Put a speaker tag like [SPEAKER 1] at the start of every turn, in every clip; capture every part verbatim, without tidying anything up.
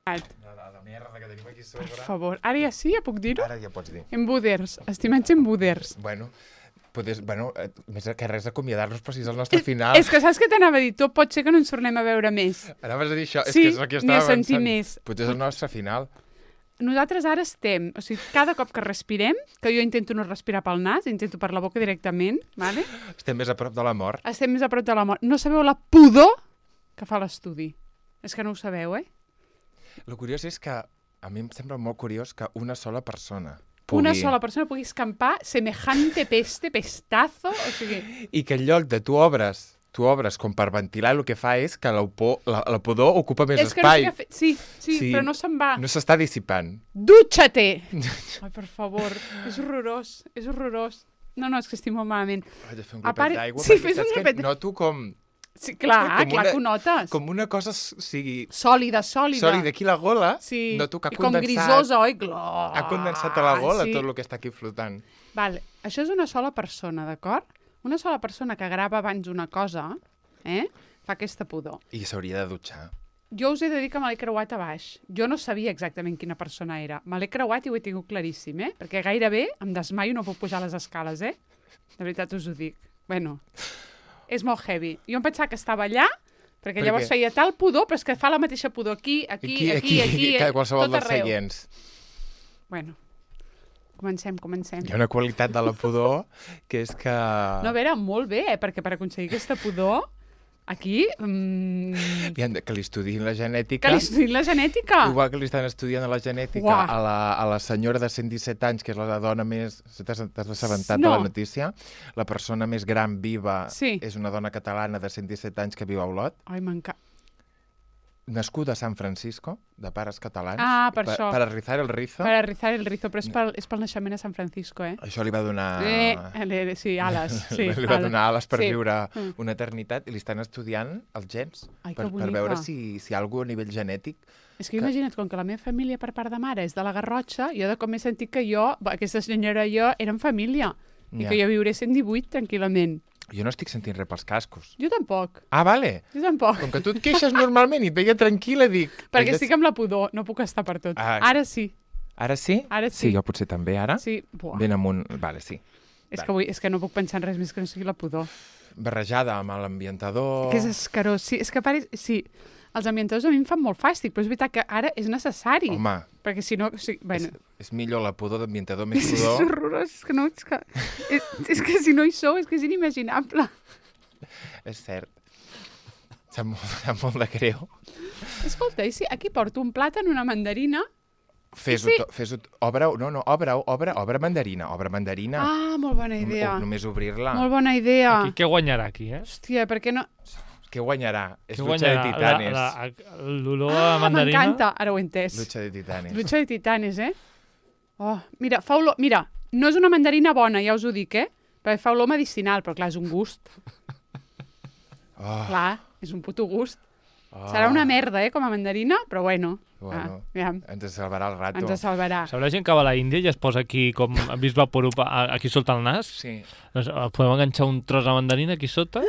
[SPEAKER 1] La, la merda que tenim aquí sobre. Per favor. Ara ja sí, ja puc dir-ho?
[SPEAKER 2] Ara ja pots dir.
[SPEAKER 1] Embuders, estimats embuders.
[SPEAKER 2] Bueno, podes, bueno, més que res acomiadar-nos, però si és el nostre final.
[SPEAKER 1] És que saps què t'anava a dir? Tot pot ser que no ens tornem a veure més.
[SPEAKER 2] Anaves a dir això?
[SPEAKER 1] Sí,
[SPEAKER 2] és que és el que
[SPEAKER 1] ni
[SPEAKER 2] estava
[SPEAKER 1] a sentir
[SPEAKER 2] avançant.
[SPEAKER 1] més.
[SPEAKER 2] Potser és el nostre final.
[SPEAKER 1] Nosaltres ara estem, o sigui, cada cop que respirem, que jo intento no respirar pel nas, intento per la boca directament, vale?
[SPEAKER 2] Estem més a prop de la mort.
[SPEAKER 1] Estem més a prop de la mort. No sabeu la pudor que fa l'estudi. És que no ho sabeu, eh?
[SPEAKER 2] El curiós és que a mi em sembla molt curiós que una sola persona pugui...
[SPEAKER 1] Una sola persona pugui escampar semejante peste, pestazo, o sigui...
[SPEAKER 2] I que en lloc de tu obres, tu obres com per ventilar, el que fa és que la, la, la pudor ocupa més
[SPEAKER 1] és que
[SPEAKER 2] espai.
[SPEAKER 1] No sé què fer... sí, sí, sí, però no se'n va.
[SPEAKER 2] No s'està dissipant.
[SPEAKER 1] Dutxa-te! Ai, per favor, és horrorós, és horrorós. No, no, és que estic molt malament.
[SPEAKER 2] Haig de fer un glopet d'aigua,
[SPEAKER 1] sí,
[SPEAKER 2] perquè saps que noto com...
[SPEAKER 1] Sí, clar,
[SPEAKER 2] com
[SPEAKER 1] clar
[SPEAKER 2] una,
[SPEAKER 1] que ho notes.
[SPEAKER 2] Com una cosa, o sigui...
[SPEAKER 1] Sòlida, sòlida.
[SPEAKER 2] Sòlida, aquí la gola,
[SPEAKER 1] sí.
[SPEAKER 2] noto que ha
[SPEAKER 1] I com
[SPEAKER 2] condensat...
[SPEAKER 1] grisosa, oi? Glò...
[SPEAKER 2] Ha condensat a la gola
[SPEAKER 1] sí.
[SPEAKER 2] tot el que està aquí flotant.
[SPEAKER 1] Vale, això és una sola persona, d'acord? Una sola persona que grava abans una cosa, eh? Fa aquesta pudor.
[SPEAKER 2] I s'hauria de dutxar.
[SPEAKER 1] Jo us he de dir que me l'he creuat a baix. Jo no sabia exactament quina persona era. Me l'he creuat i ho he tingut claríssim, eh? Perquè gairebé em desmaio i no puc pujar les escales, eh? De veritat us ho dic. Bueno... És molt heavy. Jo em pensava que estava allà, perquè per llavors feia tal pudor, però és que fa la mateixa pudor aquí, aquí, aquí, aquí, aquí, aquí
[SPEAKER 2] qualsevol
[SPEAKER 1] tot
[SPEAKER 2] dels
[SPEAKER 1] arreu.
[SPEAKER 2] seients.
[SPEAKER 1] Bueno, comencem, comencem.
[SPEAKER 2] Hi ha una qualitat de la pudor que és que...
[SPEAKER 1] No, a veure, molt bé, eh? Perquè per aconseguir aquesta pudor, aquí... Mm...
[SPEAKER 2] Que li estudiïn la genètica.
[SPEAKER 1] Que li estudiïn la genètica.
[SPEAKER 2] Igual que li estan estudiant la genètica
[SPEAKER 1] Uah.
[SPEAKER 2] a la, a la senyora de cent disset anys, que és la dona més... T'has assabentat
[SPEAKER 1] no.
[SPEAKER 2] de la notícia? La persona més gran viva
[SPEAKER 1] sí.
[SPEAKER 2] és una dona catalana de cent disset anys que viu a Olot.
[SPEAKER 1] Ai, m'encanta.
[SPEAKER 2] Nascuda a San Francisco, de pares catalans.
[SPEAKER 1] Ah, per, per això.
[SPEAKER 2] Per rizar el rizo.
[SPEAKER 1] Per rizar el rizo, però és pel, és pel naixement a San Francisco, eh?
[SPEAKER 2] Això li va donar...
[SPEAKER 1] Eh, sí, ales. Sí,
[SPEAKER 2] li va donar ales per
[SPEAKER 1] sí.
[SPEAKER 2] viure una eternitat i li estan estudiant els gens.
[SPEAKER 1] Ai,
[SPEAKER 2] per, per veure si, si hi ha alguna a nivell genètic.
[SPEAKER 1] És que, que imagina't, com que la meva família per part de mare és de la Garrotxa, jo de com he sentit que jo, aquesta senyora i jo, érem família. I ja. Que jo viuré cent divuit tranquil·lament.
[SPEAKER 2] Jo no estic sentint res pels cascos.
[SPEAKER 1] Jo tampoc.
[SPEAKER 2] Ah, vale.
[SPEAKER 1] Jo tampoc.
[SPEAKER 2] Com que tu et queixes normalment i et veia tranquil·la, dic...
[SPEAKER 1] Perquè estic amb la pudor, no puc estar per tot. Ah. Ara sí.
[SPEAKER 2] Ara sí?
[SPEAKER 1] Ara sí.
[SPEAKER 2] Sí, jo potser també, ara?
[SPEAKER 1] Sí. Buah.
[SPEAKER 2] Ben amunt... Vale, sí.
[SPEAKER 1] És,
[SPEAKER 2] vale.
[SPEAKER 1] que vull, és que no puc pensar en res més que no sigui la pudor.
[SPEAKER 2] Barrejada amb l'ambientador...
[SPEAKER 1] Que és escarós. Sí, és que pare... Sí, els ambientadors a mi em fan molt fàstic, però és veritat que ara és necessari.
[SPEAKER 2] Home...
[SPEAKER 1] Perquè si no... Sí, bueno.
[SPEAKER 2] és, és millor la pudor d'ambientador més pudor...
[SPEAKER 1] És horrorós, és que no... És que, és, és que si no hi sou, és que és inimaginable.
[SPEAKER 2] És cert. Sap molt, sap molt de greu.
[SPEAKER 1] Escolta, i si aquí porto un plàtan, una mandarina...
[SPEAKER 2] Fes-ho, sí. fes-ho, obre-ho, no, no, obre-ho, obre, obre mandarina, obre mandarina.
[SPEAKER 1] Ah, molt bona idea.
[SPEAKER 2] O, només obrir-la.
[SPEAKER 1] Molt bona idea.
[SPEAKER 3] Aquí, què guanyarà aquí, eh?
[SPEAKER 1] Hòstia, per què no...
[SPEAKER 2] Què guanyarà? És
[SPEAKER 3] què
[SPEAKER 2] Lucha
[SPEAKER 3] guanyarà?
[SPEAKER 2] de Titanes.
[SPEAKER 3] La, la, l'olor
[SPEAKER 1] ah,
[SPEAKER 3] a mandarina.
[SPEAKER 1] M'encanta, ara ho he entès.
[SPEAKER 2] Lucha de Titanes.
[SPEAKER 1] Lucha de Titanes, eh? Oh, mira, fa olor... Mira, no és una mandarina bona, ja us ho dic, eh? Perquè fa olor medicinal, però clar, és un gust.
[SPEAKER 2] Oh.
[SPEAKER 1] Clar, és un puto gust.
[SPEAKER 2] Oh.
[SPEAKER 1] Serà una merda, eh, com a mandarina, però bueno.
[SPEAKER 2] Bueno,
[SPEAKER 1] ah, ja.
[SPEAKER 2] ens salvarà el rato.
[SPEAKER 1] Ens salvarà.
[SPEAKER 3] Sabrà gent que va a la Índia i es posa aquí, com ha vist Vaporub, aquí sota el nas?
[SPEAKER 2] Sí.
[SPEAKER 3] Doncs podem enganxar un tros de mandarina aquí sota,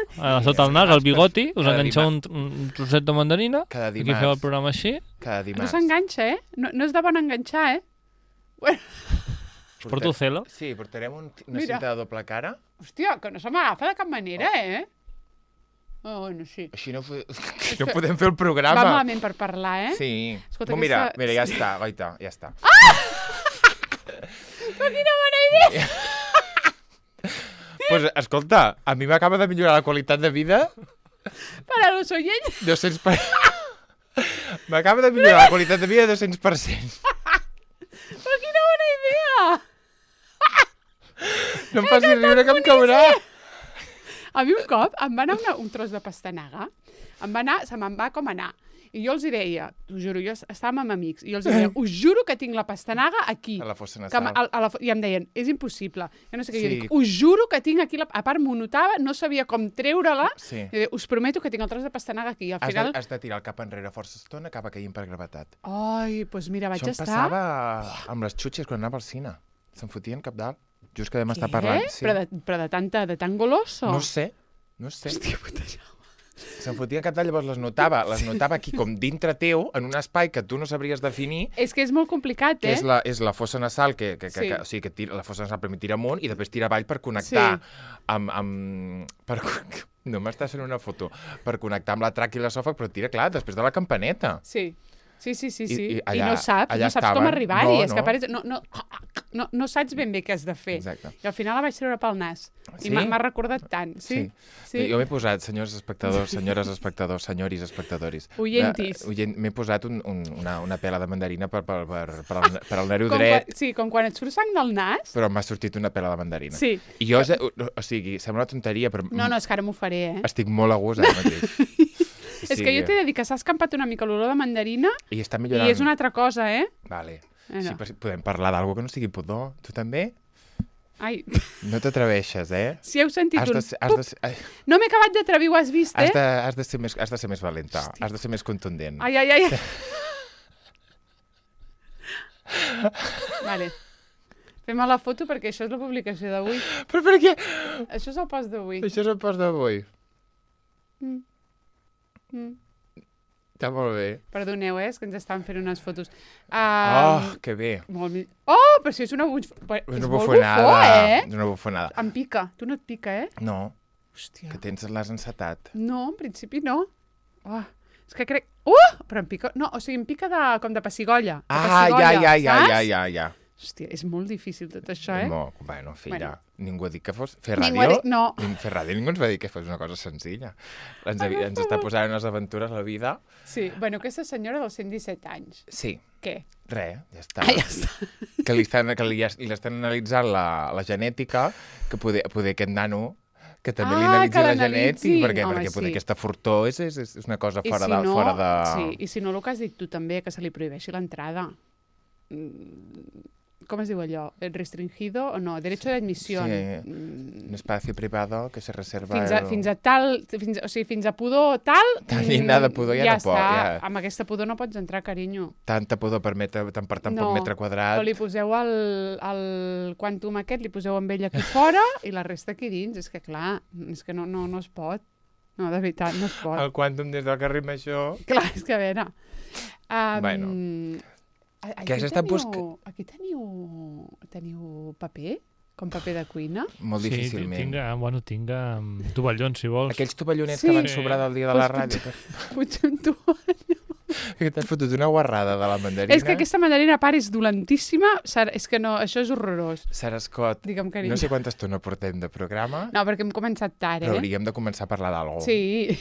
[SPEAKER 3] sota el nas, al bigoti, us enganxeu un, un trosset de mandarina, aquí feu el programa així.
[SPEAKER 2] Cada dimarts.
[SPEAKER 1] No s'enganxa, eh? No, no és de bon enganxar, eh? Bueno.
[SPEAKER 3] Us porto celo?
[SPEAKER 2] Sí, portarem un, una Mira. cinta de doble cara.
[SPEAKER 1] Hòstia, que no se m'agafa de cap manera, oh. eh? Oh, bueno, sí.
[SPEAKER 2] Així no, no podem fer el programa.
[SPEAKER 1] Va malament per parlar, eh?
[SPEAKER 2] Sí.
[SPEAKER 1] Escolta,
[SPEAKER 2] oh, mira,
[SPEAKER 1] aquesta...
[SPEAKER 2] mira, ja està, goita, ja està.
[SPEAKER 1] Ah! Però quina bona idea!
[SPEAKER 2] Pues, escolta, a mi m'acaba de millorar la qualitat de vida.
[SPEAKER 1] Per a los oyents.
[SPEAKER 2] dos-cents per cent. M'acaba de millorar la qualitat de vida dos-cents per cent.
[SPEAKER 1] Però quina bona idea!
[SPEAKER 2] No em facis riure que em caurà.
[SPEAKER 1] A mi un cop em va anar una, un tros de pastanaga, em va anar, se me'n va com anar. I jo els hi deia, t'ho juro, jo estàvem amb amics, i jo els hi deia, us juro que tinc la pastanaga aquí.
[SPEAKER 2] A la fossa
[SPEAKER 1] Que,
[SPEAKER 2] nasal.
[SPEAKER 1] a, a la, I em deien, és impossible. Jo no sé què,
[SPEAKER 2] Sí.
[SPEAKER 1] jo dic, us juro que tinc aquí, la, a part m'ho notava, no sabia com treure-la,
[SPEAKER 2] Sí.
[SPEAKER 1] i deia, us prometo que tinc el tros de pastanaga aquí. I al
[SPEAKER 2] Has,
[SPEAKER 1] final...
[SPEAKER 2] de, has de tirar el cap enrere força estona, acaba caient per gravetat.
[SPEAKER 1] Ai, doncs mira, vaig
[SPEAKER 2] Això em
[SPEAKER 1] estar...
[SPEAKER 2] passava amb les xutxes quan anava al cine. Se'n fotien cap dalt. Just que vam estar
[SPEAKER 1] Què?
[SPEAKER 2] parlant. Sí.
[SPEAKER 1] Però, de, però de, tanta, de tan goloso?
[SPEAKER 2] No sé, no sé.
[SPEAKER 1] Hòstia, puta Jaume.
[SPEAKER 2] se'n fotia cap d'all, llavors les notava, les notava aquí com dintre teu, en un espai que tu no sabries definir.
[SPEAKER 1] És que és molt complicat, eh?
[SPEAKER 2] Que és la, és la fossa nasal, que, que, que,
[SPEAKER 1] Sí.
[SPEAKER 2] que, o sigui, que tira, la fossa nasal primer tira amunt i després tira avall per connectar
[SPEAKER 1] Sí.
[SPEAKER 2] amb... amb per, no m'estàs fent una foto. Per connectar amb la tràquea i l'esòfag, però tira, clar, després de la campaneta.
[SPEAKER 1] Sí. Sí, sí, sí, sí.
[SPEAKER 2] I- i
[SPEAKER 1] I,
[SPEAKER 2] allà-
[SPEAKER 1] no saps,
[SPEAKER 2] allà
[SPEAKER 1] no saps
[SPEAKER 2] estaven.
[SPEAKER 1] com arribar-hi.
[SPEAKER 2] No,
[SPEAKER 1] és que
[SPEAKER 2] no.
[SPEAKER 1] apareix... no, no, no, no saps ben bé què has de fer.
[SPEAKER 2] Exacte.
[SPEAKER 1] I al final la vaig treure pel nas.
[SPEAKER 2] Sí?
[SPEAKER 1] I m'ha m'ha recordat tant. Sí?
[SPEAKER 2] Sí. Jo m'he posat, senyors espectadors, senyores espectadors, senyoris espectadoris.
[SPEAKER 1] Oyentis.
[SPEAKER 2] Eh, oient, m'he posat un, un, una, una pela de mandarina per, per, per, per, al, per al nervi
[SPEAKER 1] Com
[SPEAKER 2] dret,
[SPEAKER 1] quan, sí, com quan et surt sang del nas.
[SPEAKER 2] però m'ha sortit una pela de mandarina.
[SPEAKER 1] Sí.
[SPEAKER 2] I jo, ja- o, o sigui, sembla una tonteria, però
[SPEAKER 1] No, no, és que ara m'ho faré, eh?
[SPEAKER 2] estic molt a gust ara mateix.
[SPEAKER 1] És que jo t'he de dir que s'ha escampat una mica l'olor de mandarina
[SPEAKER 2] I està
[SPEAKER 1] i
[SPEAKER 2] millorant.
[SPEAKER 1] és una altra cosa, eh?
[SPEAKER 2] Vale.
[SPEAKER 1] Eh,
[SPEAKER 2] Sí,
[SPEAKER 1] no.
[SPEAKER 2] però si podem parlar d'algú que no sigui pudor. Tu també?
[SPEAKER 1] Ai,
[SPEAKER 2] No t'atreveixes, eh?
[SPEAKER 1] si heu sentit
[SPEAKER 2] Has
[SPEAKER 1] un...
[SPEAKER 2] de, ser- has de, ser- ai,
[SPEAKER 1] No m'he acabat d'atrevir, ho has vist, eh?
[SPEAKER 2] has de, has de, ser, més, has de ser més valenta, has de ser més contundent.
[SPEAKER 1] Ai, ai, ai. Vale. Fem la foto perquè això és la publicació d'avui.
[SPEAKER 2] Però per què?
[SPEAKER 1] Això és el post d'avui.
[SPEAKER 2] Això és el post d'avui.
[SPEAKER 1] Mm. Mm.
[SPEAKER 2] Està molt bé.
[SPEAKER 1] Perdoneu, eh? És que ens estan fent unes fotos. Um,
[SPEAKER 2] Oh, que bé.
[SPEAKER 1] molt mi... Oh, però si és una, buf... és
[SPEAKER 2] És una
[SPEAKER 1] molt
[SPEAKER 2] bufonada.
[SPEAKER 1] bufó, eh?
[SPEAKER 2] És una bufonada.
[SPEAKER 1] Em pica. Tu no et pica, eh?
[SPEAKER 2] No,
[SPEAKER 1] Hòstia.
[SPEAKER 2] que tens l'has encetat.
[SPEAKER 1] No, en principi no. Oh, és que crec... Uh! Però em pica... No, o sigui, em pica de... com de pessigolles. De
[SPEAKER 2] Ah,
[SPEAKER 1] pessigolles,
[SPEAKER 2] ja, ja, ja,
[SPEAKER 1] saps?
[SPEAKER 2] ja, ja, ja.
[SPEAKER 1] Hòstia, és molt difícil tot això, eh?
[SPEAKER 2] No, bueno, filla,
[SPEAKER 1] Bueno.
[SPEAKER 2] ningú ha dit que fos... Fer
[SPEAKER 1] Ningú ha
[SPEAKER 2] ràdio,
[SPEAKER 1] dit- no.
[SPEAKER 2] nin- fer ràdio ningú ens va dir que fos una cosa senzilla. Ens, havia, ens està posant unes aventures a la vida.
[SPEAKER 1] Sí, bueno, aquesta senyora dels cent disset anys.
[SPEAKER 2] Sí,
[SPEAKER 1] Què?
[SPEAKER 2] res, ja està.
[SPEAKER 1] Ah, ja està.
[SPEAKER 2] Que li estan, que li, li estan analitzant la, la genètica, que poder, poder aquest nano que també li
[SPEAKER 1] Ah,
[SPEAKER 2] analitzi
[SPEAKER 1] que
[SPEAKER 2] la
[SPEAKER 1] l'analitzi.
[SPEAKER 2] genètica, perquè,
[SPEAKER 1] Home,
[SPEAKER 2] perquè poder
[SPEAKER 1] sí.
[SPEAKER 2] aquesta fortor és, és, és una cosa
[SPEAKER 1] I
[SPEAKER 2] fora,
[SPEAKER 1] si
[SPEAKER 2] de,
[SPEAKER 1] no,
[SPEAKER 2] fora de...
[SPEAKER 1] Sí, i si no, el que has dit tu també, que se li prohibeixi l'entrada. Mm, com es diu allò? Restringido o no? Derecho de admisión.
[SPEAKER 2] Sí,
[SPEAKER 1] Mm,
[SPEAKER 2] un espacio privado que se reserva...
[SPEAKER 1] fins a,
[SPEAKER 2] el-
[SPEAKER 1] fins a tal... Fins, a- o sigui, fins a pudor tal...
[SPEAKER 2] Tal
[SPEAKER 1] mm,
[SPEAKER 2] llindar de pudor ja
[SPEAKER 1] ja
[SPEAKER 2] no pot,
[SPEAKER 1] està.
[SPEAKER 2] ja.
[SPEAKER 1] Amb aquesta pudor no pots entrar, carinyo.
[SPEAKER 2] Tanta pudor per metre, tant per tant
[SPEAKER 1] No,
[SPEAKER 2] poc metre quadrat.
[SPEAKER 1] O li poseu el, el quantum aquest, li poseu amb ell aquí fora i la resta aquí dins. És que, clar, és que no, no, no es pot. No, de veritat, no es pot.
[SPEAKER 2] El quàntum des del carrer Major...
[SPEAKER 1] Clar, és que a veure... Um,
[SPEAKER 2] Bueno.
[SPEAKER 1] a- Aquí
[SPEAKER 2] Què has estat
[SPEAKER 1] teniu,
[SPEAKER 2] busca-
[SPEAKER 1] aquí teniu, teniu paper? Com paper de cuina?
[SPEAKER 2] Molt
[SPEAKER 3] Sí,
[SPEAKER 2] difícilment.
[SPEAKER 3] tinc, eh, bueno, tinc um, tovallons, si vols.
[SPEAKER 2] Aquells tovallonets
[SPEAKER 1] Sí.
[SPEAKER 2] que van sobrar del dia de la
[SPEAKER 1] Pues
[SPEAKER 2] ràdio.
[SPEAKER 1] Potser un tu...
[SPEAKER 2] Que t'has fotut una guarrada de la mandarina.
[SPEAKER 1] És que aquesta mandarina, a part, és dolentíssima. Sar- És que no, això és horrorós.
[SPEAKER 2] Sara Scott,
[SPEAKER 1] Digue'm, carinyo.
[SPEAKER 2] no sé quanta estona portem de programa,
[SPEAKER 1] No, perquè hem començat tard,
[SPEAKER 2] però
[SPEAKER 1] eh?
[SPEAKER 2] hauríem de començar a parlar d'algú.
[SPEAKER 1] Sí,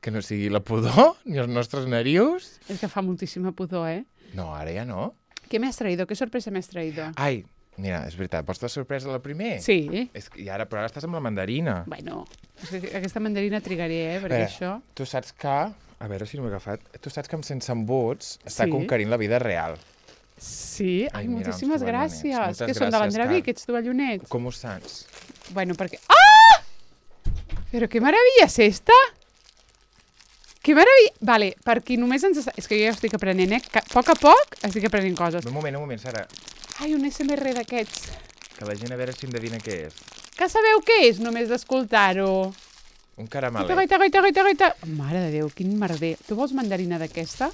[SPEAKER 2] Que no sigui la pudor, ni els nostres narius.
[SPEAKER 1] és que fa moltíssima pudor, eh?
[SPEAKER 2] No, ara ja no.
[SPEAKER 1] Què m'has traïdo? Què sorpresa m'has traïdo?
[SPEAKER 2] Ai, mira, és veritat, vols de sorpresa la primer?
[SPEAKER 1] Sí.
[SPEAKER 2] És que, I ara, però ara estàs amb la mandarina.
[SPEAKER 1] Bueno, és que aquesta mandarina trigaré, eh? Perquè
[SPEAKER 2] Espera.
[SPEAKER 1] això...
[SPEAKER 2] Tu saps que... A veure si no m'he agafat. Tu saps que amb Sense Embuts està
[SPEAKER 1] Sí.
[SPEAKER 2] conquerint la vida real.
[SPEAKER 1] Sí, ai,
[SPEAKER 2] Ai, mira,
[SPEAKER 1] moltíssimes
[SPEAKER 2] uns tovallonets.
[SPEAKER 1] gràcies.
[SPEAKER 2] Moltes
[SPEAKER 1] Que són de
[SPEAKER 2] gràcies,
[SPEAKER 1] l'Andrevi,
[SPEAKER 2] Car.
[SPEAKER 1] aquests tovallonets?
[SPEAKER 2] Com ho saps?
[SPEAKER 1] Bueno, perquè... Ah! Però qué maravilla és esta! Que meravella! Vale, per qui només ens... És que jo ja estic aprenent, eh? Que a poc a poc estic aprenent coses.
[SPEAKER 2] Un moment, un moment, Sara.
[SPEAKER 1] Ai, un S M R d'aquests.
[SPEAKER 2] Que la gent a veure si endevina què és.
[SPEAKER 1] Que sabeu què és, només d'escoltar-ho?
[SPEAKER 2] Un
[SPEAKER 1] Goita,
[SPEAKER 2] caramelet.
[SPEAKER 1] goita, goita, goita, goita. Mare de Déu, quin merder. Tu vols mandarina d'aquesta?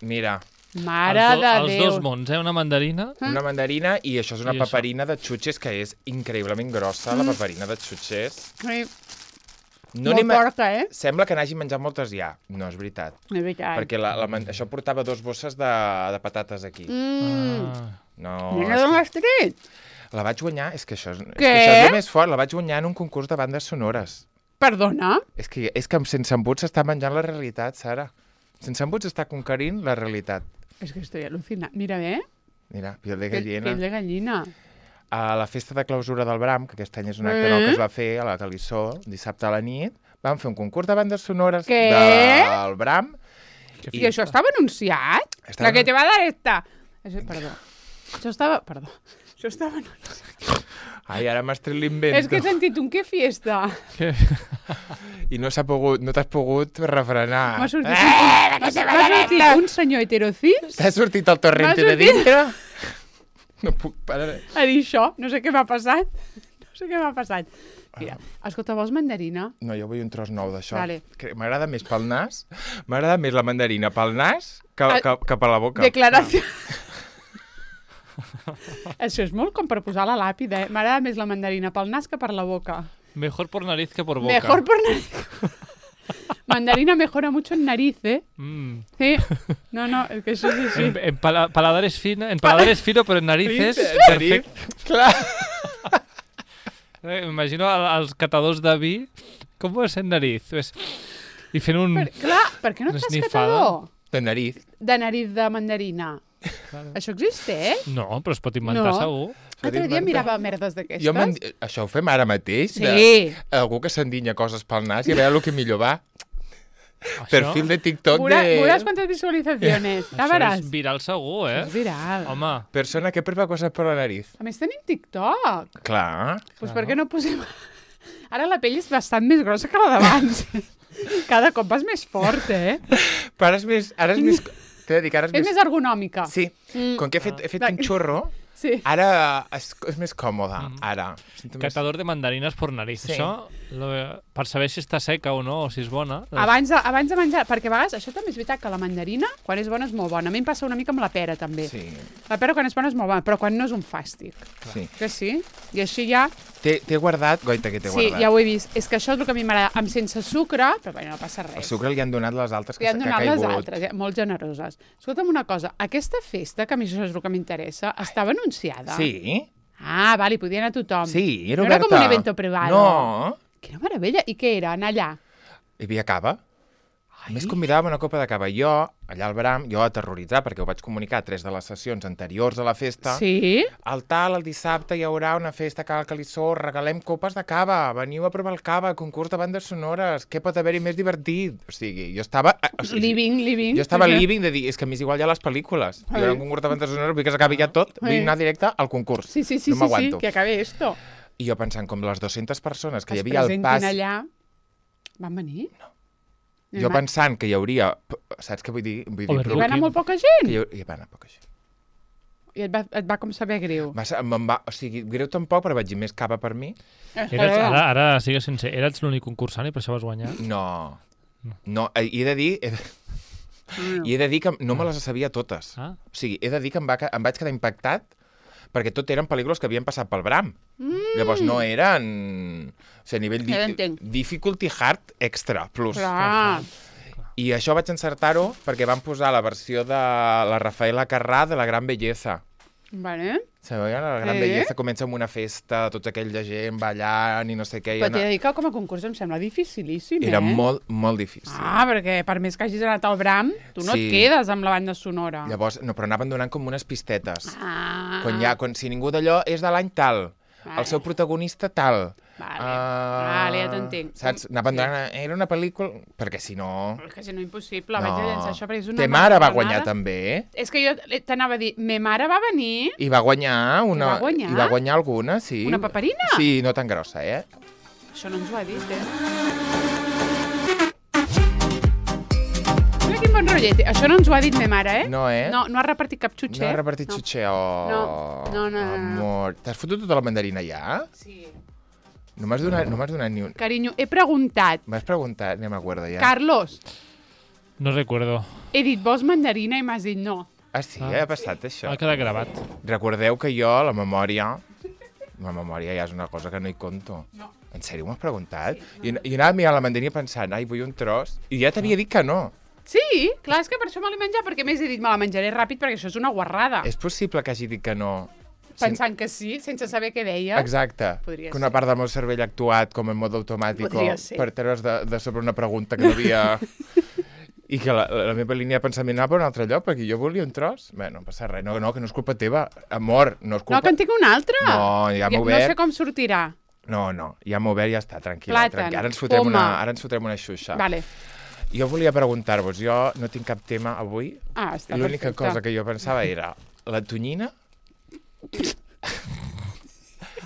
[SPEAKER 2] Mira,
[SPEAKER 1] Mare
[SPEAKER 3] els, do,
[SPEAKER 1] de
[SPEAKER 3] els
[SPEAKER 1] Déu.
[SPEAKER 3] dos mons, eh? Una mandarina.
[SPEAKER 2] una mandarina i això és una
[SPEAKER 3] I això.
[SPEAKER 2] paperina de xutxes que és increïblement grossa, la paperina de xutxes.
[SPEAKER 1] Ai,
[SPEAKER 2] No
[SPEAKER 1] molt
[SPEAKER 2] n'he ma-
[SPEAKER 1] porca, eh?
[SPEAKER 2] Sembla que n'hagi menjat moltes ja. No, és veritat.
[SPEAKER 1] De veritat.
[SPEAKER 2] Perquè la, la, man- això portava dos bosses de, de patates aquí.
[SPEAKER 1] Mm.
[SPEAKER 3] Ah.
[SPEAKER 2] No,
[SPEAKER 1] Mira
[SPEAKER 2] és
[SPEAKER 1] d'on
[SPEAKER 2] que
[SPEAKER 1] has tret?
[SPEAKER 2] la vaig guanyar, és que això és, és,
[SPEAKER 1] Què?
[SPEAKER 2] que això és el més fort, la vaig guanyar en un concurs de bandes sonores.
[SPEAKER 1] Perdona?
[SPEAKER 2] És que, és que amb Sense Embuts s'està menjant la realitat, Sara. Sense Embuts està conquerint la realitat.
[SPEAKER 1] És que estoy alucinant. Mira bé.
[SPEAKER 2] Mira, piel de
[SPEAKER 1] Pell,
[SPEAKER 2] gallina.
[SPEAKER 1] pell de gallina.
[SPEAKER 2] A la festa de clausura del Bram, que aquest any és un acte
[SPEAKER 1] Eh?
[SPEAKER 2] nou que es va fer a la Calissó, dissabte a la nit, vam fer un concurs de bandes sonores
[SPEAKER 1] Què?
[SPEAKER 2] del Bram.
[SPEAKER 3] Que
[SPEAKER 1] I això estava anunciat?
[SPEAKER 2] Estava
[SPEAKER 1] La que
[SPEAKER 2] anun-
[SPEAKER 1] te va dar esta. Això, perdó. Això estava... Perdó. Això estava anunciat.
[SPEAKER 2] Ai, ara m'has tret l'invento.
[SPEAKER 1] És que he sentit un que fiesta.
[SPEAKER 3] Que...
[SPEAKER 2] I no s'ha pogut, no t'has pogut refrenar.
[SPEAKER 1] M'ha sortit,
[SPEAKER 2] Eh,
[SPEAKER 1] un, m'ha sortit un senyor heterocis
[SPEAKER 2] T'ha sortit el torrente
[SPEAKER 1] M'ha
[SPEAKER 2] de
[SPEAKER 1] sortit-
[SPEAKER 2] dintre? No puc parar.
[SPEAKER 1] a dir això. No sé què m'ha passat. No sé què m'ha passat. Mira, escolta, vols mandarina?
[SPEAKER 2] No, jo vull un tros nou d'això.
[SPEAKER 1] Vale.
[SPEAKER 2] M'agrada més pel nas, m'agrada més la mandarina pel nas que,
[SPEAKER 1] Ah,
[SPEAKER 2] que, que per la boca.
[SPEAKER 1] Declaració. Això és molt com per posar a la làpida, eh? M'agrada més la mandarina pel nas que per la boca.
[SPEAKER 3] Mejor por nariz que por boca.
[SPEAKER 1] Mejor por nariz. Mandarina mejora mucho en nariz, ¿eh?
[SPEAKER 3] Mm.
[SPEAKER 1] Sí. No, no, es que això és així.
[SPEAKER 3] En, en pala, paladar es fino, en paladar es fino, però en narices...
[SPEAKER 2] Nariz, clar.
[SPEAKER 3] Eh, M'imagino el- els catadors de vi, com és en nariz? És... I fent un...
[SPEAKER 1] Per, clar, per què no
[SPEAKER 3] Una
[SPEAKER 1] estàs
[SPEAKER 3] esnifada.
[SPEAKER 1] catador
[SPEAKER 2] De nariz.
[SPEAKER 1] de nariz de mandarina?
[SPEAKER 3] Claro.
[SPEAKER 1] Això existeix?
[SPEAKER 3] No, però es pot inventar
[SPEAKER 1] No.
[SPEAKER 3] segur.
[SPEAKER 1] L'altre dia
[SPEAKER 2] inventar.
[SPEAKER 1] mirava merdes
[SPEAKER 2] Jo
[SPEAKER 1] d'aquestes.
[SPEAKER 2] m'en- Això ho fem ara mateix?
[SPEAKER 1] Sí.
[SPEAKER 2] De... Algú que s'endinya coses pel nas i a veure el que millor va.
[SPEAKER 3] Això,
[SPEAKER 2] Perfil de TikTok
[SPEAKER 1] Veuràs,
[SPEAKER 2] de...
[SPEAKER 1] veuràs quantes visualitzacions. Ja
[SPEAKER 3] això
[SPEAKER 1] veràs.
[SPEAKER 3] és viral segur, eh?
[SPEAKER 1] És viral.
[SPEAKER 3] Home,
[SPEAKER 2] Persona que prueba coses per la nariz.
[SPEAKER 1] A més tenim TikTok.
[SPEAKER 2] Clar.
[SPEAKER 1] Doncs per què no posem... Ara la pell és bastant més grossa que la d'abans. Cada cop vas més fort, eh?
[SPEAKER 2] Però ara és més... Ara és més... T'he de dir que ara és,
[SPEAKER 1] És més ergonòmica.
[SPEAKER 2] Sí.
[SPEAKER 1] Mm.
[SPEAKER 2] Com que he fet, he fet
[SPEAKER 1] Ah.
[SPEAKER 2] un xorro,
[SPEAKER 1] Sí.
[SPEAKER 2] ara és, és més còmode. Ara. Sento més-
[SPEAKER 3] catador de mandarines por nariz.
[SPEAKER 2] Sí.
[SPEAKER 3] Això, lo, per saber si està seca o no, o si és bona... doncs-
[SPEAKER 1] Abans de, abans de menjar, perquè a vegades això també és veritat que la mandarina, quan és bona, és molt bona. A mi em passa una mica amb la pera, també.
[SPEAKER 2] Sí,
[SPEAKER 1] La pera, quan és bona, és molt bona, però quan no és un fàstic.
[SPEAKER 2] sí.
[SPEAKER 1] Que sí? I així ja...
[SPEAKER 2] T'he t'he guardat... Goita, que t'he
[SPEAKER 1] Sí,
[SPEAKER 2] guardat.
[SPEAKER 1] ja ho he vist. És que això és el que a mi m'agrada. Amb sense sucre, però bueno, no passa
[SPEAKER 2] El
[SPEAKER 1] res.
[SPEAKER 2] sucre li han donat les altres que,
[SPEAKER 1] Li han
[SPEAKER 2] que ha
[SPEAKER 1] donat les
[SPEAKER 2] caigut.
[SPEAKER 1] altres, eh? Molt generoses. Escolta'm una cosa, aquesta festa, que a mi això és el que m'interessa, estava anunciada?
[SPEAKER 2] Sí,
[SPEAKER 1] Ah, vale, podia anar tothom.
[SPEAKER 2] sí, era
[SPEAKER 1] No era
[SPEAKER 2] oberta.
[SPEAKER 1] com un evento privado.
[SPEAKER 2] No,
[SPEAKER 1] Quina meravella. I què era, anar allà?
[SPEAKER 2] hi havia cava. A més, convidàvem una copa de cava. Jo, allà al Bram, jo aterroritzat, perquè ho vaig comunicar a tres de les sessions anteriors a la festa.
[SPEAKER 1] Sí?
[SPEAKER 2] Al tal, el dissabte hi haurà una festa a Cal Calissó, regalem copes de cava, veniu a provar el cava, concurs de bandes sonores, què pot haver-hi més divertit? O sigui, jo estava... O sigui,
[SPEAKER 1] Living, living.
[SPEAKER 2] Jo estava
[SPEAKER 1] Sí, sí.
[SPEAKER 2] living de dir, és que a mi és igual ja les pel·lícules. Jo
[SPEAKER 1] Ai.
[SPEAKER 2] era un concurs de bandes sonores, vull que s'acabi ja tot, vull
[SPEAKER 1] Ai.
[SPEAKER 2] anar directe al concurs.
[SPEAKER 1] Sí, sí, sí,
[SPEAKER 2] no
[SPEAKER 1] sí, sí,
[SPEAKER 2] m'aguanto.
[SPEAKER 1] que acabe esto.
[SPEAKER 2] I jo pensant, com les dues-centes persones que hi
[SPEAKER 1] Es
[SPEAKER 2] havia al
[SPEAKER 1] presentin
[SPEAKER 2] pas...
[SPEAKER 1] allà. Van venir? No.
[SPEAKER 2] Jo pensant que hi hauria... Saps què vull dir? Vull dir
[SPEAKER 3] Overlooking.
[SPEAKER 1] Hi va anar molt poca gent?
[SPEAKER 2] que hi, hau- hi va anar poca gent.
[SPEAKER 1] I et va, et va com saber greu.
[SPEAKER 2] Va, ser- me'n va, o sigui, greu tampoc, però vaig dir més cava per mi.
[SPEAKER 3] Eres, ara, ara sigues sincer, eres l'únic concursant i per això vas guanyar?
[SPEAKER 2] No. No, eh, i he de dir... He de, i he de dir que no me les sabia totes.
[SPEAKER 3] Ah.
[SPEAKER 2] O sigui, he de dir que em, va, ca- em vaig quedar impactat perquè tot eren pel·lícules que havien passat pel Bram. Mm. Llavors no eren... O sigui, a nivell
[SPEAKER 1] Ja
[SPEAKER 2] di
[SPEAKER 1] l'entenc.
[SPEAKER 2] difficulty hard extra plus.
[SPEAKER 1] Clar.
[SPEAKER 2] I això vaig encertar-ho perquè van posar la versió de la Rafaela Carrà de La Gran Belleza.
[SPEAKER 1] Vale.
[SPEAKER 2] Sabeu? La Gran
[SPEAKER 1] Eh?
[SPEAKER 2] Belleza comença amb una festa, tots aquells de gent ballant i no sé què. i
[SPEAKER 1] Però t'he
[SPEAKER 2] anar-
[SPEAKER 1] de dir que com a concurs em sembla dificilíssim,
[SPEAKER 2] Era
[SPEAKER 1] eh?
[SPEAKER 2] molt, molt difícil.
[SPEAKER 1] Ah, perquè per més que hagis anat al Bram, tu no
[SPEAKER 2] Sí.
[SPEAKER 1] et quedes amb la banda sonora.
[SPEAKER 2] Llavors, no, però anaven donant com unes pistetes.
[SPEAKER 1] Ah.
[SPEAKER 2] Quan, ja, quan si ningú d'allò és de l'any tal,
[SPEAKER 1] Vale.
[SPEAKER 2] el seu protagonista tal.
[SPEAKER 1] Vale,
[SPEAKER 2] Ah,
[SPEAKER 1] vale, ja t'entenc.
[SPEAKER 2] Saps? Anaven donant... Era una pel·lícula... Perquè si no...
[SPEAKER 1] Però és que si no, impossible. Vaig a llançar això perquè és una...
[SPEAKER 2] Te mare va
[SPEAKER 1] marranada.
[SPEAKER 2] guanyar també, eh?
[SPEAKER 1] És que jo t'anava a dir, me mare va venir...
[SPEAKER 2] I va guanyar una...
[SPEAKER 1] I va guanyar?
[SPEAKER 2] I va guanyar alguna, sí.
[SPEAKER 1] Una paperina?
[SPEAKER 2] Sí, no tan grossa, eh?
[SPEAKER 1] Això no ens ho ha dit, eh? Mira quin bon rotllet. Això no ens ho ha dit me mare, eh?
[SPEAKER 2] No, eh?
[SPEAKER 1] No, no ha repartit cap xutxer.
[SPEAKER 2] No ha repartit
[SPEAKER 1] no.
[SPEAKER 2] xutxer, oh.
[SPEAKER 1] No, no, no, no, no.
[SPEAKER 2] Amor, t'has fotut tota la mandarina ja?
[SPEAKER 1] Sí.
[SPEAKER 2] No m'has donat, no m'has donat ni un...
[SPEAKER 1] Carinyo, he preguntat.
[SPEAKER 2] M'has preguntat, no m'acuerdo ja.
[SPEAKER 1] Carlos,
[SPEAKER 3] No recuerdo.
[SPEAKER 1] he dit, vols mandarina? I m'has dit no.
[SPEAKER 2] Ah, sí,
[SPEAKER 3] Ah.
[SPEAKER 2] ha passat això.
[SPEAKER 3] Ha quedat gravat.
[SPEAKER 2] Recordeu que jo, la memòria... La memòria ja és una cosa que no hi conto.
[SPEAKER 1] No.
[SPEAKER 2] En sèrio, m'has preguntat? I, I anava mirant la mandarina pensant, ai, vull un tros. I ja t'havia dit que no.
[SPEAKER 1] Sí, clar, és que per això me l'he menjat, perquè més he dit, me la menjaré ràpid perquè això és una guarrada.
[SPEAKER 2] És possible que hagi dit que no.
[SPEAKER 1] Pensant que sí, sense saber què deia.
[SPEAKER 2] Exacte.
[SPEAKER 1] Podria
[SPEAKER 2] que una
[SPEAKER 1] ser.
[SPEAKER 2] part del meu cervell ha actuat com en mode automàtic
[SPEAKER 1] Podria ser.
[SPEAKER 2] per treure's de, de sobre una pregunta que no havia... I que la, la meva línia de pensament anava per un altre lloc, perquè jo volia un tros. Bé, no passa res. No, no, que no és culpa teva. Amor, no és culpa...
[SPEAKER 1] No, que en tinc un altre.
[SPEAKER 2] No, ja m'ho
[SPEAKER 1] No
[SPEAKER 2] obert.
[SPEAKER 1] sé com sortirà.
[SPEAKER 2] No, no, ja m'ho obert i ja està, tranquil·la.
[SPEAKER 1] Plàtan,
[SPEAKER 2] Tranquil. Ara ens fotrem
[SPEAKER 1] poma.
[SPEAKER 2] una, ara ens fotrem una xuxa.
[SPEAKER 1] Vale.
[SPEAKER 2] Jo volia preguntar-vos, jo no tinc cap tema avui.
[SPEAKER 1] Ah, està
[SPEAKER 2] I l'única
[SPEAKER 1] perfecte.
[SPEAKER 2] cosa que jo pensava era la tonyina.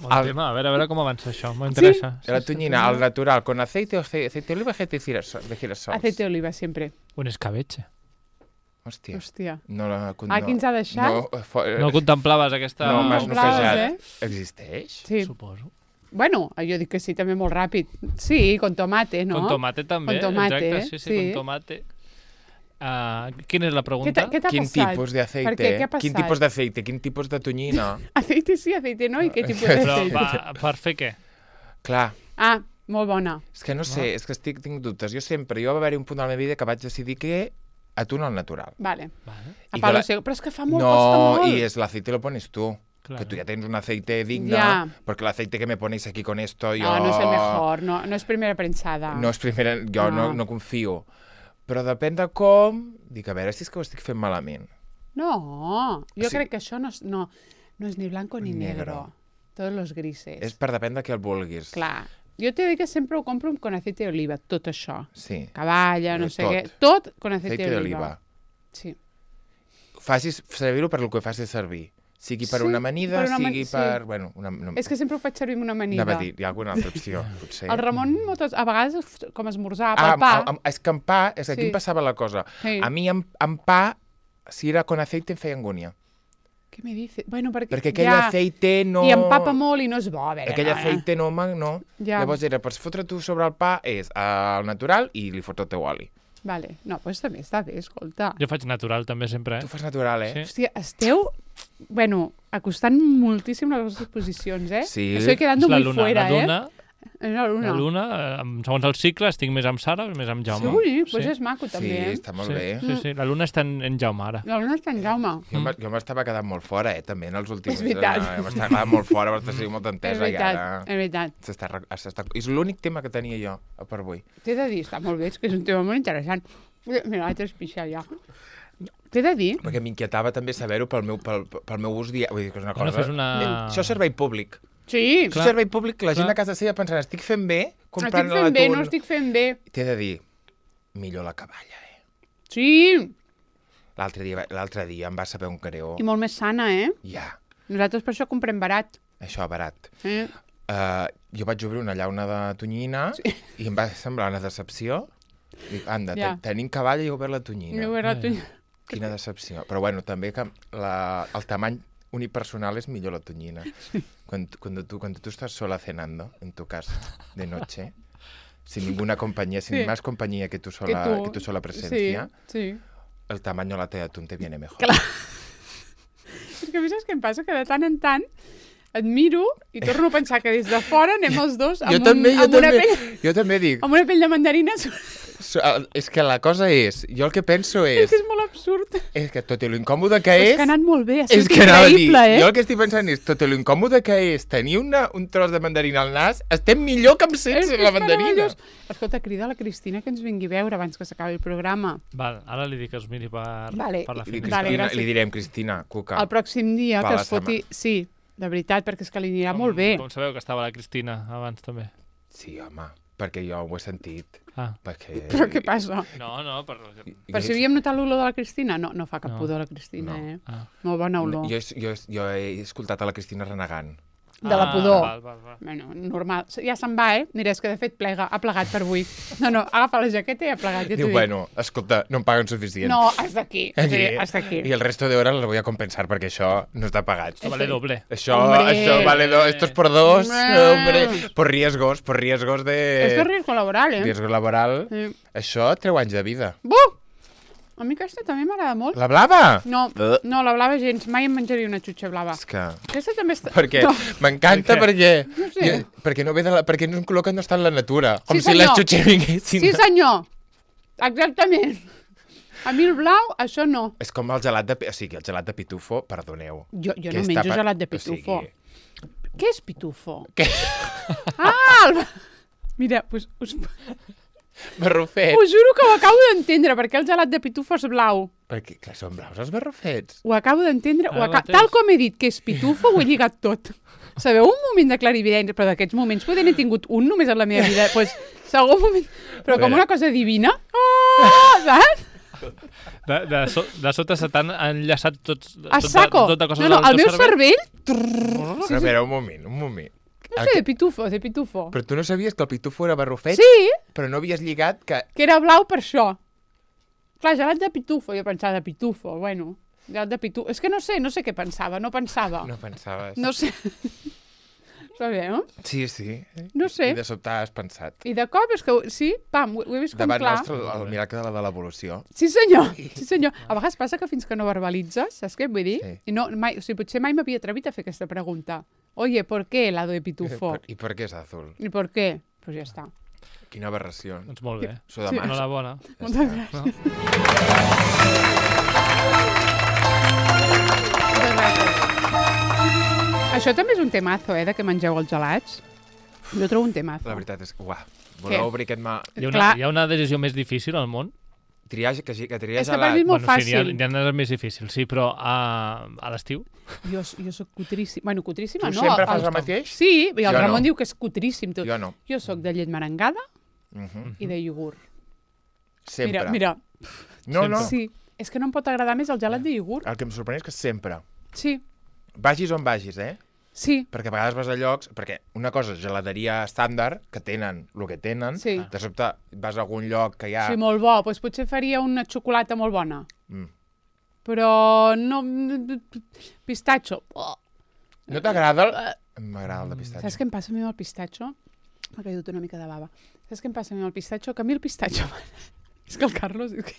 [SPEAKER 3] Bon
[SPEAKER 2] El-
[SPEAKER 3] tema. A veure, a veure com avança això. M'interessa.
[SPEAKER 2] La tonyina, al natural, con aceite o ace- aceite de oliva, aceite de girasol. De girasol.
[SPEAKER 1] Aceite de oliva, sempre.
[SPEAKER 3] Un escabeche.
[SPEAKER 2] Hòstia.
[SPEAKER 1] Hòstia.
[SPEAKER 2] No, la,
[SPEAKER 1] Ah, qui ens ha deixat?
[SPEAKER 2] No, fo,
[SPEAKER 3] No contemplaves aquesta...
[SPEAKER 2] no m'has
[SPEAKER 1] contemplaves,
[SPEAKER 2] noquejat.
[SPEAKER 1] eh?
[SPEAKER 2] Existeix?
[SPEAKER 1] Sí.
[SPEAKER 3] Suposo.
[SPEAKER 1] Bueno, jo dic que sí, també molt ràpid. Sí, con tomate, no?
[SPEAKER 3] Con tomate també,
[SPEAKER 1] con tomate,
[SPEAKER 3] exacte, sí, sí, sí, con tomate. Uh, quina és la pregunta?
[SPEAKER 1] Què t'ha
[SPEAKER 2] Quin
[SPEAKER 1] passat?
[SPEAKER 2] tipus d'aceite?
[SPEAKER 1] Per què? Què ha passat?
[SPEAKER 2] Quin tipus d'aceite? Quin tipus de tonyina?
[SPEAKER 1] Aceite sí, aceite no, i què tipus
[SPEAKER 3] Però
[SPEAKER 1] d'aceite?
[SPEAKER 3] va, per fer què?
[SPEAKER 2] Clar.
[SPEAKER 1] Ah, molt bona.
[SPEAKER 2] És que no sé, és que estic, tinc dubtes. Jo sempre, jo va haver-hi un punt de la meva vida que vaig decidir que atún al natural.
[SPEAKER 1] Vale.
[SPEAKER 3] Vale.
[SPEAKER 1] A
[SPEAKER 2] I
[SPEAKER 1] palo
[SPEAKER 2] que la-
[SPEAKER 1] seco. Però és que fa molt,
[SPEAKER 2] No,
[SPEAKER 1] costa molt.
[SPEAKER 2] y es el aceite lo pones tú.
[SPEAKER 3] Claro.
[SPEAKER 2] Que tú ya tienes un aceite digno,
[SPEAKER 1] Ya.
[SPEAKER 2] porque el aceite que me ponéis aquí con esto, yo...
[SPEAKER 1] No, no és el mejor, no, no és primera prensada.
[SPEAKER 2] No és primera, jo no.
[SPEAKER 1] No.
[SPEAKER 2] No, no confio. Però depèn de com... Dic, a veure si és que ho estic fent malament.
[SPEAKER 1] No, jo
[SPEAKER 2] Sí.
[SPEAKER 1] crec que això no és, no, no és ni blanco ni negro.
[SPEAKER 2] Negro.
[SPEAKER 1] Todos los grises.
[SPEAKER 2] És per depèn de què el vulguis.
[SPEAKER 1] Clar. Jo t'he dit que sempre ho compro con aceite d'oliva, tot això.
[SPEAKER 2] Sí.
[SPEAKER 1] Cavalla, no
[SPEAKER 2] Però
[SPEAKER 1] sé
[SPEAKER 2] tot.
[SPEAKER 1] què. Tot con aceite,
[SPEAKER 2] Aceite
[SPEAKER 1] d'oliva.
[SPEAKER 2] d'oliva.
[SPEAKER 1] Sí.
[SPEAKER 2] Facis servir-ho per lo que facis servir. Sigui per
[SPEAKER 1] Sí,
[SPEAKER 2] una amanida,
[SPEAKER 1] per una
[SPEAKER 2] sigui
[SPEAKER 1] amani- sí.
[SPEAKER 2] per... Bueno, una, una...
[SPEAKER 1] És que sempre ho faig servir amb una amanida.
[SPEAKER 2] Anava a dir, hi ha alguna altra opció, potser.
[SPEAKER 1] El Ramon, moltes, a vegades, com esmorzar,
[SPEAKER 2] Ah,
[SPEAKER 1] pel pa...
[SPEAKER 2] amb- amb- és que amb pa, és que aquí
[SPEAKER 1] Sí.
[SPEAKER 2] em passava la cosa.
[SPEAKER 1] Sí.
[SPEAKER 2] A mi amb, amb pa, si era con aceite, em feia angúnia.
[SPEAKER 1] Què me dice? Bueno, perquè,
[SPEAKER 2] Perquè aquell
[SPEAKER 1] ja...
[SPEAKER 2] aceite no...
[SPEAKER 1] I empapa molt i no és bo, a veure.
[SPEAKER 2] Aquell
[SPEAKER 1] no,
[SPEAKER 2] aceite no, ma- no.
[SPEAKER 1] Ja.
[SPEAKER 2] Llavors era, per fotre tu sobre el pa, és al natural i li fots el teu oli.
[SPEAKER 1] Vale. No, doncs també està bé, escolta.
[SPEAKER 3] Jo faig natural també sempre,
[SPEAKER 2] Tu
[SPEAKER 3] eh?
[SPEAKER 2] fas natural, eh?
[SPEAKER 3] Sí.
[SPEAKER 1] Hòstia, esteu, bueno, acostant moltíssim les vostres posicions, eh?
[SPEAKER 2] Sí.
[SPEAKER 1] Estoy quedando
[SPEAKER 3] És la
[SPEAKER 1] muy
[SPEAKER 3] luna,
[SPEAKER 1] fuera,
[SPEAKER 3] la luna,
[SPEAKER 1] eh? És la luna.
[SPEAKER 3] la luna, eh, amb- segons el cicle, estic més amb Sara o més amb Jaume.
[SPEAKER 1] Sí, pues és maco, també,
[SPEAKER 2] Sí,
[SPEAKER 1] eh?
[SPEAKER 2] està molt
[SPEAKER 3] sí,
[SPEAKER 2] bé.
[SPEAKER 3] Sí, sí, la luna està en, en Jaume ara.
[SPEAKER 1] La luna està en Jaume.
[SPEAKER 2] Jo, mm. jo m'estava quedant molt fora, eh, també, en els últims...
[SPEAKER 1] És veritat.
[SPEAKER 2] Eh, M'estava quedant molt fora, però t'ha sigut molt
[SPEAKER 1] És
[SPEAKER 2] entesa i
[SPEAKER 1] veritat,
[SPEAKER 2] ara...
[SPEAKER 1] és veritat.
[SPEAKER 2] S'està, re- s'està... És l'únic tema que tenia jo per avui.
[SPEAKER 1] T'he de dir, està molt bé, és que és un tema molt interessant. Mira, l'altre especial ja. T'he de dir...
[SPEAKER 2] Perquè m'inquietava també saber-ho pel meu, pel, pel meu ús diari. Vull dir que és una
[SPEAKER 3] Bueno,
[SPEAKER 2] cosa...
[SPEAKER 3] fes una...
[SPEAKER 2] Eh, Això és servei públic.
[SPEAKER 1] Sí,
[SPEAKER 2] Això és servei públic, la gent
[SPEAKER 3] Clar.
[SPEAKER 2] a casa seva pensant, estic fent bé comprant
[SPEAKER 1] estic fent bé,
[SPEAKER 2] l'atún.
[SPEAKER 1] no estic fent bé.
[SPEAKER 2] T'he de dir, millor la caballa, eh?
[SPEAKER 1] Sí,
[SPEAKER 2] L'altre dia, l'altre dia em va saber un creó.
[SPEAKER 1] i molt més sana, eh?
[SPEAKER 2] Ja,
[SPEAKER 1] Nosaltres per això comprem barat.
[SPEAKER 2] això barat.
[SPEAKER 1] Eh?
[SPEAKER 2] Uh, jo vaig obrir una llauna de tonyina sí. i em va semblar una decepció. Dic, anda,
[SPEAKER 1] Ja.
[SPEAKER 2] ja. tenim cavalla i he obert la tonyina.
[SPEAKER 1] Jo era tu...
[SPEAKER 2] Quina decepció. Però bueno, també que la, el tamany unipersonal es millor la tonyina. Cuando, cuando, tú, cuando tú estás sola cenando en tu casa de noche, sin ninguna compañía, sin
[SPEAKER 1] Sí.
[SPEAKER 2] más compañía que tu sola,
[SPEAKER 1] Que tu-
[SPEAKER 2] que tu sola presencia,
[SPEAKER 1] Sí, sí.
[SPEAKER 2] el tamaño lata de atún te viene mejor.
[SPEAKER 1] Clar. És que a mi saps què em passa? Que de tant en tant et miro i torno a pensar que des de fora anem els dos amb,
[SPEAKER 2] jo
[SPEAKER 1] un,
[SPEAKER 2] també, jo
[SPEAKER 1] amb, una,
[SPEAKER 2] també,
[SPEAKER 1] pell,
[SPEAKER 2] jo també dic,
[SPEAKER 1] amb una pell de mandarina.
[SPEAKER 2] so- és que la cosa és, jo el que penso
[SPEAKER 1] És
[SPEAKER 2] és,
[SPEAKER 1] que és molt absurd.
[SPEAKER 2] és que tot i lo incòmode que
[SPEAKER 1] És
[SPEAKER 2] és,
[SPEAKER 1] que ha anat molt bé, ha
[SPEAKER 2] és
[SPEAKER 1] sigut
[SPEAKER 2] que anava a dir,
[SPEAKER 1] increïble, eh?
[SPEAKER 2] jo el que estic pensant és, tot i lo incòmode que és tenir una, un tros de mandarina al nas, estem millor que amb
[SPEAKER 1] És
[SPEAKER 2] sense
[SPEAKER 1] que
[SPEAKER 2] la
[SPEAKER 1] és
[SPEAKER 2] mandarina.
[SPEAKER 1] meravellós. Escolta, crida a la Cristina que ens vingui a veure abans que s'acabi el programa.
[SPEAKER 3] Val, ara li dic que es miri per,
[SPEAKER 1] Vale.
[SPEAKER 3] per la
[SPEAKER 2] Li,
[SPEAKER 3] finestra.
[SPEAKER 1] Vale,
[SPEAKER 2] Cristina,
[SPEAKER 1] gràcies.
[SPEAKER 2] li direm, Cristina, Cuca,
[SPEAKER 1] El pròxim dia
[SPEAKER 2] Pa
[SPEAKER 1] que
[SPEAKER 2] la
[SPEAKER 1] es foti... Sí, de veritat, perquè és que li anirà molt bé.
[SPEAKER 3] Com sabeu que estava la Cristina abans també?
[SPEAKER 2] sí, home, perquè jo ho he sentit.
[SPEAKER 3] Ah.
[SPEAKER 2] Perquè...
[SPEAKER 1] Però què passa?
[SPEAKER 3] No, no, per...
[SPEAKER 1] Per si havíem notat l'olor de la Cristina? No, no fa cap
[SPEAKER 3] No.
[SPEAKER 1] pudor la Cristina,
[SPEAKER 2] No.
[SPEAKER 1] eh?
[SPEAKER 3] Ah.
[SPEAKER 1] Molt bona olor.
[SPEAKER 2] Jo, jo, jo he escoltat a la Cristina renegant.
[SPEAKER 1] De la
[SPEAKER 3] Ah,
[SPEAKER 1] pudor.
[SPEAKER 3] Val, val, val.
[SPEAKER 1] Bueno, normal. Ja se'n va, eh? Mira, és que de fet plega, ha plegat per avui. No, no, agafa la jaqueta i ha plegat, ja t'ho
[SPEAKER 2] Diu,
[SPEAKER 1] dic.
[SPEAKER 2] bueno, escolta, no em paguen suficient.
[SPEAKER 1] No, hasta aquí. Sí, hasta aquí.
[SPEAKER 2] Y el resto de horas las voy a compensar perquè això no està pagat.
[SPEAKER 3] Esto vale doble.
[SPEAKER 2] Això,
[SPEAKER 1] Hombre.
[SPEAKER 2] això vale dos, esto es por dos,
[SPEAKER 1] Hombre.
[SPEAKER 2] hombre, por riesgos, por riesgos de...
[SPEAKER 1] Esto es riesgo laboral, eh?
[SPEAKER 2] riesgo laboral.
[SPEAKER 1] Sí.
[SPEAKER 2] Això treu anys de vida.
[SPEAKER 1] Buh! A mi aquesta també m'agrada molt.
[SPEAKER 2] La blava?
[SPEAKER 1] No,
[SPEAKER 2] Eh.
[SPEAKER 1] no, la blava gens. Mai em menjaria una xutxa blava.
[SPEAKER 2] És que...
[SPEAKER 1] Aquesta també està...
[SPEAKER 2] Perquè
[SPEAKER 1] No.
[SPEAKER 2] m'encanta
[SPEAKER 3] Per
[SPEAKER 2] perquè...
[SPEAKER 1] No sé.
[SPEAKER 2] jo, perquè no ve de la, perquè no és un color que no està en la natura. Com
[SPEAKER 1] Sí,
[SPEAKER 2] si les
[SPEAKER 1] senyor.
[SPEAKER 2] xutxes vinguessin...
[SPEAKER 1] Sí, senyor. Exactament. A mi el blau, això no.
[SPEAKER 2] És com el gelat de... O sigui, el gelat de pitufo, perdoneu.
[SPEAKER 1] Jo, jo
[SPEAKER 2] que
[SPEAKER 1] no
[SPEAKER 2] està
[SPEAKER 1] menjo
[SPEAKER 2] pa-
[SPEAKER 1] gelat de
[SPEAKER 2] o sigui,
[SPEAKER 1] pitufo. Què és pitufo?
[SPEAKER 2] Què?
[SPEAKER 1] Ah! El... Mira, us, us,
[SPEAKER 2] Barrufet.
[SPEAKER 1] us juro que ho acabo d'entendre, perquè el gelat de pitufo és blau.
[SPEAKER 2] Perquè, clar, són blaus els barrufets.
[SPEAKER 1] Ho acabo d'entendre. ho
[SPEAKER 3] Ara
[SPEAKER 1] aca...
[SPEAKER 3] mateix.
[SPEAKER 1] Tal com he dit que és pitufo, ho he lligat tot. Sabeu un moment de clarividència? Però d'aquests moments poder n'he tingut un només en la meva vida. Pues, segon moment... Però com una cosa divina. Oh, saps?
[SPEAKER 3] De, de, so, de sota se t'han enllaçat tots...
[SPEAKER 1] A
[SPEAKER 3] tota,
[SPEAKER 1] saco.
[SPEAKER 3] Tota cosa
[SPEAKER 1] No, no,
[SPEAKER 3] del
[SPEAKER 1] el
[SPEAKER 3] teu
[SPEAKER 1] meu cervell...
[SPEAKER 2] Però, a veure, un moment, un moment.
[SPEAKER 1] No sé, de pitufo, de pitufo.
[SPEAKER 2] Però tu no sabies que el pitufo era barrufet?
[SPEAKER 1] Sí,
[SPEAKER 2] Però no havies lligat que...
[SPEAKER 1] que era blau per això. Clar, gelat de pitufo, jo pensava de pitufo, bueno, gelat de pitufo. És que no sé, no sé què pensava, no pensava.
[SPEAKER 2] No pensaves.
[SPEAKER 1] No sé. Està bé, no?
[SPEAKER 2] Sí, sí.
[SPEAKER 1] No sé.
[SPEAKER 2] I de sobte has pensat.
[SPEAKER 1] I de cop és que, sí, pam, ho he vist com
[SPEAKER 2] Davant
[SPEAKER 1] clar.
[SPEAKER 2] nostre, el miracle de l'evolució.
[SPEAKER 1] Sí, senyor, sí, senyor. A vegades passa que fins que no verbalitzes, saps què vull dir?
[SPEAKER 2] Sí.
[SPEAKER 1] I no, mai, o sigui, potser mai m'havia atrevit a fer aquesta pregunta. Oye, ¿por qué helado de pitufo?
[SPEAKER 2] I per què és azul?
[SPEAKER 1] ¿Y por qué? Pues ja està.
[SPEAKER 2] Quina aberració.
[SPEAKER 3] Doncs molt bé.
[SPEAKER 2] S'ho demano.
[SPEAKER 3] Enhorabona.
[SPEAKER 1] Moltes gràcies.
[SPEAKER 3] No?
[SPEAKER 1] Moltes gràcies. Això també és un temazo, eh, de que mengeu els gelats. Jo trobo un temazo.
[SPEAKER 2] La veritat és que, uah, voleu
[SPEAKER 1] Què?
[SPEAKER 2] obrir aquest mà...
[SPEAKER 3] Hi ha, una,
[SPEAKER 1] Clar.
[SPEAKER 3] hi ha una decisió més difícil al món?
[SPEAKER 2] Triar, que, que triar
[SPEAKER 1] És que per
[SPEAKER 2] gelat.
[SPEAKER 1] mi és molt
[SPEAKER 3] bueno, sí,
[SPEAKER 1] fàcil.
[SPEAKER 3] hi ha, hi ha més difícil, sí, però a, a l'estiu?
[SPEAKER 1] Jo, jo soc cutríssima. Bueno, cutríssima
[SPEAKER 2] Tu
[SPEAKER 1] no.
[SPEAKER 2] sempre fas
[SPEAKER 1] el-
[SPEAKER 2] el mateix?
[SPEAKER 1] Sí, i el
[SPEAKER 2] Jo
[SPEAKER 1] Ramon
[SPEAKER 2] no.
[SPEAKER 1] diu que és cutríssim tot.
[SPEAKER 2] Jo no.
[SPEAKER 1] Jo sóc de llet merengada
[SPEAKER 2] Uh -huh.
[SPEAKER 1] i de iogurt.
[SPEAKER 2] Sempre.
[SPEAKER 1] Mira, mira.
[SPEAKER 2] No, no.
[SPEAKER 1] Sí, és que no em pot agradar més el gelat de iogurt.
[SPEAKER 2] El que em sorprèn és que sempre.
[SPEAKER 1] Sí,
[SPEAKER 2] Vagis on vagis, eh?
[SPEAKER 1] sí,
[SPEAKER 2] Perquè a vegades vas a llocs... Perquè una cosa és gelateria estàndard, que tenen el que tenen.
[SPEAKER 1] Sí.
[SPEAKER 2] De sobte vas a algun lloc que hi ha...
[SPEAKER 1] sí, molt bo. Doncs potser faria una xocolata molt bona.
[SPEAKER 2] Mm.
[SPEAKER 1] Però no... Pistatxo. Oh.
[SPEAKER 2] No t'agrada el... M'agrada el de pistatge.
[SPEAKER 1] Saps què em passa a mi amb el pistatxo? M'ha caigut una mica de bava. Saps què em passa a mi amb el pistatxo? Que a mi el pistatxo... És que el Carlos, és que...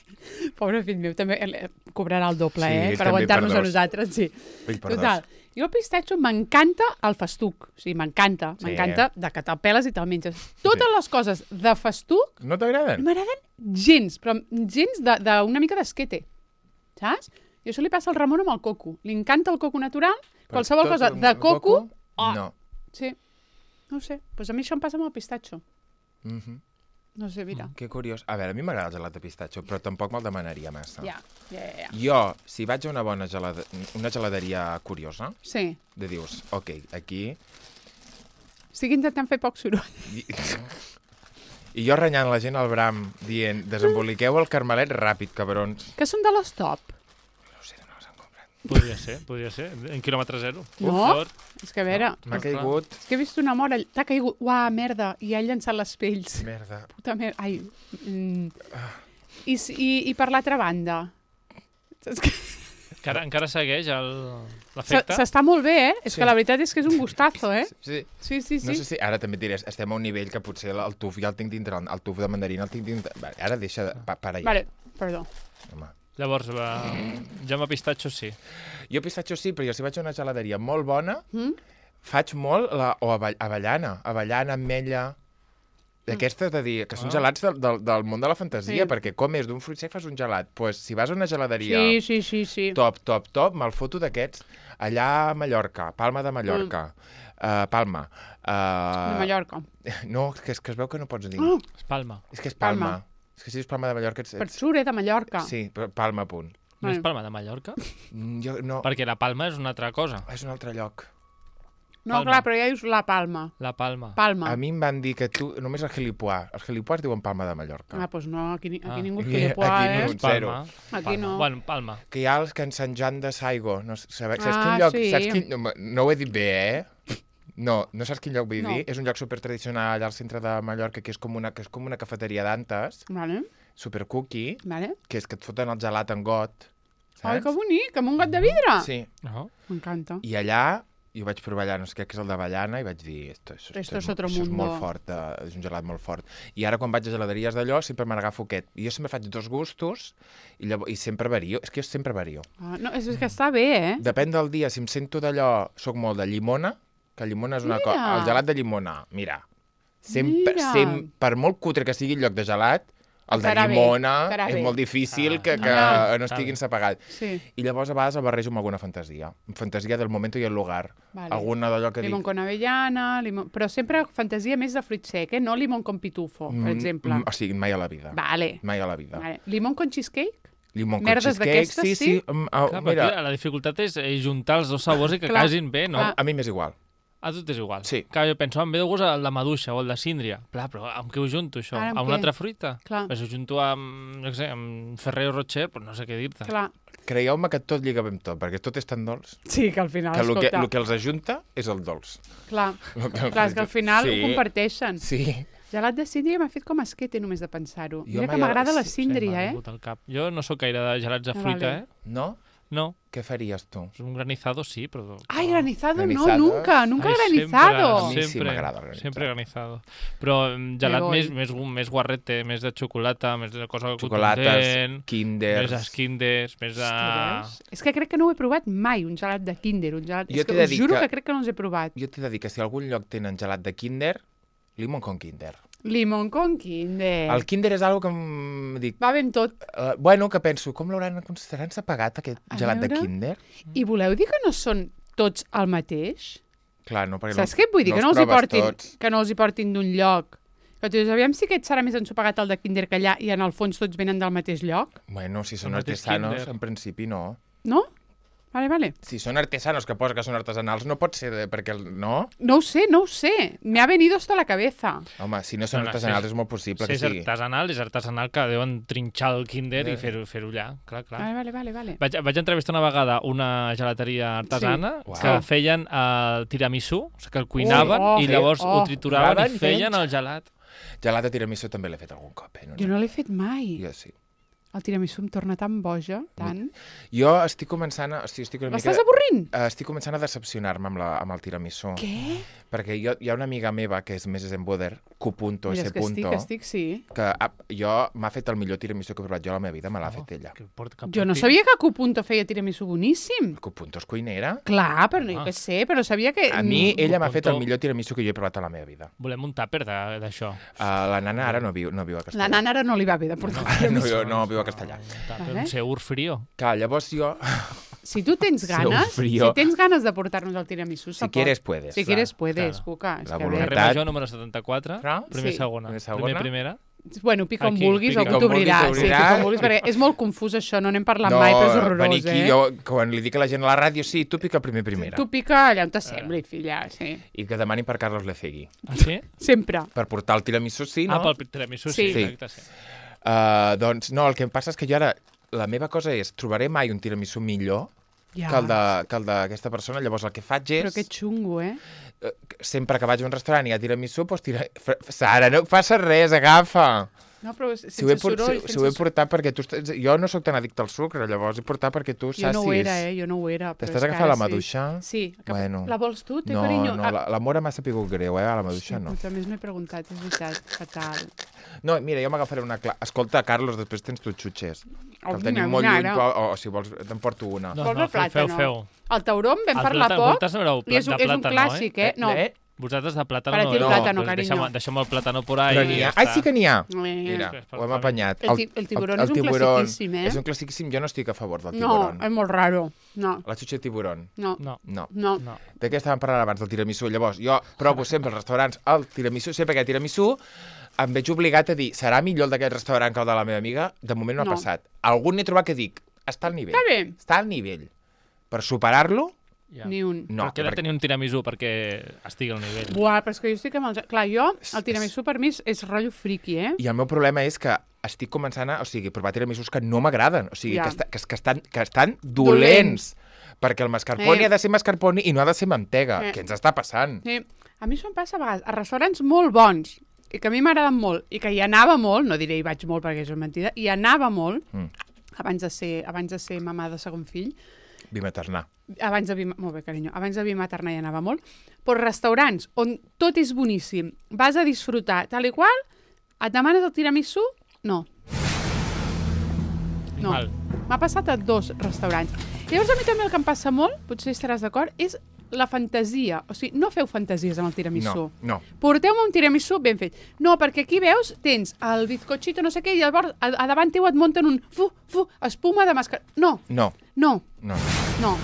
[SPEAKER 1] pobre fill meu, també eh, cobrarà el doble,
[SPEAKER 2] Sí,
[SPEAKER 1] eh?
[SPEAKER 2] ell
[SPEAKER 1] Per
[SPEAKER 2] també
[SPEAKER 1] aguantar-nos
[SPEAKER 2] per
[SPEAKER 1] a
[SPEAKER 2] dos.
[SPEAKER 1] nosaltres, sí.
[SPEAKER 2] Ell per
[SPEAKER 1] Total. Jo el pistatxo m'encanta el festuc. O sigui, m'encanta.
[SPEAKER 2] Sí.
[SPEAKER 1] M'encanta de que te'l peles i te'l menges. Totes les coses de festuc
[SPEAKER 2] No t'agraden?
[SPEAKER 1] no m'agraden gens, però gens d'una mica d'esquete. Saps? I això li passa al Ramon amb el coco. Li encanta el coco natural,
[SPEAKER 2] Però
[SPEAKER 1] qualsevol
[SPEAKER 2] tot
[SPEAKER 1] cosa
[SPEAKER 2] el
[SPEAKER 1] de coco... Oh,
[SPEAKER 2] No.
[SPEAKER 1] sí. No ho sé. Doncs a mi això em passa amb el pistatxo.
[SPEAKER 2] Mm -hmm.
[SPEAKER 1] No sé, mira.
[SPEAKER 2] Que curiós. A veure, a mi m'agrada el gelat de pistatxo, però tampoc me'l demanaria massa.
[SPEAKER 1] Ja, ja, ja. ja.
[SPEAKER 2] Jo, si vaig a una bona gelada... una geladeria curiosa,
[SPEAKER 1] Sí.
[SPEAKER 2] de dius, ok, aquí...
[SPEAKER 1] Estic intentant fer poc soroll.
[SPEAKER 2] I, I jo renyant la gent al bram, dient, desemboliqueu el carmelet ràpid, cabrons.
[SPEAKER 1] Que són de l'Stop.
[SPEAKER 2] No ho sé, no les han comprat.
[SPEAKER 3] Podria ser, podria ser. En quilòmetre zero.
[SPEAKER 1] No?
[SPEAKER 3] Llavors,
[SPEAKER 1] És que a veure...
[SPEAKER 2] M'ha
[SPEAKER 3] Ostres.
[SPEAKER 2] caigut...
[SPEAKER 1] És que he vist una mort... all- T'ha caigut... Uah, merda. I ha llançat les pells.
[SPEAKER 2] Merda.
[SPEAKER 1] Puta merda. Ai. Mm. I, s- i, I per l'altra banda? Saps què?
[SPEAKER 3] encara, encara segueix el-
[SPEAKER 1] S-
[SPEAKER 3] l'efecte?
[SPEAKER 1] S'està molt bé, eh? És
[SPEAKER 2] Sí.
[SPEAKER 1] que la veritat és que és un gustazo, eh?
[SPEAKER 2] Sí.
[SPEAKER 1] Sí, sí, sí.
[SPEAKER 2] No sé si ara també et diré, estem a un nivell que potser el tuf ja el tinc dintre, el tuf de mandarina el tinc dintre... Vale, ara deixa de... Pa, para ja.
[SPEAKER 1] Vale, perdó.
[SPEAKER 2] Home.
[SPEAKER 3] Llavors, va... Jaume Pistatxo sí.
[SPEAKER 2] Jo pistatxo sí, però jo si vaig a una geladeria molt bona,
[SPEAKER 1] Mm?
[SPEAKER 2] faig molt la... o avell... avellana, avellana, ametlla... D'aquestes de dir, que són
[SPEAKER 3] Ah.
[SPEAKER 2] gelats del, del, del món de la fantasia,
[SPEAKER 1] Sí.
[SPEAKER 2] perquè com és d'un fruit sec fas un gelat. Doncs pues, si vas a una geladeria
[SPEAKER 1] Sí, sí, sí, sí.
[SPEAKER 2] top, top, top, me'l foto d'aquests. Allà a Mallorca, Palma de Mallorca, mm. uh, Palma. Uh,
[SPEAKER 1] De Mallorca.
[SPEAKER 2] No, que és que es veu que no pots dir.
[SPEAKER 1] Oh,
[SPEAKER 3] Es Palma.
[SPEAKER 2] És que és Palma.
[SPEAKER 1] Palma.
[SPEAKER 2] És que si dius Palma de Mallorca... Ets,
[SPEAKER 1] per
[SPEAKER 2] ets...
[SPEAKER 1] sure de Mallorca.
[SPEAKER 2] Sí, però Palma, punt.
[SPEAKER 3] No és
[SPEAKER 1] Vale.
[SPEAKER 3] Palma de Mallorca?
[SPEAKER 2] Mm, Jo, no,
[SPEAKER 3] Perquè la Palma és una altra cosa.
[SPEAKER 2] és un altre lloc.
[SPEAKER 1] No,
[SPEAKER 3] Palma.
[SPEAKER 1] clar, però ja dius la Palma.
[SPEAKER 3] La Palma.
[SPEAKER 1] Palma.
[SPEAKER 2] A mi em van dir que tu, només el gilipoà. Els gilipoàs diuen Palma de Mallorca.
[SPEAKER 1] Ah, doncs no, aquí, ni- aquí
[SPEAKER 3] Ah.
[SPEAKER 1] ningú és
[SPEAKER 2] Aquí-
[SPEAKER 1] gilipoà,
[SPEAKER 2] aquí
[SPEAKER 1] eh?
[SPEAKER 2] no.
[SPEAKER 3] És Palma.
[SPEAKER 1] Aquí
[SPEAKER 3] Palma.
[SPEAKER 1] no.
[SPEAKER 3] Bueno, Palma.
[SPEAKER 2] Que hi ha els que en Sant Joan de Saigo. No, sabe, saps
[SPEAKER 1] Ah,
[SPEAKER 2] quin lloc?
[SPEAKER 1] sí.
[SPEAKER 2] Saps quin, no, no ho he dit bé, eh? No, no saps quin lloc vull
[SPEAKER 1] No.
[SPEAKER 2] dir? És un lloc supertradicional allà al centre de Mallorca, que és com una, que és com una cafeteria d'antes,
[SPEAKER 1] Vale,
[SPEAKER 2] super cookie,
[SPEAKER 1] vale.
[SPEAKER 2] que és que et foten el gelat en got.
[SPEAKER 1] Ai,
[SPEAKER 2] Saps?
[SPEAKER 1] que bonic, amb un got de vidre.
[SPEAKER 2] Sí.
[SPEAKER 3] No?
[SPEAKER 1] M'encanta.
[SPEAKER 2] I allà, jo vaig provar allà, no sé què, que és el d'avellana, i vaig dir, esto, esto,
[SPEAKER 1] Esto es
[SPEAKER 2] mo-
[SPEAKER 1] otro
[SPEAKER 2] això és
[SPEAKER 1] mundo.
[SPEAKER 2] molt fort, eh, és un gelat molt fort. I ara quan vaig a geladeries d'allò, sempre me n'agafo aquest. I jo sempre faig dos gustos, i, llavors, i sempre vario. És que jo sempre vario.
[SPEAKER 1] Ah, no, és que està bé, eh?
[SPEAKER 2] Depèn del dia, si em sento d'allò, soc molt de llimona, que llimona és una
[SPEAKER 1] Mira.
[SPEAKER 2] cosa... El gelat de llimona, mira, sempre,
[SPEAKER 1] Mira.
[SPEAKER 2] sempre, per molt cutre que sigui el lloc de gelat, el de
[SPEAKER 1] Estarà bé,
[SPEAKER 2] llimona
[SPEAKER 1] estarà
[SPEAKER 2] és
[SPEAKER 1] bé.
[SPEAKER 2] molt difícil
[SPEAKER 3] Ah,
[SPEAKER 2] que, que
[SPEAKER 1] ah,
[SPEAKER 2] no estigui ensapagat.
[SPEAKER 1] Sí,
[SPEAKER 2] I llavors a vegades el barrejo amb alguna fantasia. Fantasia del moment i el lugar.
[SPEAKER 1] vale.
[SPEAKER 2] Alguna d'allò que
[SPEAKER 1] Limón
[SPEAKER 2] dic...
[SPEAKER 1] con avellana, limón... però sempre fantasia més de fruit sec, eh? No limón con pitufo, per exemple.
[SPEAKER 2] Mm, o sigui, mai a la vida.
[SPEAKER 1] Vale.
[SPEAKER 2] Mai a la vida.
[SPEAKER 1] vale. Limón con cheesecake?
[SPEAKER 2] Limón con
[SPEAKER 1] Merdes
[SPEAKER 2] cheesecake,
[SPEAKER 1] d'aquestes,
[SPEAKER 2] sí,
[SPEAKER 1] sí?
[SPEAKER 2] sí. Um, uh,
[SPEAKER 3] Clar,
[SPEAKER 2] mira,
[SPEAKER 3] mira. La dificultat és eh, juntar els dos sabors i que
[SPEAKER 1] Clar.
[SPEAKER 3] casin bé, no?
[SPEAKER 1] Clar.
[SPEAKER 2] a mi m'és igual.
[SPEAKER 3] A tu t'és igual.
[SPEAKER 2] Sí.
[SPEAKER 3] Clar, jo penso, em ve de gust el de maduixa o el de síndria. Clar, però amb què ho junto, això?
[SPEAKER 1] Ara amb
[SPEAKER 3] amb
[SPEAKER 1] què?
[SPEAKER 3] una altra fruita?
[SPEAKER 1] Clar.
[SPEAKER 3] Però si ho junto amb, no sé, amb Ferrero Rocher, doncs no sé què dir-te.
[SPEAKER 1] Clar.
[SPEAKER 2] Creieu-me que tot lliga bé amb tot, perquè tot és tan dolç,
[SPEAKER 1] Sí, que al final,
[SPEAKER 2] que el que,
[SPEAKER 1] escolta,
[SPEAKER 2] el que els ajunta és el dolç.
[SPEAKER 1] clar,
[SPEAKER 2] Lo que els
[SPEAKER 1] clar, és que al final
[SPEAKER 2] sí.
[SPEAKER 1] ho comparteixen.
[SPEAKER 2] Sí.
[SPEAKER 1] Gelat de síndria m'ha fet com esquete només de pensar-ho.
[SPEAKER 2] Jo
[SPEAKER 1] Mira que
[SPEAKER 2] mai-
[SPEAKER 1] m'agrada la
[SPEAKER 2] sí,
[SPEAKER 3] Sí, m'ha
[SPEAKER 1] síndria, eh?
[SPEAKER 3] vingut al cap. Jo no sóc gaire de gelats de
[SPEAKER 1] Ah,
[SPEAKER 3] fruita,
[SPEAKER 1] vale.
[SPEAKER 3] eh?
[SPEAKER 2] No?
[SPEAKER 3] No.
[SPEAKER 2] Què faries tu?
[SPEAKER 3] Un granizado sí, però...
[SPEAKER 1] Ai, granizado,
[SPEAKER 2] Granizado.
[SPEAKER 1] no, nunca, nunca
[SPEAKER 3] Ai,
[SPEAKER 1] granizado.
[SPEAKER 2] A mi sí
[SPEAKER 3] Sempre,
[SPEAKER 2] m'agrada el granizado.
[SPEAKER 3] Sempre granizado. Però mm, gelat
[SPEAKER 1] Me voy.
[SPEAKER 3] més, més, més guarrete, més de xocolata, més de cosa
[SPEAKER 2] Xocolates,
[SPEAKER 3] contundent,
[SPEAKER 2] kinders...
[SPEAKER 3] més esquinders, més de...
[SPEAKER 1] Hòstia, veus? És que crec que no ho he provat mai, un gelat de Kinder. Un gelat...
[SPEAKER 2] Jo
[SPEAKER 1] És
[SPEAKER 2] t'he
[SPEAKER 1] que
[SPEAKER 2] de
[SPEAKER 1] us
[SPEAKER 2] dir
[SPEAKER 1] juro
[SPEAKER 2] que-
[SPEAKER 1] que... crec que no els he provat.
[SPEAKER 2] Jo t'he de dir que si a algun lloc tenen gelat de Kinder, limon con Kinder.
[SPEAKER 1] Limón con Kinder.
[SPEAKER 2] El Kinder és algo que em dic...
[SPEAKER 1] Va ben tot.
[SPEAKER 2] Uh, bueno, que penso, com l'hauran considerat pagat aquest
[SPEAKER 1] A
[SPEAKER 2] gelat de
[SPEAKER 1] veure.
[SPEAKER 2] Kinder?
[SPEAKER 1] I voleu dir que no són tots el mateix?
[SPEAKER 2] Clar, no, perquè
[SPEAKER 1] Saps
[SPEAKER 2] no,
[SPEAKER 1] què et vull dir?
[SPEAKER 2] no
[SPEAKER 1] que, no
[SPEAKER 2] els
[SPEAKER 1] els hi
[SPEAKER 2] proves
[SPEAKER 1] portin,
[SPEAKER 2] tots.
[SPEAKER 1] que no els hi portin d'un lloc. Que tu dius, aviam si aquest serà més ensopegat el de Kinder que allà i en el fons tots venen del mateix lloc.
[SPEAKER 2] Bueno, si són
[SPEAKER 3] El mateix
[SPEAKER 2] artesanos,
[SPEAKER 3] Kinder.
[SPEAKER 2] en principi no.
[SPEAKER 1] No? Vale, vale.
[SPEAKER 2] Si són artesanos, que posa que són artesanals, no pot ser de, perquè... el- No?
[SPEAKER 1] No ho sé, no ho sé. Me ha venido hasta la cabeza.
[SPEAKER 2] Home, si no són
[SPEAKER 3] No, no,
[SPEAKER 2] artesanals
[SPEAKER 3] si és-
[SPEAKER 2] és molt possible
[SPEAKER 3] Si
[SPEAKER 2] que
[SPEAKER 3] és
[SPEAKER 2] sigui.
[SPEAKER 3] artesanal, és artesanal que deuen trinxar el Kinder
[SPEAKER 2] Eh.
[SPEAKER 3] i fer-ho fer allà. Clar, clar.
[SPEAKER 1] Vale, vale, vale. vale.
[SPEAKER 3] Vaig, vaig entrevistar una vegada una gelateria artesana
[SPEAKER 2] Sí.
[SPEAKER 3] que
[SPEAKER 2] Uau.
[SPEAKER 3] feien el tiramisú, o sigui, que el cuinaven
[SPEAKER 1] Oh, oh,
[SPEAKER 3] i llavors
[SPEAKER 1] oh.
[SPEAKER 3] ho trituraven
[SPEAKER 2] Graven
[SPEAKER 3] i feien
[SPEAKER 2] ells.
[SPEAKER 3] el gelat.
[SPEAKER 2] Gelat de tiramisú també l'he fet algun cop, eh? No,
[SPEAKER 1] Jo no l'he fet mai.
[SPEAKER 2] Jo sí.
[SPEAKER 1] El tiramisú em torna tan boja, tant.
[SPEAKER 2] Jo estic començant a... O sigui, estic una mica...
[SPEAKER 1] L'estàs avorrint?
[SPEAKER 2] Eh, estic començant a decepcionar-me amb, la, amb el tiramisú.
[SPEAKER 1] Què?
[SPEAKER 2] Perquè jo, hi ha una amiga meva, que és més Zenboder, Q.
[SPEAKER 1] Mira,
[SPEAKER 2] S.
[SPEAKER 1] és que estic, estic, sí.
[SPEAKER 2] que ah, jo m'ha fet el millor tiramisú que he provat jo a la meva vida, me l'ha
[SPEAKER 3] Oh,
[SPEAKER 2] fet ella.
[SPEAKER 3] que porta- que
[SPEAKER 1] Jo no
[SPEAKER 3] porti-
[SPEAKER 1] sabia que Q. feia tiramisú boníssim.
[SPEAKER 2] Q. és cuinera.
[SPEAKER 1] Clar, però no
[SPEAKER 3] Ah.
[SPEAKER 1] jo què sé, però sabia que...
[SPEAKER 2] A mi, ella m'ha
[SPEAKER 3] Q.
[SPEAKER 2] fet el millor tiramisú que jo he provat a la meva vida.
[SPEAKER 3] Volem un tàper de- d'això.
[SPEAKER 2] Uh, la nana ara no viu, no viu a
[SPEAKER 1] La
[SPEAKER 2] Castellà.
[SPEAKER 1] nana ara no li va bé de portar
[SPEAKER 2] no,
[SPEAKER 1] tiramisú.
[SPEAKER 2] viu, no viu a Castellà.
[SPEAKER 3] Un tàper,
[SPEAKER 1] Vale.
[SPEAKER 3] un seur frío.
[SPEAKER 2] Clar, llavors jo...
[SPEAKER 1] Si tu tens
[SPEAKER 2] Seu
[SPEAKER 1] ganes, si
[SPEAKER 2] frío.
[SPEAKER 1] tens ganes de portar-nos el tiramisú,
[SPEAKER 2] Si
[SPEAKER 1] se pot.
[SPEAKER 2] quieres, puedes.
[SPEAKER 1] Si
[SPEAKER 2] clar.
[SPEAKER 1] quieres, puedes,
[SPEAKER 3] claro.
[SPEAKER 1] Cuca. És
[SPEAKER 2] La
[SPEAKER 1] que a
[SPEAKER 2] voluntat.
[SPEAKER 1] veure,
[SPEAKER 3] Carrer Major, número setanta-quatre,
[SPEAKER 2] Clar.
[SPEAKER 3] primer
[SPEAKER 1] Sí.
[SPEAKER 3] segona.
[SPEAKER 2] Primer segona.
[SPEAKER 3] Primer primera.
[SPEAKER 1] Bueno, pica on
[SPEAKER 3] Aquí,
[SPEAKER 1] vulguis,
[SPEAKER 3] pica
[SPEAKER 1] algú
[SPEAKER 2] on vulguis,
[SPEAKER 1] t'obrirà. Sí,
[SPEAKER 2] t'obrirà.
[SPEAKER 1] pica on vulguis, perquè és molt confús això, no n'hem parlat
[SPEAKER 2] no,
[SPEAKER 1] mai, però és horrorós,
[SPEAKER 2] venir aquí,
[SPEAKER 1] eh?
[SPEAKER 2] jo, quan li dic a la gent a la ràdio, sí, tu pica primer primera.
[SPEAKER 1] Tu pica allà on t'assembli, filla, sí.
[SPEAKER 2] I que demanin per Carlos Lecegui.
[SPEAKER 3] Ah, sí?
[SPEAKER 1] Sempre.
[SPEAKER 2] Per portar el tiramisú, sí, no?
[SPEAKER 3] Ah, pel tiramisú,
[SPEAKER 1] Sí.
[SPEAKER 3] sí.
[SPEAKER 2] Sí.
[SPEAKER 3] Exacte, sí.
[SPEAKER 2] Uh, doncs no, el que em passa és que jo ara... La meva cosa és, trobaré mai un tiramisú millor
[SPEAKER 1] Ja.
[SPEAKER 2] que el de- que el d'aquesta persona. Llavors el que faig és...
[SPEAKER 1] Però que xungo, eh?
[SPEAKER 2] eh, sempre que vaig a un restaurant i hi ha tiramisú, doncs tira... Fra- Sara, no passa res, agafa!
[SPEAKER 1] No, però sense
[SPEAKER 2] Si ho, he por...
[SPEAKER 1] soroll,
[SPEAKER 2] si, si ho he
[SPEAKER 1] sense...
[SPEAKER 2] portat perquè tu... Estàs... Jo no sóc tan addicte al sucre, llavors he portat perquè tu
[SPEAKER 1] Jo
[SPEAKER 2] sacis.
[SPEAKER 1] no ho era, eh? Jo no ho era. però
[SPEAKER 2] T'estàs
[SPEAKER 1] és que
[SPEAKER 2] agafant
[SPEAKER 1] ara
[SPEAKER 2] la maduixa?
[SPEAKER 1] Sí. sí. Que...
[SPEAKER 2] Bueno.
[SPEAKER 1] La vols tu? Té
[SPEAKER 2] No,
[SPEAKER 1] carinyo?
[SPEAKER 2] no,
[SPEAKER 1] Ah,
[SPEAKER 2] la- l'amor m'ha sapigut greu, eh? A la maduixa no.
[SPEAKER 1] També no he preguntat, és veritat, fatal.
[SPEAKER 2] No, mira, jo m'agafaré una... Cla... Escolta, Carlos, després tens tu xutxes. Que
[SPEAKER 1] Oh,
[SPEAKER 2] el tenim
[SPEAKER 1] vine,
[SPEAKER 2] molt
[SPEAKER 1] vine,
[SPEAKER 2] lluny,
[SPEAKER 1] ara.
[SPEAKER 2] però, o, o si vols, te'n porto una.
[SPEAKER 3] No,
[SPEAKER 1] Vols
[SPEAKER 3] no,
[SPEAKER 1] el
[SPEAKER 3] feu, feu,
[SPEAKER 1] plàtano?
[SPEAKER 3] feu.
[SPEAKER 1] El tauró en vam
[SPEAKER 3] El
[SPEAKER 1] parlar
[SPEAKER 3] plàtan-
[SPEAKER 1] poc
[SPEAKER 3] vosaltres no éreu
[SPEAKER 1] i és,
[SPEAKER 3] plat- de
[SPEAKER 1] és un
[SPEAKER 3] plàtano,
[SPEAKER 1] clàssic, eh? No.
[SPEAKER 2] Eh?
[SPEAKER 3] Vosaltres de plàtano
[SPEAKER 1] Para
[SPEAKER 3] no
[SPEAKER 1] ti el
[SPEAKER 3] éreu.
[SPEAKER 1] plàtano,
[SPEAKER 3] Pues
[SPEAKER 1] carinyo.
[SPEAKER 3] Deixem, deixem el plàtano por ahí
[SPEAKER 2] Però
[SPEAKER 3] i
[SPEAKER 2] n'hi
[SPEAKER 3] ja
[SPEAKER 2] ha... Ai,
[SPEAKER 3] està.
[SPEAKER 2] sí que n'hi ha!
[SPEAKER 1] Eh,
[SPEAKER 2] Mira,
[SPEAKER 3] és per
[SPEAKER 2] ho hem
[SPEAKER 3] favor.
[SPEAKER 2] apanyat.
[SPEAKER 1] El ti- el tiburón és un
[SPEAKER 2] tiburón
[SPEAKER 1] classiquíssim, eh?
[SPEAKER 2] És un classiquíssim. Jo no estic a favor del
[SPEAKER 1] No,
[SPEAKER 2] tiburón.
[SPEAKER 1] és molt raro. No,
[SPEAKER 2] La xutxa de tiburón.
[SPEAKER 1] no,
[SPEAKER 3] No,
[SPEAKER 2] No.
[SPEAKER 1] no.
[SPEAKER 3] no.
[SPEAKER 2] De què estàvem parlant abans, del tiramisú? Llavors, jo provo sempre als restaurants el tiramisú, sempre que hi ha tiramisú, em veig obligat a dir, serà millor el d'aquest restaurant que el de la meva amiga? De moment no,
[SPEAKER 1] No.
[SPEAKER 2] ha passat. Algun n'he trobat que dic, està al nivell.
[SPEAKER 1] Està bé.
[SPEAKER 2] Està al nivell. Per superar-lo,
[SPEAKER 3] Ja.
[SPEAKER 1] Ni un.
[SPEAKER 2] no.
[SPEAKER 3] No, Però què ha de tenir un tiramisú perquè estigui al nivell?
[SPEAKER 1] Buah, però és que jo estic amb el... Clar, jo,
[SPEAKER 2] És-
[SPEAKER 1] el tiramisú per mi és, és rotllo friki, eh?
[SPEAKER 2] I el meu problema és que estic començant a, o sigui, provar tiramisús que no m'agraden, o sigui,
[SPEAKER 1] Ja.
[SPEAKER 2] que, esta, que, que, estan, que estan dolents. Perquè el mascarpone
[SPEAKER 1] Eh.
[SPEAKER 2] ha de ser mascarpone i no ha de ser mantega.
[SPEAKER 1] Eh.
[SPEAKER 2] Què ens està passant?
[SPEAKER 1] Sí. A mi això em passa a vegades a restaurants molt bons i que a mi m'agraden molt i que hi anava molt, no diré hi vaig molt perquè això és mentida, hi anava molt
[SPEAKER 2] Mm.
[SPEAKER 1] abans de ser, abans de ser mamà de segon fill,
[SPEAKER 2] Bimaternar.
[SPEAKER 1] abans de bim... molt bé, carinyo, abans de bimaternar hi anava molt, però restaurants on tot és boníssim, vas a disfrutar tal i qual, et demanes el tiramisú? No. No.
[SPEAKER 3] Mal.
[SPEAKER 1] M'ha passat a dos restaurants. Llavors a mi també el que em passa molt, potser estaràs d'acord, és la fantasia. O sigui, no feu fantasies amb el tiramisú.
[SPEAKER 2] No, no.
[SPEAKER 1] Porteu-me un tiramisú ben fet. No, perquè aquí veus, tens el bizcochito no sé què i llavors a, a davant teu et munten un fu, fu, espuma de mascar... No,
[SPEAKER 2] No,
[SPEAKER 1] no,
[SPEAKER 2] no.
[SPEAKER 1] no.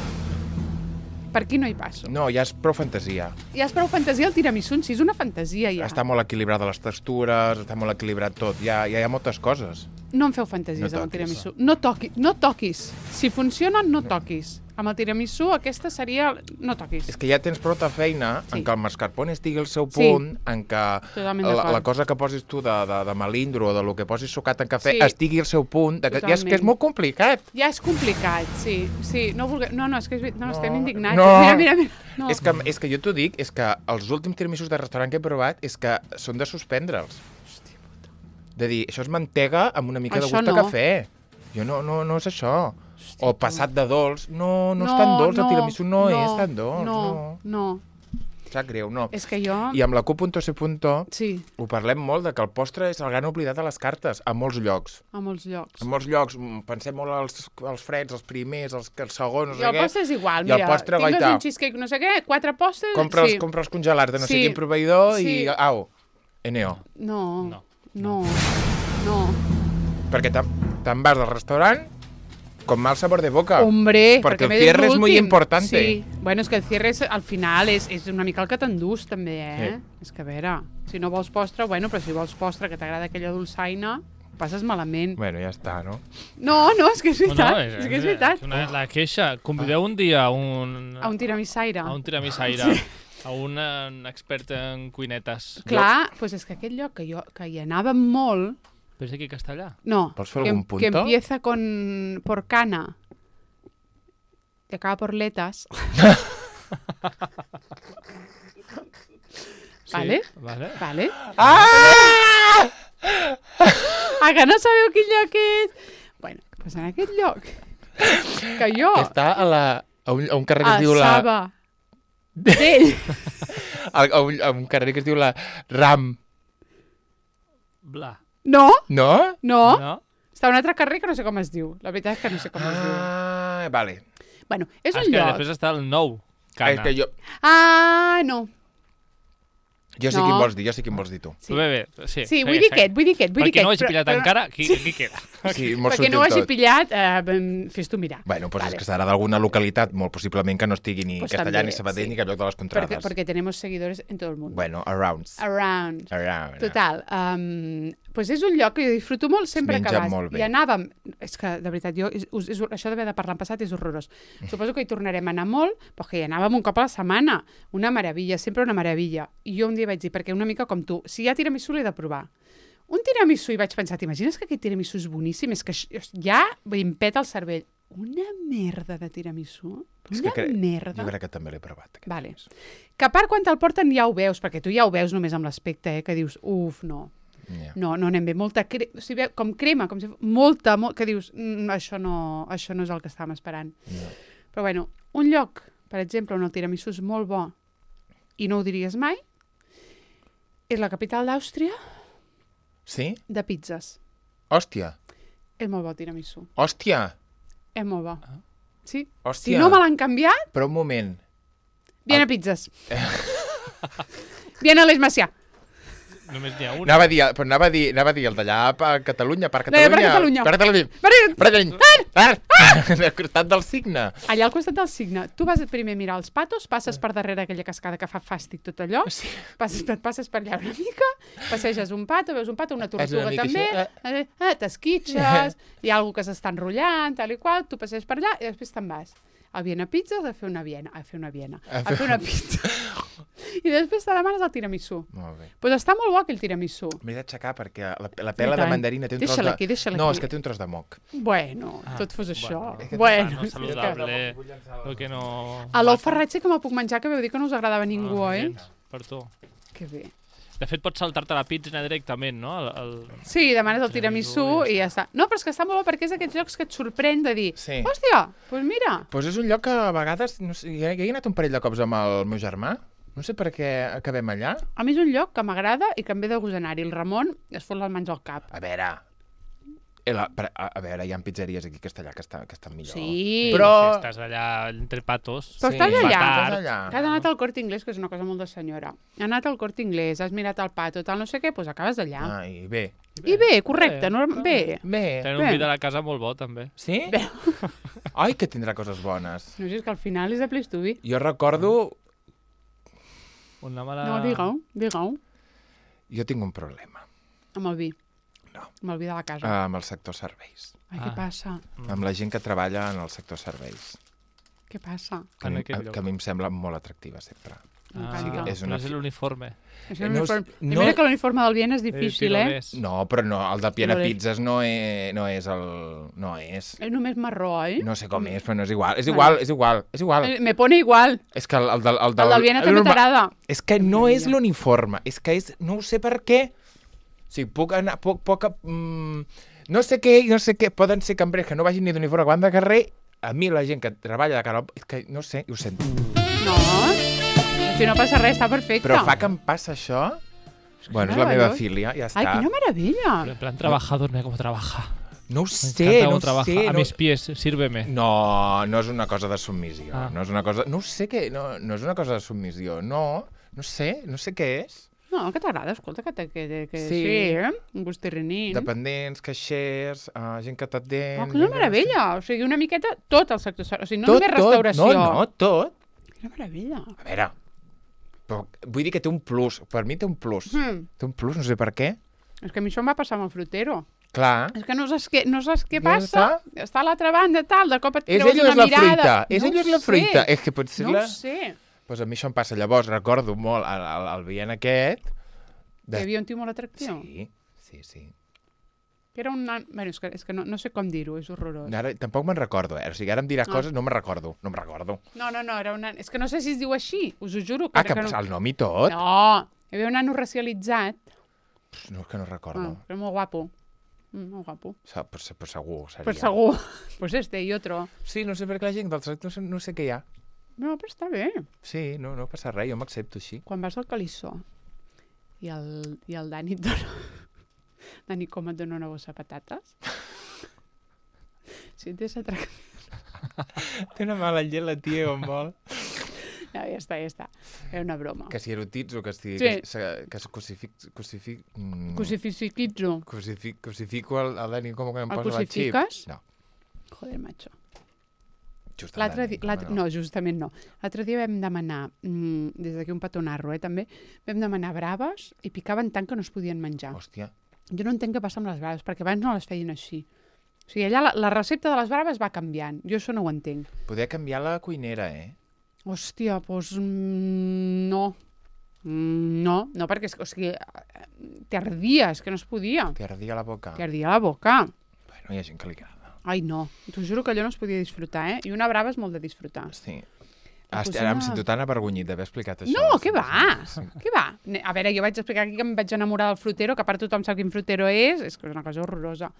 [SPEAKER 1] Per aquí no hi passo.
[SPEAKER 2] No, ja és prou fantasia.
[SPEAKER 1] Ja és prou fantasia el tiramisú en si, és una fantasia ja.
[SPEAKER 2] Està molt equilibrada les textures, està molt equilibrat tot. Ja, ja hi ha moltes coses.
[SPEAKER 1] No em feu fantasies
[SPEAKER 2] No
[SPEAKER 1] amb el
[SPEAKER 2] toquis.
[SPEAKER 1] tiramisú. No, toqui, no toquis. Si funciona, no toquis. Amb el tiramisú aquesta seria... No toquis.
[SPEAKER 2] És que ja tens prou de feina
[SPEAKER 1] Sí.
[SPEAKER 2] en què el mascarpone estigui al seu
[SPEAKER 1] Sí.
[SPEAKER 2] punt, en què
[SPEAKER 1] Totalment
[SPEAKER 2] la,
[SPEAKER 1] d'acord.
[SPEAKER 2] la cosa que posis tu de, de, de melindro o de lo que posis sucat en cafè
[SPEAKER 1] Sí.
[SPEAKER 2] estigui al seu punt, de que, ja és que és
[SPEAKER 1] Totalment.
[SPEAKER 2] molt complicat.
[SPEAKER 1] Ja és complicat, sí. sí no, vulgue... no, no, és que és... ver- no,
[SPEAKER 2] No,
[SPEAKER 1] estem indignats.
[SPEAKER 2] no.
[SPEAKER 1] Mira, mira, mira. No.
[SPEAKER 2] És, que, és que jo t'ho dic, és que els últims tiramisús de restaurant que he provat és que són de suspendre'ls. De dir, això és mantega amb una mica
[SPEAKER 1] Això
[SPEAKER 2] de gust
[SPEAKER 1] no.
[SPEAKER 2] a cafè. Jo no, no, no és això.
[SPEAKER 1] Hosti,
[SPEAKER 2] o passat de dolç. No, no, no és tan dolç, el tiramisú no, no és tan dolç.
[SPEAKER 1] No,
[SPEAKER 2] no.
[SPEAKER 1] no.
[SPEAKER 2] Sap greu, no.
[SPEAKER 1] És que jo...
[SPEAKER 2] I amb la Q punto C punto
[SPEAKER 1] sí.
[SPEAKER 2] ho parlem molt, de que el postre és el gran oblidat a les cartes, a molts llocs.
[SPEAKER 1] A molts llocs.
[SPEAKER 2] A molts llocs. Pensem molt als, als freds, els primers, els, els segons, no sé
[SPEAKER 1] I el
[SPEAKER 2] què.
[SPEAKER 1] postre és igual,
[SPEAKER 2] I
[SPEAKER 1] mira.
[SPEAKER 2] el postre,
[SPEAKER 1] tingues
[SPEAKER 2] goita.
[SPEAKER 1] un cheesecake, no sé què, quatre postres...
[SPEAKER 2] Compra els,
[SPEAKER 1] sí.
[SPEAKER 2] compra els congelats de no
[SPEAKER 1] Sí.
[SPEAKER 2] sé quin proveïdor
[SPEAKER 1] Sí.
[SPEAKER 2] i... Au, N O.
[SPEAKER 1] No,
[SPEAKER 3] No.
[SPEAKER 1] no, no.
[SPEAKER 2] Perquè te'n te vas del restaurant con mal sabor de boca.
[SPEAKER 1] Hombre,
[SPEAKER 2] Perquè el
[SPEAKER 1] m'he
[SPEAKER 2] cierre
[SPEAKER 1] dit
[SPEAKER 2] és muy
[SPEAKER 1] l'últim.
[SPEAKER 2] importante.
[SPEAKER 1] Sí, bueno, és que el cierre és, al final és, és una mica el que t'endús també, eh?
[SPEAKER 2] Sí.
[SPEAKER 1] És que a veure, si no vols postre, bueno, però si vols postre que t'agrada aquella dolçaina, passes malament.
[SPEAKER 2] Bueno, ja està, no?
[SPEAKER 1] No, no, és que és veritat,
[SPEAKER 3] No, no,
[SPEAKER 1] és, que és veritat.
[SPEAKER 3] Una, la queixa. Convideu un dia a un...
[SPEAKER 1] A un tiramissaire.
[SPEAKER 3] A un tiramissaire. Sí. A un, un expert en cuinetes.
[SPEAKER 1] Clar, doncs pues és que aquest lloc que, jo, que hi anava molt...
[SPEAKER 3] Però és aquí a Castellà.
[SPEAKER 1] No,
[SPEAKER 2] Vols fer
[SPEAKER 1] que,
[SPEAKER 2] algun punto?
[SPEAKER 1] que empieza con por cana y acaba por letas. ¿Vale?
[SPEAKER 3] Vale.
[SPEAKER 1] Vale.
[SPEAKER 2] Ah!
[SPEAKER 1] Ah, que no sabeu quin lloc és? Bueno, doncs en aquest lloc que jo...
[SPEAKER 2] Que està a, la, a, un, a un carrer que
[SPEAKER 1] a
[SPEAKER 2] es diu la...
[SPEAKER 1] Saba d'ell.
[SPEAKER 2] A, a, un, a un carrer que es diu la Ram.
[SPEAKER 3] Bla.
[SPEAKER 1] No,
[SPEAKER 2] No?
[SPEAKER 1] no,
[SPEAKER 3] No?
[SPEAKER 1] està a un altre carrer que no sé com es diu. La veritat és que no sé com es diu.
[SPEAKER 2] Ah, vale.
[SPEAKER 1] Bueno, és
[SPEAKER 3] Ah,
[SPEAKER 1] un
[SPEAKER 3] és que
[SPEAKER 1] lloc...
[SPEAKER 3] després està el nou.
[SPEAKER 2] Ah, és
[SPEAKER 3] Cana.
[SPEAKER 2] que jo,
[SPEAKER 1] Ah, no.
[SPEAKER 2] jo sé
[SPEAKER 1] No.
[SPEAKER 2] quin vols dir, jo sé quin vols dir tu.
[SPEAKER 1] Sí,
[SPEAKER 3] Bé, bé, sí.
[SPEAKER 1] sí vull dir aquest, vull dir aquest. Vull
[SPEAKER 3] Per
[SPEAKER 1] dir
[SPEAKER 3] qui no ho
[SPEAKER 1] aquest,
[SPEAKER 3] hagi pillat
[SPEAKER 1] però-
[SPEAKER 3] encara, aquí, aquí queda.
[SPEAKER 2] Sí, molt
[SPEAKER 1] Perquè
[SPEAKER 2] sutil
[SPEAKER 1] no ho hagi
[SPEAKER 2] tot.
[SPEAKER 1] pillat, eh, fes tu mirar.
[SPEAKER 2] Bueno, doncs
[SPEAKER 1] Vale.
[SPEAKER 2] és que serà d'alguna localitat, molt possiblement que no estigui ni
[SPEAKER 1] Pues
[SPEAKER 2] Castellà,
[SPEAKER 1] també,
[SPEAKER 2] ni Sabadell,
[SPEAKER 1] sí.
[SPEAKER 2] ni cap lloc de les
[SPEAKER 1] Porque,
[SPEAKER 2] contrades.
[SPEAKER 1] porque tenemos seguidores en todo el mundo.
[SPEAKER 2] Bueno, around.
[SPEAKER 1] Around.
[SPEAKER 2] Around.
[SPEAKER 1] Total. Um, pues és un lloc que jo disfruto molt sempre
[SPEAKER 2] Es
[SPEAKER 1] que
[SPEAKER 2] menja
[SPEAKER 1] vas.
[SPEAKER 2] molt bé.
[SPEAKER 1] I anàvem... És que, de veritat, jo, és, és, això d'haver de parlar en passat és horrorós. Suposo que hi tornarem a anar molt, però que hi anàvem un cop a la setmana. Una meravella, sempre una meravella. I jo un dia vaig dir, perquè una mica com tu, si hi ha tiramisú l'he de provar. Un tiramisú, i vaig pensar, t'imagines que aquest tiramisú és boníssim? És que ja em peta el cervell. Una merda de tiramisú?
[SPEAKER 2] És
[SPEAKER 1] Una
[SPEAKER 2] que cre-
[SPEAKER 1] merda.
[SPEAKER 2] Jo crec que també l'he provat. Aquest
[SPEAKER 1] Vale.
[SPEAKER 2] temps.
[SPEAKER 1] Que a part, quan te'l porten ja ho veus, perquè tu ja ho veus només amb l'aspecte, eh, que dius, uf, no,
[SPEAKER 2] Ja.
[SPEAKER 1] no, no anem bé. Molta cre... o sigui, com crema, com si... molta, molt... que dius, mm, això, no, això no és el que estàvem esperant.
[SPEAKER 2] Ja.
[SPEAKER 1] Però bueno, un lloc, per exemple, on el tiramisú és molt bo i no ho diries mai, és la capital d'Àustria
[SPEAKER 2] Sí?
[SPEAKER 1] de pizzas.
[SPEAKER 2] Hòstia.
[SPEAKER 1] És molt bo el tiramisú.
[SPEAKER 2] Hòstia.
[SPEAKER 1] És molt bo. Sí.
[SPEAKER 2] Hòstia.
[SPEAKER 1] Si no me l'han canviat,
[SPEAKER 2] Però un moment.
[SPEAKER 1] viene a pizzas. Viene a l'Eix Macià.
[SPEAKER 3] Només n'hi ha un.
[SPEAKER 2] Anava a dir, però anava a dir, anava a dir el d'allà a Catalunya, per
[SPEAKER 1] No, per
[SPEAKER 2] Catalunya.
[SPEAKER 1] Catalunya.
[SPEAKER 2] Per Catalunya.
[SPEAKER 1] Vale.
[SPEAKER 2] Per Catalunya. Al costat del signe.
[SPEAKER 1] Allà al costat del signe, tu vas primer a mirar els patos, passes per darrere aquella cascada que fa fàstic tot allò,
[SPEAKER 2] Sí.
[SPEAKER 1] passes, et passes per allà una mica, passeges un pato, veus un pato, una
[SPEAKER 2] És una
[SPEAKER 1] tortuga
[SPEAKER 2] mica
[SPEAKER 1] també,
[SPEAKER 2] així,
[SPEAKER 1] eh, eh, t'esquitxes, hi ha algú que s'està enrotllant, tal i qual, tu passes per allà i després te'n vas. A Viena Pizzas a fer una Viena, a fer una Viena,
[SPEAKER 2] A
[SPEAKER 1] a
[SPEAKER 2] fer-
[SPEAKER 1] fer una pizza. I després te demanes el tiramisú.
[SPEAKER 2] Molt bé.
[SPEAKER 1] Doncs pues està molt bo aquell tiramisú.
[SPEAKER 2] M'he d'aixecar perquè la, la pela
[SPEAKER 1] I
[SPEAKER 2] de
[SPEAKER 1] tant.
[SPEAKER 2] mandarina té un tros
[SPEAKER 1] Deixa-la
[SPEAKER 2] de...
[SPEAKER 1] aquí, deixa-la
[SPEAKER 2] no,
[SPEAKER 1] aquí.
[SPEAKER 2] és que té un tros de moc.
[SPEAKER 1] Bueno,
[SPEAKER 3] Ah,
[SPEAKER 1] tot fos això.
[SPEAKER 3] bueno.
[SPEAKER 1] Bueno,
[SPEAKER 3] No
[SPEAKER 1] és que-
[SPEAKER 3] saludable. El que no...
[SPEAKER 1] a l'ou ferrat sí que me'l puc menjar, que veu dir que no us agradava a ningú,
[SPEAKER 3] Ah,
[SPEAKER 1] eh?
[SPEAKER 3] gens, Per tu.
[SPEAKER 1] Que bé.
[SPEAKER 3] De fet, pots saltar-te la pizza directament, no? El, el...
[SPEAKER 1] Sí, demanes el tiramisú
[SPEAKER 3] Tiramisú i
[SPEAKER 1] i ja està. No, però és que està molt bo perquè és d'aquests llocs que et sorprèn de dir
[SPEAKER 2] Sí.
[SPEAKER 1] hòstia, doncs pues mira.
[SPEAKER 2] Doncs pues és un lloc que a vegades... No sé, ja, ja he anat un parell de cops amb el meu germà. No sé per què acabem allà.
[SPEAKER 1] A mi és un lloc que m'agrada i que em ve de gust anar-hi. El Ramon es fot les mans al cap.
[SPEAKER 2] A veure... eh, La, per- a, a veure, hi ha pizzeries aquí a Castellà que, està, que estan millor.
[SPEAKER 1] Sí,
[SPEAKER 2] Però-
[SPEAKER 3] Si estàs allà entre patos...
[SPEAKER 1] Però
[SPEAKER 2] Sí,
[SPEAKER 1] estàs allà.
[SPEAKER 2] estàs allà.
[SPEAKER 1] Que has anat al Corte Inglés, que és una cosa molt de senyora. Has anat al Corte Inglés, has mirat el pato, tal, no sé què, doncs acabes allà.
[SPEAKER 2] Ah, i bé.
[SPEAKER 1] I bé, correcte,
[SPEAKER 3] Bé.
[SPEAKER 1] no, bé.
[SPEAKER 2] Bé.
[SPEAKER 3] Tenen un
[SPEAKER 1] Bé.
[SPEAKER 3] vi de la casa molt bo, també.
[SPEAKER 2] Sí?
[SPEAKER 1] Bé.
[SPEAKER 2] Ai, que tindrà coses bones.
[SPEAKER 1] No sé, és que al final és de Place to Be.
[SPEAKER 2] Jo recordo...
[SPEAKER 3] Una mala...
[SPEAKER 1] No, digue-ho, digue-ho.
[SPEAKER 2] Jo tinc un problema
[SPEAKER 1] Amb el vi.
[SPEAKER 2] No.
[SPEAKER 1] Amb el vi de la casa.
[SPEAKER 2] amb el sector serveis.
[SPEAKER 1] Ai, què
[SPEAKER 3] Ah.
[SPEAKER 1] passa?
[SPEAKER 2] Amb la gent que treballa en el sector serveis.
[SPEAKER 1] Què passa?
[SPEAKER 2] Que, a
[SPEAKER 3] En
[SPEAKER 2] mi-
[SPEAKER 3] aquest lloc.
[SPEAKER 2] que a mi em sembla molt atractiva sempre.
[SPEAKER 3] Ah,
[SPEAKER 1] M'encanta.
[SPEAKER 2] és una
[SPEAKER 3] és
[SPEAKER 2] fi-
[SPEAKER 3] l'uniforme.
[SPEAKER 1] És
[SPEAKER 2] Eh,
[SPEAKER 1] un
[SPEAKER 2] no és-
[SPEAKER 1] uniforme...
[SPEAKER 2] no-
[SPEAKER 1] Mira que l'uniforme del Viena és difícil, eh?
[SPEAKER 3] Tirolès.
[SPEAKER 2] No, però no, el de Piena
[SPEAKER 1] No és.
[SPEAKER 2] Pizzas no és, no és el... No és.
[SPEAKER 1] És només marró, oi?
[SPEAKER 2] No sé com és, però no és igual. És igual, és igual, és igual.
[SPEAKER 1] Eh, Me pone igual.
[SPEAKER 2] És que el, el, del, el,
[SPEAKER 1] El del Viena també
[SPEAKER 2] norma-
[SPEAKER 1] t'agrada.
[SPEAKER 2] És que no és
[SPEAKER 1] Maravilla.
[SPEAKER 2] l'uniforme, és que és... No ho sé per què. O sigui, puc anar... Puc, puc, mm, no sé què, no sé què, poden ser cambrers que no vagin ni d'uniforme quan de carrer, a mi la gent que treballa de cara al... És que no sé, ho sento.
[SPEAKER 1] No, si no passa res, està perfecte.
[SPEAKER 2] Però fa que em passa això... Bueno, és la meva filia, ja està.
[SPEAKER 1] Ai, quina meravella.
[SPEAKER 3] En plan, trabajador, mira com trabaja.
[SPEAKER 2] No ho
[SPEAKER 3] Me
[SPEAKER 2] sé,
[SPEAKER 3] encanta
[SPEAKER 2] no
[SPEAKER 3] cómo
[SPEAKER 2] ho
[SPEAKER 3] trabaja.
[SPEAKER 2] sé.
[SPEAKER 3] A
[SPEAKER 2] no...
[SPEAKER 3] mis pies, sírveme.
[SPEAKER 2] No, no és una cosa de submissió.
[SPEAKER 3] Ah.
[SPEAKER 2] No és una cosa... No ho sé què... No, no és una cosa de submissió. No, no sé, no sé què és.
[SPEAKER 1] No, que t'agrada, escolta, que, que, que, que
[SPEAKER 2] Sí.
[SPEAKER 1] sí, eh? Un gust terrenín.
[SPEAKER 2] Dependents, caixers, uh, gent que t'atén...
[SPEAKER 1] Oh, quina meravella. O sigui, una miqueta tot el sector. O sigui, no
[SPEAKER 2] Tot,
[SPEAKER 1] només
[SPEAKER 2] tot.
[SPEAKER 1] restauració.
[SPEAKER 2] No, no, tot.
[SPEAKER 1] Quina meravella.
[SPEAKER 2] A veure, però vull dir que té un plus. Per mi té un plus.
[SPEAKER 1] Hmm.
[SPEAKER 2] Té un plus, no sé per què.
[SPEAKER 1] És que a mi això em va passar amb el frutero.
[SPEAKER 2] Clar.
[SPEAKER 1] És que no saps què, no saps què
[SPEAKER 2] Ja
[SPEAKER 1] passa. Està a l'altra banda, tal, de cop et
[SPEAKER 2] És
[SPEAKER 1] treus
[SPEAKER 2] ella o
[SPEAKER 1] una
[SPEAKER 2] és la
[SPEAKER 1] mirada.
[SPEAKER 2] fruita? És
[SPEAKER 1] No
[SPEAKER 2] ella o és la
[SPEAKER 1] ho
[SPEAKER 2] fruita?
[SPEAKER 1] sé.
[SPEAKER 2] És que potser
[SPEAKER 1] No
[SPEAKER 2] la...
[SPEAKER 1] ho sé.
[SPEAKER 2] Pues a mi això em passa. Llavors recordo molt el, el, el veient aquest...
[SPEAKER 1] Hi havia un tio molt atractiu.
[SPEAKER 2] Sí, sí, sí.
[SPEAKER 1] Que era un nan... Bueno, és que, és que no, no sé com dir-ho, és horrorós.
[SPEAKER 2] Ara, tampoc me'n recordo, eh? O sigui, ara em diràs
[SPEAKER 1] Ah.
[SPEAKER 2] coses, no me'n recordo. No me'n recordo.
[SPEAKER 1] No, no, no, era un nan... És que no sé si es diu així, us ho juro.
[SPEAKER 2] Ah, que,
[SPEAKER 1] que
[SPEAKER 2] que
[SPEAKER 1] no...
[SPEAKER 2] el nom i tot?
[SPEAKER 1] No, hi havia un nano racialitzat.
[SPEAKER 2] Pff, no, és que no
[SPEAKER 1] Ah,
[SPEAKER 2] recordo.
[SPEAKER 1] però molt guapo. Mm, molt guapo.
[SPEAKER 2] Ah. Per, per segur, seria.
[SPEAKER 1] Per segur. Pues este i otro.
[SPEAKER 2] Sí, no sé per què la gent del tracte no sé, no sé què hi ha.
[SPEAKER 1] No, però està bé.
[SPEAKER 2] Sí, no, no passa res, jo m'accepto així.
[SPEAKER 1] Quan vas al Calissó i el, i el Dani et dona... Dani, com et dona una bossa de patates? Si t'és atractiu...
[SPEAKER 2] Té una mala llet la tia com vol.
[SPEAKER 1] No, ja està, ja està. Era una broma.
[SPEAKER 2] Que si erotitzo, que si...
[SPEAKER 1] Sí.
[SPEAKER 2] Que, se- que es crucific... Crucific... Mm,
[SPEAKER 1] Crucifiquitzo.
[SPEAKER 2] crucific, crucifico el, el Dani com que em
[SPEAKER 1] El
[SPEAKER 2] posa la xip.
[SPEAKER 1] crucifiques?
[SPEAKER 2] No,
[SPEAKER 1] Joder, macho.
[SPEAKER 2] just el
[SPEAKER 1] L'altre
[SPEAKER 2] Dani,
[SPEAKER 1] dia... l'altre- No, justament no. L'altre dia vam demanar, mm, des d'aquí un petonarro, eh, també, vam demanar braves i picaven tant que no es podien menjar.
[SPEAKER 2] Hòstia.
[SPEAKER 1] Jo no entenc què passa amb les braves, perquè abans no les feien així. O sigui, allà la, la recepta de les braves va canviant. Jo això no ho entenc.
[SPEAKER 2] Poder canviar la cuinera, eh?
[SPEAKER 1] Hòstia, doncs mm, no. Mm, no, no, perquè és, que, o sigui, t'ardia, és que no es podia.
[SPEAKER 2] Que ardia la boca.
[SPEAKER 1] T'ardia la boca.
[SPEAKER 2] Bueno, hi ha gent que li agrada.
[SPEAKER 1] Ai, no. T'ho juro que allò no es podia disfrutar, eh? I una brava és molt de disfrutar.
[SPEAKER 2] Sí.
[SPEAKER 1] La
[SPEAKER 2] Hasta,
[SPEAKER 1] cocina-
[SPEAKER 2] ara em sento tan avergonyit d'haver explicat això.
[SPEAKER 1] No,
[SPEAKER 2] Sí,
[SPEAKER 1] què va?
[SPEAKER 2] sí, sí.
[SPEAKER 1] Què va? Ne- A veure, jo vaig explicar aquí que em vaig enamorar del frutero, que a part tothom sap quin frutero és, és que és una cosa horrorosa.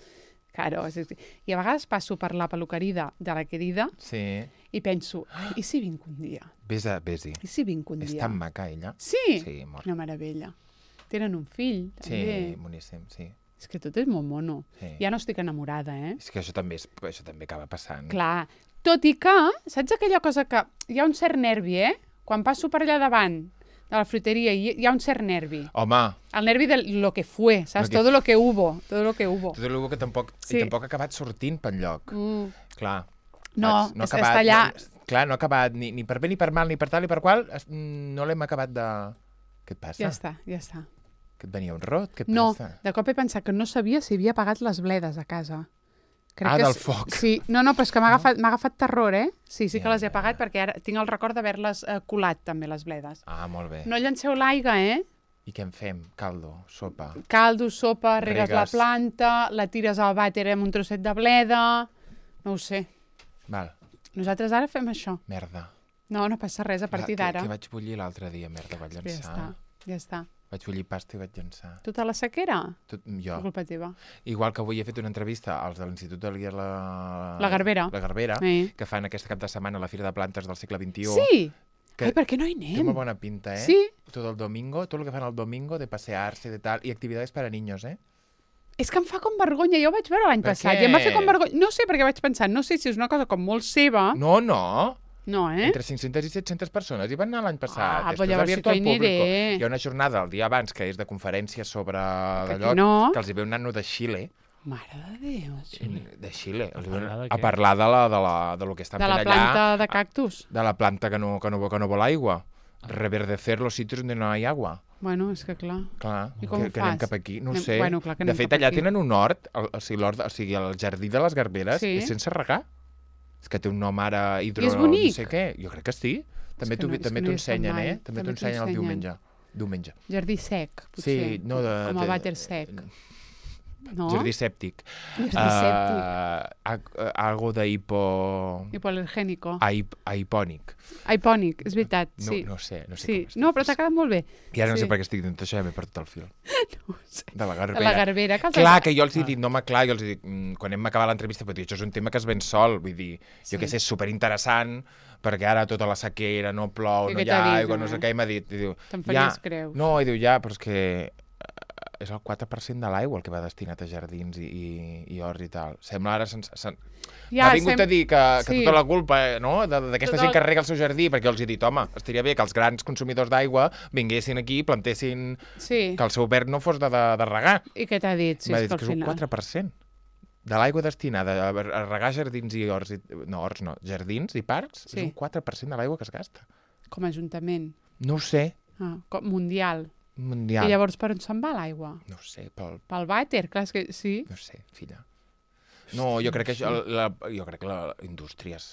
[SPEAKER 1] Claro, és, és- I a vegades passo per la peluqueria de la querida
[SPEAKER 2] Sí.
[SPEAKER 1] i penso, i si vinc un dia?
[SPEAKER 2] Ves a, ves-hi.
[SPEAKER 1] I si vinc un
[SPEAKER 2] És
[SPEAKER 1] dia?
[SPEAKER 2] tan maca, ella.
[SPEAKER 1] Sí?
[SPEAKER 2] Sí, molt.
[SPEAKER 1] Quina meravella. Tenen un fill,
[SPEAKER 2] Sí,
[SPEAKER 1] també.
[SPEAKER 2] boníssim, sí.
[SPEAKER 1] És que tot és molt mono.
[SPEAKER 2] Sí.
[SPEAKER 1] Ja no estic enamorada, eh?
[SPEAKER 2] És que això també, és, això també acaba passant.
[SPEAKER 1] Clar. Tot i que, saps aquella cosa que hi ha un cert nervi, eh? Quan passo per allà davant de la fruteria hi, hi ha un cert nervi.
[SPEAKER 2] Home,
[SPEAKER 1] El nervi de lo que fue, ¿sabes?
[SPEAKER 2] Lo que-
[SPEAKER 1] Todo lo que hubo, todo lo que hubo.
[SPEAKER 2] tot el que tampoc,
[SPEAKER 1] Sí.
[SPEAKER 2] i tampoc ha acabat sortint pel lloc.
[SPEAKER 1] Mm.
[SPEAKER 2] Clar.
[SPEAKER 1] No,
[SPEAKER 2] Saps?
[SPEAKER 1] és-
[SPEAKER 2] ha acabat,
[SPEAKER 1] està allà.
[SPEAKER 2] No, clar, no ha acabat ni, ni per bé ni per mal, ni per tal ni per qual. es- No l'hem acabat de... Què et passa?
[SPEAKER 1] Ja està, ja està.
[SPEAKER 2] Que et venia un rot? Què et
[SPEAKER 1] No,
[SPEAKER 2] passa?
[SPEAKER 1] de cop he pensat que no sabia si havia apagat les bledes a casa.
[SPEAKER 2] Ah,
[SPEAKER 1] que
[SPEAKER 2] del
[SPEAKER 1] s-
[SPEAKER 2] foc.
[SPEAKER 1] Sí, no, no, però és que m'ha agafat, m'ha agafat terror, eh? Sí, sí que
[SPEAKER 2] Ja,
[SPEAKER 1] les he
[SPEAKER 2] ja,
[SPEAKER 1] apagat
[SPEAKER 2] ja.
[SPEAKER 1] perquè ara tinc el record d'haver-les eh, colat també, les bledes.
[SPEAKER 2] Ah, molt bé.
[SPEAKER 1] No llanceu l'aigua, eh?
[SPEAKER 2] I què en fem? Caldo, sopa...
[SPEAKER 1] Caldo, sopa, regues, la
[SPEAKER 2] Regues.
[SPEAKER 1] planta, la tires al vàter amb un trosset de bleda... No ho sé.
[SPEAKER 2] Val,
[SPEAKER 1] Nosaltres ara fem això.
[SPEAKER 2] merda.
[SPEAKER 1] No, no passa res a partir
[SPEAKER 2] La-
[SPEAKER 1] d'ara.
[SPEAKER 2] Que, que vaig bullir l'altre dia, merda, vaig
[SPEAKER 1] Ja
[SPEAKER 2] llançar.
[SPEAKER 1] està, ja està.
[SPEAKER 2] Vaig bullir pasta i vaig llançar.
[SPEAKER 1] Tota la sequera?
[SPEAKER 2] Tot,
[SPEAKER 1] Per
[SPEAKER 2] jo.
[SPEAKER 1] culpa teva.
[SPEAKER 2] Igual que avui he fet una entrevista als de l'Institut de la...
[SPEAKER 1] La Garbera.
[SPEAKER 2] La Garbera,
[SPEAKER 1] Eh.
[SPEAKER 2] que fan aquest cap de setmana a la Fira de Plantes del segle vint-i-u.
[SPEAKER 1] Sí!
[SPEAKER 2] Que
[SPEAKER 1] Ai, per què no hi
[SPEAKER 2] Té
[SPEAKER 1] anem?
[SPEAKER 2] molt bona pinta, eh?
[SPEAKER 1] Sí.
[SPEAKER 2] Todo el domingo, todo lo que fan el domingo, de pasearse, de tal, y actividades para niños, eh?
[SPEAKER 1] És que em fa com vergonya, jo ho vaig veure l'any
[SPEAKER 2] Per
[SPEAKER 1] passat
[SPEAKER 2] què?
[SPEAKER 1] i em va fer com vergonya. No sé, perquè vaig pensar, no sé si és una cosa com molt seva.
[SPEAKER 2] No, no.
[SPEAKER 1] No, eh?
[SPEAKER 2] Entre cinc-centes i set-centes persones hi van anar l'any passat.
[SPEAKER 1] Ah,
[SPEAKER 2] Esto
[SPEAKER 1] però
[SPEAKER 2] és
[SPEAKER 1] llavors sí
[SPEAKER 2] abierto
[SPEAKER 1] que
[SPEAKER 2] al
[SPEAKER 1] hi
[SPEAKER 2] público.
[SPEAKER 1] aniré.
[SPEAKER 2] Hi ha una jornada el dia abans que és de conferències sobre
[SPEAKER 1] Que
[SPEAKER 2] d'allò,
[SPEAKER 1] aquí no.
[SPEAKER 2] que els hi ve un nano de Xile,
[SPEAKER 1] Mare de Déu.
[SPEAKER 2] de Xile, els hi ve
[SPEAKER 3] parlar de
[SPEAKER 2] a
[SPEAKER 3] què?
[SPEAKER 2] parlar de, la, de, la, de lo que estan
[SPEAKER 1] De
[SPEAKER 2] fent
[SPEAKER 1] la
[SPEAKER 2] allà,
[SPEAKER 1] planta de cactus.
[SPEAKER 2] de la planta que no, que no, que no vol aigua. Reverdecer los sitios donde no hay agua.
[SPEAKER 1] Bueno, és que clar.
[SPEAKER 2] Clar,
[SPEAKER 1] I com
[SPEAKER 2] que,
[SPEAKER 1] ho
[SPEAKER 2] que anem
[SPEAKER 1] fas?
[SPEAKER 2] cap aquí, no ho
[SPEAKER 1] Anem-
[SPEAKER 2] sé.
[SPEAKER 1] bueno, clar que
[SPEAKER 2] de
[SPEAKER 1] anem
[SPEAKER 2] fet,
[SPEAKER 1] cap
[SPEAKER 2] allà
[SPEAKER 1] aquí.
[SPEAKER 2] tenen un hort, el, o, sigui, l'hort, o sigui, el jardí de les Garberes
[SPEAKER 1] Sí.
[SPEAKER 2] és sense regar. És que té un nom ara hidro...
[SPEAKER 1] I és bonic?
[SPEAKER 2] No sé què. Jo crec que sí. També
[SPEAKER 1] que
[SPEAKER 2] t'ho
[SPEAKER 1] no- és
[SPEAKER 2] també
[SPEAKER 1] que no
[SPEAKER 2] t'ho
[SPEAKER 1] hi he estat
[SPEAKER 2] ensenyen,
[SPEAKER 1] mai.
[SPEAKER 2] eh? També
[SPEAKER 1] També
[SPEAKER 2] t'ho
[SPEAKER 1] t'ho
[SPEAKER 2] ensenyen el
[SPEAKER 1] ensenyen.
[SPEAKER 2] diumenge. Diumenge.
[SPEAKER 1] Jardí sec, potser.
[SPEAKER 2] Sí, no de...
[SPEAKER 1] Com
[SPEAKER 2] de,
[SPEAKER 1] el vàter sec. No?
[SPEAKER 2] Jardí sèptic.
[SPEAKER 1] Jardí sèptic.
[SPEAKER 2] Uh, algo de hipo...
[SPEAKER 1] Hipoalergènico.
[SPEAKER 2] Aip, aipònic.
[SPEAKER 1] Aipònic, és veritat,
[SPEAKER 2] no,
[SPEAKER 1] sí.
[SPEAKER 2] No sé, no sé
[SPEAKER 1] sí.
[SPEAKER 2] com
[SPEAKER 1] No, però t'ha quedat molt bé.
[SPEAKER 2] I ara no
[SPEAKER 1] sí.
[SPEAKER 2] sé per què estic dient això, ja m'he perdut el fil.
[SPEAKER 1] No ho sé.
[SPEAKER 2] De la Garbera.
[SPEAKER 1] De la Garbera. Que
[SPEAKER 2] clar, que jo els he dit, no, home, clar, jo els he dit, mm, quan hem acabat l'entrevista, però, tio, això és un tema que es ven sol, vull dir, sí. jo que sé, és superinteressant, perquè ara tota la sequera, no plou,
[SPEAKER 1] I
[SPEAKER 2] no hi ha aigua, no sé què, i m'ha dit, i diu,
[SPEAKER 1] te'n faries
[SPEAKER 2] ja,
[SPEAKER 1] creus.
[SPEAKER 2] no, i diu, ja, però és que és el quatre per cent de l'aigua el que va destinat a jardins i, i, i horts i tal. Sembla ara... Sens, sen... Ja, ha vingut sem... a dir que, que sí. tota la culpa no? d'aquesta tot gent el... que rega el seu jardí, perquè jo els he dit, home, estaria bé que els grans consumidors d'aigua vinguessin aquí i plantessin sí. que el seu verd no fos de, de, de regar.
[SPEAKER 1] I què t'ha dit? Si
[SPEAKER 2] m'ha
[SPEAKER 1] és
[SPEAKER 2] dit
[SPEAKER 1] que,
[SPEAKER 2] que és un quatre per cent de l'aigua destinada a regar jardins i horts, i... no, horts no, jardins i parcs, sí. és un quatre per cent de l'aigua que es gasta.
[SPEAKER 1] Com a ajuntament?
[SPEAKER 2] No ho sé.
[SPEAKER 1] Ah, com mundial.
[SPEAKER 2] Mundial.
[SPEAKER 1] I llavors per on se'n va l'aigua?
[SPEAKER 2] No ho sé, pel...
[SPEAKER 1] Pel vàter, clar, és que sí.
[SPEAKER 2] No sé, filla. No, jo crec que això, la, jo crec que les indústries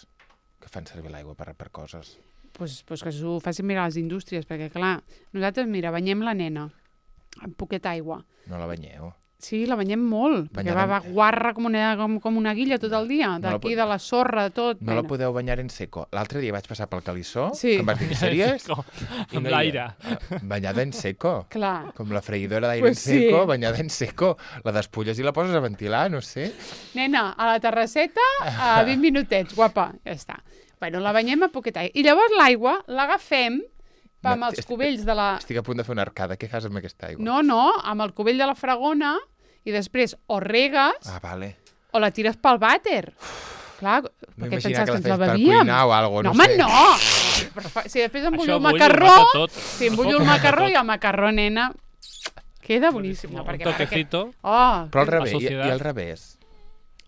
[SPEAKER 2] que fan servir l'aigua per, per coses.
[SPEAKER 1] Doncs pues, pues que s'ho facin mirar les indústries, perquè clar, nosaltres, mira, banyem la nena amb poqueta aigua.
[SPEAKER 2] No la banyeu?
[SPEAKER 1] Sí, la banyem molt, Banyada... perquè va, va guarra com una, com, com una guilla tot el dia, d'aquí, no de la sorra, de tot.
[SPEAKER 2] No
[SPEAKER 1] bueno.
[SPEAKER 2] la podeu banyar en seco. L'altre dia vaig passar pel Calissó,
[SPEAKER 1] sí.
[SPEAKER 2] que em vas dir, sèries?
[SPEAKER 3] Amb no l'aire.
[SPEAKER 2] Banyada en seco.
[SPEAKER 1] Clar.
[SPEAKER 2] Com la freïdora d'aire pues en seco, sí. banyada en seco. La despulles i la poses a ventilar, no sé.
[SPEAKER 1] Nena, a la terrasseta, a vint minutets, guapa, ja està. Bueno, la banyem a poqueta aigua. I llavors l'aigua l'agafem amb els cubells de la...
[SPEAKER 2] Estic a punt de fer una arcada. Què fas amb aquesta aigua?
[SPEAKER 1] No, no, amb el cubell de la fragona i després o regues
[SPEAKER 2] ah, vale.
[SPEAKER 1] o la tires pel vàter. Clar, perquè pensaves que, que ens la bebíem.
[SPEAKER 2] Per cuinar o algo, no,
[SPEAKER 1] no
[SPEAKER 2] sé.
[SPEAKER 1] No, home, no! Si després embullo el macarró, si embullo el macarró i el macarró, nena, queda boníssim. No,
[SPEAKER 3] perquè, un toquecito.
[SPEAKER 1] Perquè... Oh,
[SPEAKER 2] però al revés, i, i al revés.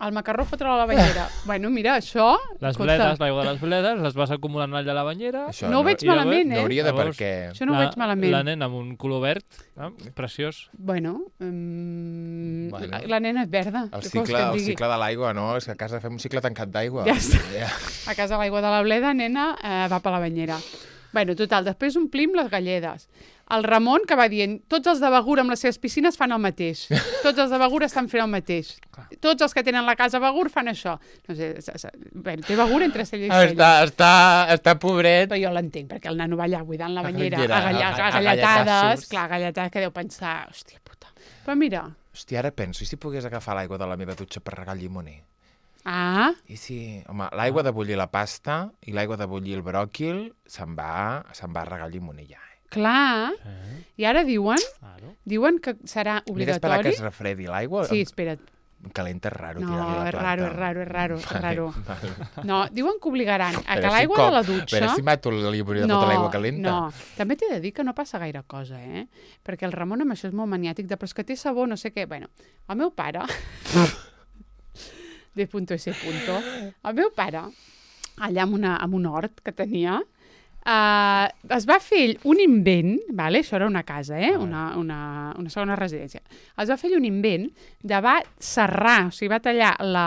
[SPEAKER 1] El macarró fotre a la banyera. Bueno, mira, això...
[SPEAKER 3] Les bledes, l'aigua de les bledes, les vas acumulant allà a la banyera.
[SPEAKER 1] Això no ho veig malament, eh?
[SPEAKER 2] No hauria de perquè...
[SPEAKER 1] Això no ho veig malament.
[SPEAKER 3] La nena amb un color verd, eh? Preciós.
[SPEAKER 1] Bueno, um, bueno. La, la nena és verda.
[SPEAKER 2] El cicle, el cicle de l'aigua, no? És que a casa fem un cicle tancat d'aigua.
[SPEAKER 1] Ja està. Yeah. A casa l'aigua de la bleda, nena, eh, va per la banyera. Bueno, total, després omplim les galledes. El Ramon, que va dient, tots els de Begur amb les seves piscines fan el mateix. Tots els de Begur estan fent el mateix. Tots els que tenen la casa Begur fan això. No sé, bueno, té Begur entre cella i cella.
[SPEAKER 2] Està, està, està pobret.
[SPEAKER 1] Però jo l'entenc, perquè el nano va allà buidant la banyera, a, galla, a, a galletades. Clar, galletades que deu pensar, hòstia puta. Però mira...
[SPEAKER 2] Hòstia, ara penso, i si pogués agafar l'aigua de la meva dutxa per regar el llimoner?
[SPEAKER 1] Ah.
[SPEAKER 2] I si, home, l'aigua de bullir la pasta i l'aigua de bullir el bròquil se'n va, se'n va a regar el llimoner ja.
[SPEAKER 1] Clar, eh? I ara diuen claro. diuen que serà obligatori...
[SPEAKER 2] Mira, esperar que es refredi l'aigua.
[SPEAKER 1] Sí, espera't.
[SPEAKER 2] Calenta és raro.
[SPEAKER 1] No,
[SPEAKER 2] és
[SPEAKER 1] raro, és raro, és raro, és
[SPEAKER 2] vale,
[SPEAKER 1] raro.
[SPEAKER 2] Vale.
[SPEAKER 1] No, diuen que obligaran a que
[SPEAKER 2] si
[SPEAKER 1] l'aigua
[SPEAKER 2] com,
[SPEAKER 1] de la dutxa...
[SPEAKER 2] A veure si mato el llimoner de
[SPEAKER 1] no,
[SPEAKER 2] fotre l'aigua calenta.
[SPEAKER 1] No, també t'he de dir que no passa gaire cosa, eh? Perquè el Ramon amb això és molt maniàtic, de però és que té sabó, no sé què... Bueno, el meu pare... de punto ese punto. El meu pare, allà amb, una, amb un hort que tenia... Uh, es va fer un invent, vale? Això era una casa, eh? una, una, una segona residència. Es va fer un invent de va serrar, o sigui, va tallar la,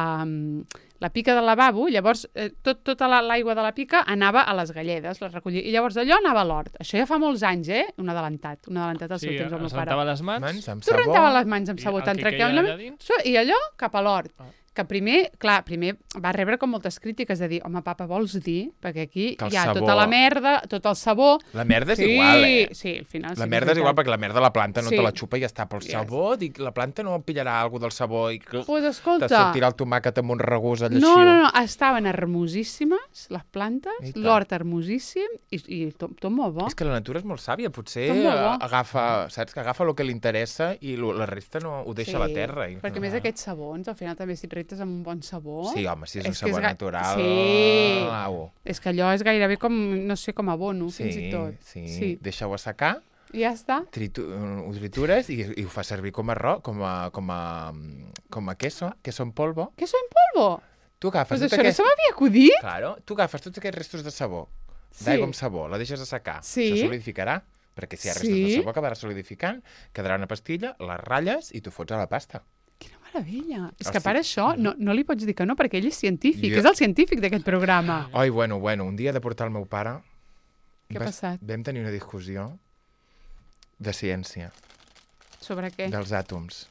[SPEAKER 1] la pica del lavabo, llavors eh, tot, tota l'aigua de la pica anava a les galledes, les recollia, i llavors d'allò anava a l'hort. Això ja fa molts anys, eh? Un adelantat, un adelantat al
[SPEAKER 3] sí,
[SPEAKER 1] seu temps al meu pare.
[SPEAKER 3] Sí, rentava les mans.
[SPEAKER 2] mans amb
[SPEAKER 1] tu
[SPEAKER 2] sabó.
[SPEAKER 1] rentava les mans amb sabó, tan tranquil·lament. I allò cap a l'hort. Ah. Que primer, clar, primer va rebre com moltes crítiques de dir, home, papa, vols dir? Perquè aquí hi ha sabó... tota la merda, tot el sabó...
[SPEAKER 2] La merda és
[SPEAKER 1] sí,
[SPEAKER 2] igual, eh?
[SPEAKER 1] Sí, al final...
[SPEAKER 2] La
[SPEAKER 1] sí,
[SPEAKER 2] merda és igual perquè la merda la planta no
[SPEAKER 1] sí.
[SPEAKER 2] te la xupa i ja està. Però el
[SPEAKER 1] yes.
[SPEAKER 2] sabó, dic, la planta no pillarà alguna del sabó i que
[SPEAKER 1] pues escolta,
[SPEAKER 2] te sortirà el tomàquet amb un regús allà
[SPEAKER 1] no,
[SPEAKER 2] així.
[SPEAKER 1] No, no, estaven hermosíssimes, les plantes, l'hort hermosíssim i, i tot, tot molt bo.
[SPEAKER 2] És que la natura és molt sàvia, potser
[SPEAKER 1] bo.
[SPEAKER 2] agafa, saps, que agafa el que li interessa i lo, la resta no ho deixa
[SPEAKER 1] sí,
[SPEAKER 2] a la terra. I...
[SPEAKER 1] perquè més aquests sabons, al final també si et retes amb un bon sabó...
[SPEAKER 2] Sí, home, si és, és un sabó natural...
[SPEAKER 1] Sí,
[SPEAKER 2] au.
[SPEAKER 1] És que allò és gairebé com, no sé, com abono,
[SPEAKER 2] sí,
[SPEAKER 1] fins i tot.
[SPEAKER 2] Sí, sí. Deixa-ho assecar,
[SPEAKER 1] i ja està.
[SPEAKER 2] Tritu ho tritures i, i ho fa servir com a ro, com a, com a, com a queso, queso en polvo.
[SPEAKER 1] Queso en polvo?
[SPEAKER 2] Tu agafes
[SPEAKER 1] pues
[SPEAKER 2] tot
[SPEAKER 1] això
[SPEAKER 2] aquest...
[SPEAKER 1] no se m'havia acudit?
[SPEAKER 2] Claro, tu agafes tots aquests restos de sabó,
[SPEAKER 1] sí.
[SPEAKER 2] d'aigua amb sabó, la deixes assecar,
[SPEAKER 1] sí.
[SPEAKER 2] se solidificarà, perquè si hi ha restos
[SPEAKER 1] sí.
[SPEAKER 2] de sabó acabarà solidificant, quedarà una pastilla, les ratlles i tu fots a la pasta.
[SPEAKER 1] Quina meravella. És
[SPEAKER 2] el
[SPEAKER 1] que per això no, no li pots dir que no, perquè ell és científic,
[SPEAKER 2] jo...
[SPEAKER 1] és el científic d'aquest programa.
[SPEAKER 2] Ai, bueno, bueno, un dia he de portar el meu pare...
[SPEAKER 1] Què ha passat?
[SPEAKER 2] Vam tenir una discussió de ciència.
[SPEAKER 1] Sobre què?
[SPEAKER 2] Dels àtoms.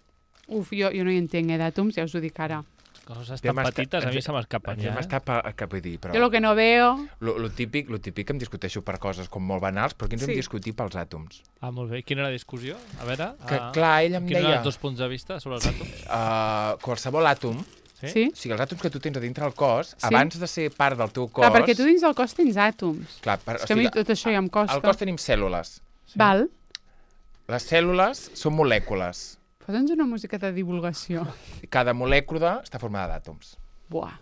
[SPEAKER 1] Uf, jo, jo no hi entenc, eh, d'àtoms, ja us ho dic ara.
[SPEAKER 3] Coses tan petites, a mi se m'escapen ja.
[SPEAKER 2] M'està cap a dir, però...
[SPEAKER 1] Jo lo que no veo...
[SPEAKER 2] Lo, lo, típic, lo típic que em discuteixo per coses com molt banals, però aquí ens sí. hem discutit pels àtoms.
[SPEAKER 3] Ah, molt bé. Quina era la discussió? A veure...
[SPEAKER 2] Que,
[SPEAKER 3] uh,
[SPEAKER 2] clar, ell em
[SPEAKER 3] deia... Quins
[SPEAKER 2] eren
[SPEAKER 3] els dos punts de vista sobre els àtoms?
[SPEAKER 2] Uh, qualsevol àtom,
[SPEAKER 3] sí?
[SPEAKER 1] sí?
[SPEAKER 2] o sigui, els àtoms que tu tens a dintre del cos, sí? abans de ser part del teu cos...
[SPEAKER 1] Clar, perquè tu dins del cos tens àtoms.
[SPEAKER 2] Clar, per,
[SPEAKER 1] és que o sigui, a mi tot això ja em costa.
[SPEAKER 2] Al cos tenim cèl·lules.
[SPEAKER 1] Sí. Val.
[SPEAKER 2] Les cèl·lules són molècules.
[SPEAKER 1] Posa'ns una música de divulgació.
[SPEAKER 2] Cada molècula està formada d'àtoms.
[SPEAKER 1] Buah.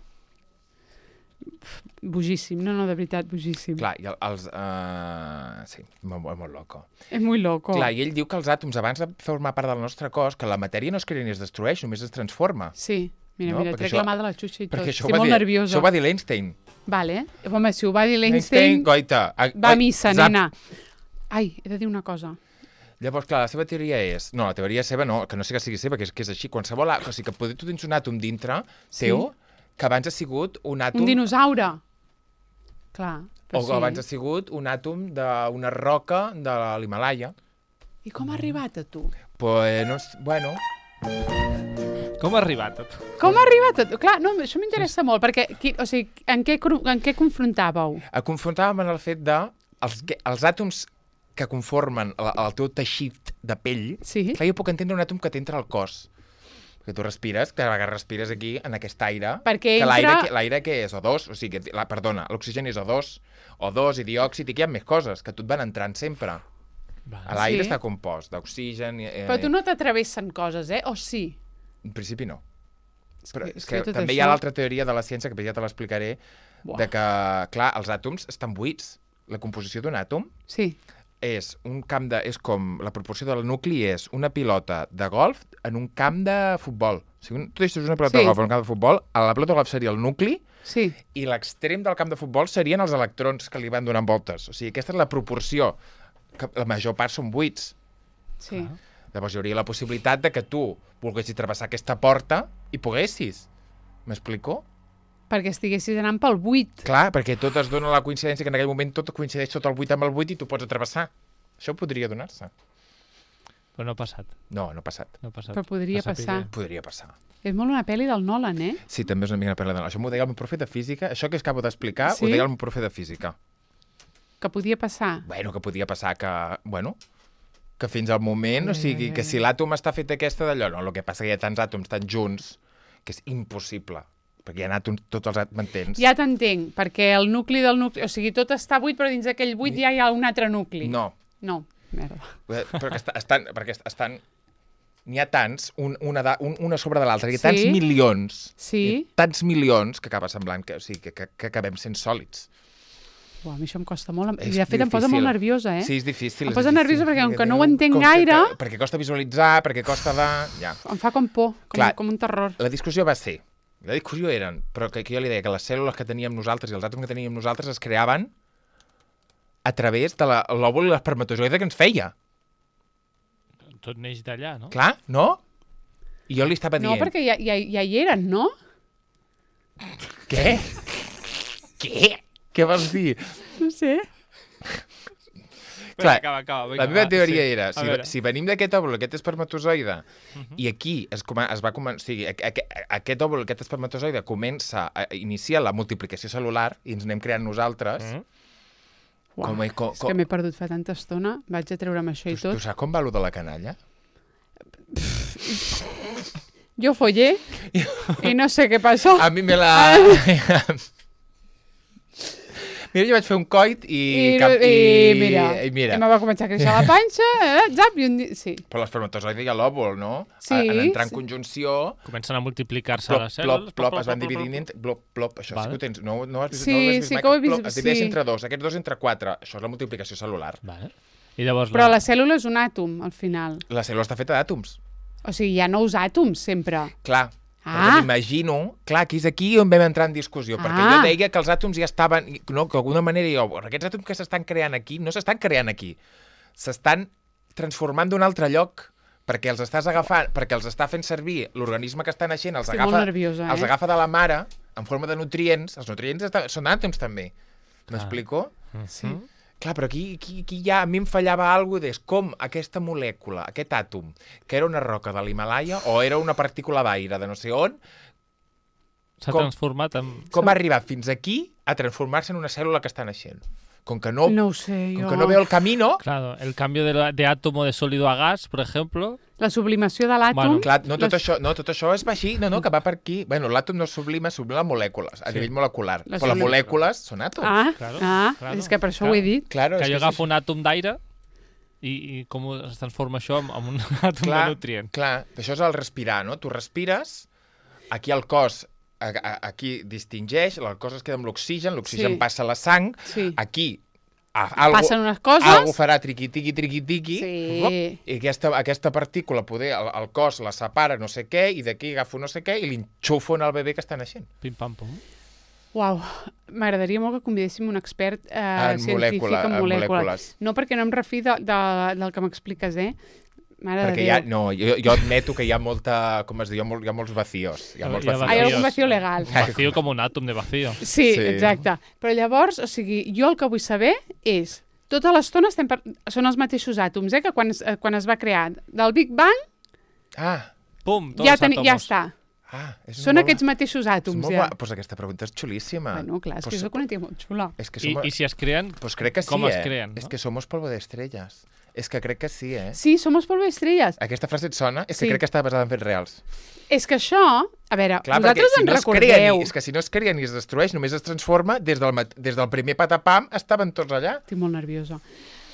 [SPEAKER 1] Bojíssim, no, no, de veritat, bojíssim.
[SPEAKER 2] Clar, i els... Uh... Sí, molt, molt loco.
[SPEAKER 1] És molt loco.
[SPEAKER 2] Clar, i ell diu que els àtoms, abans de formar part del nostre cos, que la matèria no es crea ni es destrueix, només es transforma.
[SPEAKER 1] Sí, mira, no? mira, trec
[SPEAKER 2] això...
[SPEAKER 1] la mà de la xutxa i tot.
[SPEAKER 2] Perquè això
[SPEAKER 1] Estic molt
[SPEAKER 2] dir...
[SPEAKER 1] nerviosa.
[SPEAKER 2] Això ho va dir l'Einstein.
[SPEAKER 1] Vale. Home, si ho va dir l'Einstein...
[SPEAKER 2] Goita.
[SPEAKER 1] Va a missa, Zap. nena. Ai, he de dir una cosa.
[SPEAKER 2] Llavors, clar, la seva teoria és... No, la teoria seva no, que no sé que sigui seva, que és, que és així. Qualsevol... O sigui, que poder, tu tens un àtom dintre sí. teu, que abans ha sigut un àtom...
[SPEAKER 1] Un dinosaure. Clar.
[SPEAKER 2] O
[SPEAKER 1] sí.
[SPEAKER 2] abans ha sigut un àtom d'una roca de l'Himalaya.
[SPEAKER 1] I com ha arribat a tu?
[SPEAKER 2] Pues, no, bueno...
[SPEAKER 3] Com ha arribat a tu?
[SPEAKER 1] Com ha arribat a tu? Clar, no, això m'interessa molt, perquè, qui, o sigui, en què, en què confrontàveu?
[SPEAKER 2] Confrontàvem en el fet de... Els, els àtoms que conformen el, el teu teixit de pell,
[SPEAKER 1] sí.
[SPEAKER 2] clar, jo puc entendre un àtom que t'entra al cos. Perquè tu respires, que respires aquí, en aquest aire,
[SPEAKER 1] perquè
[SPEAKER 2] que
[SPEAKER 1] entra...
[SPEAKER 2] l'aire que és O dos, o sigui, la, perdona, l'oxigen és O dos, O dos i diòxid, i que hi ha més coses, que tu et van entrant sempre. L'aire sí. està compost d'oxigen... Eh,
[SPEAKER 1] Però tu no t'atravessen coses, eh? O sí?
[SPEAKER 2] En principi no.
[SPEAKER 1] És
[SPEAKER 2] Però
[SPEAKER 1] que,
[SPEAKER 2] és que,
[SPEAKER 1] que
[SPEAKER 2] també
[SPEAKER 1] això...
[SPEAKER 2] hi ha l'altra teoria de la ciència, que ja te l'explicaré, de que, clar, els àtoms estan buits. La composició d'un àtom
[SPEAKER 1] sí.
[SPEAKER 2] és un camp de... és com la proporció del nucli és una pilota de golf en un camp de futbol. O sigui, tu deixes una pilota sí. de golf en un camp de futbol, a la pilota de golf seria el nucli
[SPEAKER 1] sí.
[SPEAKER 2] i l'extrem del camp de futbol serien els electrons que li van donant voltes. O sigui, aquesta és la proporció, que la major part són buits.
[SPEAKER 1] Sí.
[SPEAKER 2] Ah. Llavors hi hauria la possibilitat de que tu volguessis travessar aquesta porta i poguessis. M'explico?
[SPEAKER 1] Perquè estiguessis anant pel buit.
[SPEAKER 2] Clar, perquè tot es dona la coincidència que en aquell moment tot coincideix tot el buit amb el buit i tu pots atravessar. Això podria donar-se.
[SPEAKER 3] Però no ha passat.
[SPEAKER 2] No, no ha passat.
[SPEAKER 3] No ha passat.
[SPEAKER 1] Però podria passar.
[SPEAKER 2] Podria passar.
[SPEAKER 1] És molt una pel·li del Nolan, eh?
[SPEAKER 2] Sí, també és una mica una pel·li del Nolan. Això m'ho deia el meu profe de física. Això que acabo d'explicar sí? ho deia el meu profe de física.
[SPEAKER 1] Que podia passar.
[SPEAKER 2] Bueno, que podia passar que... Bueno, que fins al moment, o sigui, que si l'àtom està fet aquesta d'allò, no, el que passa que hi ha tants àtoms tan junts que és impossible. Perquè hi ha àtoms, tots els àtoms, m'entens?
[SPEAKER 1] Ja t'entenc, perquè el nucli del nucli... O sigui, tot està buit, però dins d'aquell buit ja hi ha un altre nucli.
[SPEAKER 2] No.
[SPEAKER 1] No, merda.
[SPEAKER 2] Però que estan... Perquè estan... N'hi ha tants, un, una, de, un, una sobre de l'altra, hi ha tants
[SPEAKER 1] sí?
[SPEAKER 2] milions,
[SPEAKER 1] sí?
[SPEAKER 2] hi ha tants milions que acaba semblant que, o sigui, que, que, que acabem sent sòlids.
[SPEAKER 1] Uau, a mi això em costa molt.
[SPEAKER 2] És
[SPEAKER 1] I de fet
[SPEAKER 2] difícil.
[SPEAKER 1] em posa molt nerviosa, eh?
[SPEAKER 2] Sí, és difícil.
[SPEAKER 1] Em
[SPEAKER 2] és
[SPEAKER 1] posa
[SPEAKER 2] difícil.
[SPEAKER 1] nerviosa perquè, com que no ho entenc gaire...
[SPEAKER 2] Que, perquè costa visualitzar, perquè costa de... Ja.
[SPEAKER 1] Em fa com por, com,
[SPEAKER 2] Clar,
[SPEAKER 1] com un terror.
[SPEAKER 2] La discussió va ser... La discussió eren... Però que, que jo li deia que les cèl·lules que teníem nosaltres i els àtoms que teníem nosaltres es creaven a través de l'òvul i l'espermatozoide que ens feia.
[SPEAKER 3] Tot neix d'allà, no?
[SPEAKER 2] Clar, no? I jo li estava dient...
[SPEAKER 1] No, perquè ja, ja, ja hi eren, no?
[SPEAKER 2] Què? Què? Què vols dir?
[SPEAKER 1] No sé.
[SPEAKER 2] Clar,
[SPEAKER 3] acaba, acaba, vinga,
[SPEAKER 2] la meva teoria
[SPEAKER 3] sí.
[SPEAKER 2] era, si, si venim d'aquest òvul, aquest espermatozoide, uh -huh. i aquí es, es va començar, o sigui, aquest òvul, aquest espermatozoide comença a iniciar la multiplicació celular i ens anem creant nosaltres... Uh -huh.
[SPEAKER 1] Uau,
[SPEAKER 2] com, com,
[SPEAKER 1] és que m'he perdut fa tanta estona, vaig a treure'm això i
[SPEAKER 2] tu,
[SPEAKER 1] tot.
[SPEAKER 2] Tu saps com va allò de la canalla?
[SPEAKER 1] Jo follé i no sé què passó.
[SPEAKER 2] A mi me la... Mira, jo vaig fer un coit i...
[SPEAKER 1] I,
[SPEAKER 2] cap, i,
[SPEAKER 1] i mira,
[SPEAKER 2] i mira.
[SPEAKER 1] I me va començar a créixer la panxa, eh, zap, i un dia... Sí.
[SPEAKER 2] Però l'espermatozoide i l'òvul, no?
[SPEAKER 1] Sí.
[SPEAKER 2] En entrar en sí. conjunció...
[SPEAKER 3] Comencen a multiplicar-se
[SPEAKER 2] plop,
[SPEAKER 3] les cèl·lules.
[SPEAKER 2] Plop, plop, plop, es van dividint... Plop, plop, això vale. Sí que ho tens... No, no has vist,
[SPEAKER 1] sí,
[SPEAKER 2] no has vist
[SPEAKER 1] sí,
[SPEAKER 2] mai,
[SPEAKER 1] que ho he vist.
[SPEAKER 2] Plop, es divideix
[SPEAKER 1] sí.
[SPEAKER 2] entre dos, aquests dos entre quatre. Això és la multiplicació celular.
[SPEAKER 3] Vale. I llavors
[SPEAKER 1] Però
[SPEAKER 3] la...
[SPEAKER 1] la cèl·lula és un àtom, al final.
[SPEAKER 2] La cèl·lula està feta d'àtoms.
[SPEAKER 1] O sigui, hi ha nous àtoms, sempre.
[SPEAKER 2] Clar.
[SPEAKER 1] Ah.
[SPEAKER 2] M'imagino, clar, que és aquí on vam entrar en discussió,
[SPEAKER 1] ah.
[SPEAKER 2] perquè jo deia que els àtoms ja estaven, no, que d'alguna manera jo, aquests àtoms que s'estan creant aquí, no s'estan creant aquí, s'estan transformant d'un altre lloc, perquè els estàs agafant, perquè els està fent servir l'organisme que està naixent, els,
[SPEAKER 1] Estic
[SPEAKER 2] agafa,
[SPEAKER 1] molt nerviosa, eh?
[SPEAKER 2] els agafa de la mare en forma de nutrients, els nutrients estan, són àtoms també, m'explico?
[SPEAKER 1] Sí.
[SPEAKER 2] Clar, però aquí, aquí, aquí ja a mi em fallava alguna cosa, com aquesta molècula, aquest àtom, que era una roca de l'Himalaya o era una partícula d'aire de no sé on,
[SPEAKER 3] s'ha transformat en...
[SPEAKER 2] Com ha arribat fins aquí a transformar-se en una cèl·lula que està naixent? Com que no,
[SPEAKER 1] no ho sé,
[SPEAKER 2] com
[SPEAKER 1] jo...
[SPEAKER 2] que no veo el camino...
[SPEAKER 3] Claro, el cambio de, de átomo de sólido a gas, por ejemplo...
[SPEAKER 1] La sublimació de l'àtom...
[SPEAKER 3] Bueno,
[SPEAKER 2] clar, no, tot,
[SPEAKER 1] les...
[SPEAKER 2] això, no, tot això es va així, no, no, que va per aquí. Bueno, l'àtom no sublima, sublima molècules, a
[SPEAKER 3] Sí.
[SPEAKER 2] nivell molecular.
[SPEAKER 1] La
[SPEAKER 2] Però les
[SPEAKER 1] sublim-
[SPEAKER 2] molècules són àtoms.
[SPEAKER 1] Ah,
[SPEAKER 3] Claro,
[SPEAKER 1] ah
[SPEAKER 3] claro,
[SPEAKER 1] és que per això
[SPEAKER 3] claro.
[SPEAKER 1] ho he dit.
[SPEAKER 2] Claro,
[SPEAKER 3] que
[SPEAKER 2] és
[SPEAKER 3] jo
[SPEAKER 2] que
[SPEAKER 3] agafo
[SPEAKER 2] és...
[SPEAKER 3] un àtom d'aire i, i com es transforma això en, en un àtom
[SPEAKER 2] clar,
[SPEAKER 3] de nutrient.
[SPEAKER 2] Clar, això és el respirar, no? Tu respires, aquí el cos a, a, aquí distingeix, el cos es queda amb l'oxigen, l'oxigen
[SPEAKER 1] Sí.
[SPEAKER 2] passa a la sang,
[SPEAKER 1] Sí.
[SPEAKER 2] aquí a, algo,
[SPEAKER 1] Passen unes coses...
[SPEAKER 2] algo farà triqui-tiqui, triqui-tiqui,
[SPEAKER 1] Sí.
[SPEAKER 2] i aquesta, aquesta partícula, poder, el, el cos la separa no sé què, i d'aquí agafo no sé què, i l'enxufo en el bebè que està naixent.
[SPEAKER 3] Pim-pam-pum.
[SPEAKER 1] Uau, m'agradaria molt que convidéssim un expert eh,
[SPEAKER 2] En
[SPEAKER 1] científic
[SPEAKER 2] molècula-
[SPEAKER 1] en
[SPEAKER 2] en
[SPEAKER 1] molècules.
[SPEAKER 2] molècules.
[SPEAKER 1] No perquè no em refi de, de, del que m'expliques, eh? Mare
[SPEAKER 2] Perquè
[SPEAKER 1] de
[SPEAKER 2] hi ha,
[SPEAKER 1] Déu.
[SPEAKER 2] no, jo, jo admeto que hi ha molta, com es diu, hi ha, mol, hi ha molts vacíos. Hi ha molts
[SPEAKER 3] Hi ha
[SPEAKER 2] vacíos.
[SPEAKER 1] Hay
[SPEAKER 3] vacíos.
[SPEAKER 1] algun vacío legal.
[SPEAKER 3] Vacío com un àtom de vacío.
[SPEAKER 1] Sí,
[SPEAKER 2] Sí.
[SPEAKER 1] exacte. Però llavors, o sigui, jo el que vull saber és... Tota l'estona estem per... són els mateixos àtoms, eh? Que quan, es- eh, quan es va crear del Big Bang,
[SPEAKER 2] Ah,
[SPEAKER 3] Pum, tots
[SPEAKER 1] ja,
[SPEAKER 3] els
[SPEAKER 1] teni...
[SPEAKER 3] àtomos.
[SPEAKER 1] ja està.
[SPEAKER 2] ah, és
[SPEAKER 1] Són
[SPEAKER 2] molt
[SPEAKER 1] aquests
[SPEAKER 2] bo-
[SPEAKER 1] mateixos
[SPEAKER 2] és
[SPEAKER 1] àtoms,
[SPEAKER 2] molt
[SPEAKER 1] ja.
[SPEAKER 2] bo- Pues aquesta pregunta és xulíssima.
[SPEAKER 1] Bueno, clar, és
[SPEAKER 2] Pues-
[SPEAKER 1] que és una tia molt xula.
[SPEAKER 2] És que
[SPEAKER 3] I,
[SPEAKER 2] som...
[SPEAKER 3] I si es creen...
[SPEAKER 2] Pues crec que sí,
[SPEAKER 3] com es
[SPEAKER 2] eh?
[SPEAKER 3] creen,
[SPEAKER 2] És
[SPEAKER 3] no?
[SPEAKER 2] que somos polvo de estrellas. És que crec que sí, eh?
[SPEAKER 1] Sí, somos polvo d'estrelles.
[SPEAKER 2] Aquesta frase et sona? És que
[SPEAKER 1] Sí.
[SPEAKER 2] crec que està basada en fets reals.
[SPEAKER 1] És que això, a veure,
[SPEAKER 2] Clar,
[SPEAKER 1] vosaltres
[SPEAKER 2] perquè si
[SPEAKER 1] en
[SPEAKER 2] no es crea
[SPEAKER 1] recordeu...
[SPEAKER 2] ni, és que si no es crea ni es destrueix, només es transforma, des del, mat- des del primer patapam estaven tots allà.
[SPEAKER 1] Estic molt nerviosa.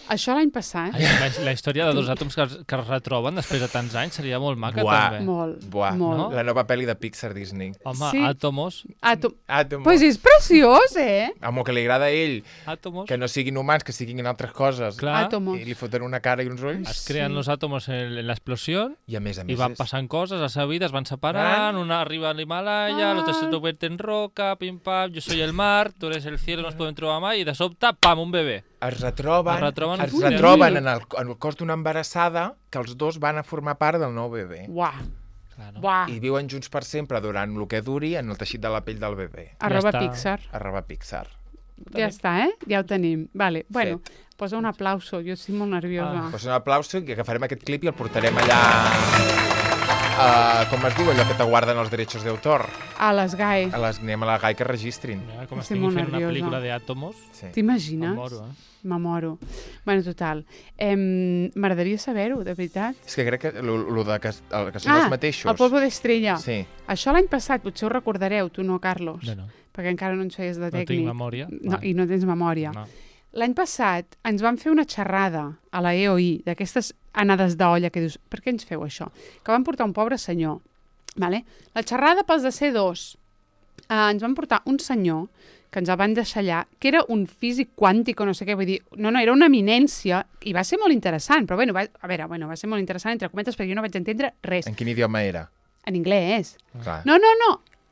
[SPEAKER 1] Això l'any passat...
[SPEAKER 3] Ai, la, la història de dos àtoms que, es- que es retroben després de tants anys seria molt maca,
[SPEAKER 2] Buah.
[SPEAKER 3] també.
[SPEAKER 1] Molt,
[SPEAKER 2] Buah,
[SPEAKER 1] molt.
[SPEAKER 3] no?
[SPEAKER 2] la nova pel·li de Pixar Disney.
[SPEAKER 3] Home,
[SPEAKER 1] Sí.
[SPEAKER 3] àtomos...
[SPEAKER 1] Àtom...
[SPEAKER 2] Àtomos.
[SPEAKER 1] Pues és preciós, eh?
[SPEAKER 2] Amb el que li agrada a ell,
[SPEAKER 3] Àtomos...
[SPEAKER 2] que no siguin humans, que siguin altres coses.
[SPEAKER 3] Clar,
[SPEAKER 1] Átomos.
[SPEAKER 2] I li foten una cara i uns ulls.
[SPEAKER 3] es creen
[SPEAKER 1] Sí.
[SPEAKER 3] los átomos en, en la explosión
[SPEAKER 2] I a més a més...
[SPEAKER 3] y van
[SPEAKER 2] és-
[SPEAKER 3] passant coses a la seva vida, es van separant,
[SPEAKER 2] Ah.
[SPEAKER 3] una arriba al Himalaya,
[SPEAKER 1] Ah.
[SPEAKER 3] l'altre se convierte en roca, pim pam, yo soy el mar, tú eres el cielo, no nos podem trobar mai, i de sobte, pam, un bebè.
[SPEAKER 2] Es retroben,
[SPEAKER 3] Es retroben
[SPEAKER 2] es
[SPEAKER 3] Ui.
[SPEAKER 2] retroben en, el, en el cos d'una embarassada que els dos van a formar part del nou bebè.
[SPEAKER 1] Uah,
[SPEAKER 3] Claro.
[SPEAKER 1] uah.
[SPEAKER 2] I viuen junts per sempre durant el que duri en el teixit de la pell del bebè.
[SPEAKER 1] Arroba
[SPEAKER 3] Ja està.
[SPEAKER 1] Pixar.
[SPEAKER 2] Arroba Pixar.
[SPEAKER 1] Ja està, eh? Ja ho tenim. Vale. Bueno, posa un aplauso. Jo estic molt nerviosa.
[SPEAKER 3] Ah.
[SPEAKER 2] Pues un aplauso i agafarem aquest clip i el portarem allà... Uh, com es diu allò que te guarden els drets d'autor?
[SPEAKER 1] A les G A E.
[SPEAKER 2] A les, anem a la G A I que registrin.
[SPEAKER 3] Mira com
[SPEAKER 1] Estic
[SPEAKER 3] estic
[SPEAKER 1] molt
[SPEAKER 3] fent una
[SPEAKER 1] nerviosa.
[SPEAKER 3] pel·lícula d'àtomos.
[SPEAKER 2] Sí.
[SPEAKER 3] Em
[SPEAKER 1] T'imagines?
[SPEAKER 3] moro, eh?
[SPEAKER 1] Me moro. Bueno, total. Em, M'agradaria saber-ho, de veritat.
[SPEAKER 2] És que crec que el, el de que, el, que són els mateixos.
[SPEAKER 1] Ah, el polvo d'estrella.
[SPEAKER 2] Sí.
[SPEAKER 1] Això l'any passat, potser ho recordareu, tu no, Carlos,
[SPEAKER 3] No, no,
[SPEAKER 1] perquè encara no ens feies de
[SPEAKER 3] no
[SPEAKER 1] tècnic.
[SPEAKER 3] tinc memòria.
[SPEAKER 1] No,
[SPEAKER 3] Vale.
[SPEAKER 1] I no tens memòria.
[SPEAKER 3] No.
[SPEAKER 1] L'any passat ens van fer una xerrada a la E O I, d'aquestes anades d'olla que dius, per què ens feu això? Que van portar un pobre senyor. Vale? La xerrada pels de C dos. Uh, ens van portar un senyor que ens el van deixar allà, que era un físic quàntic o no sé què, vull dir, no, no, era una eminència i va ser molt interessant, però bueno, va, a veure, bueno, va ser molt interessant entre cometes perquè jo no vaig entendre res.
[SPEAKER 2] En quin idioma era?
[SPEAKER 1] En anglès.
[SPEAKER 2] Clar.
[SPEAKER 1] No, no, no,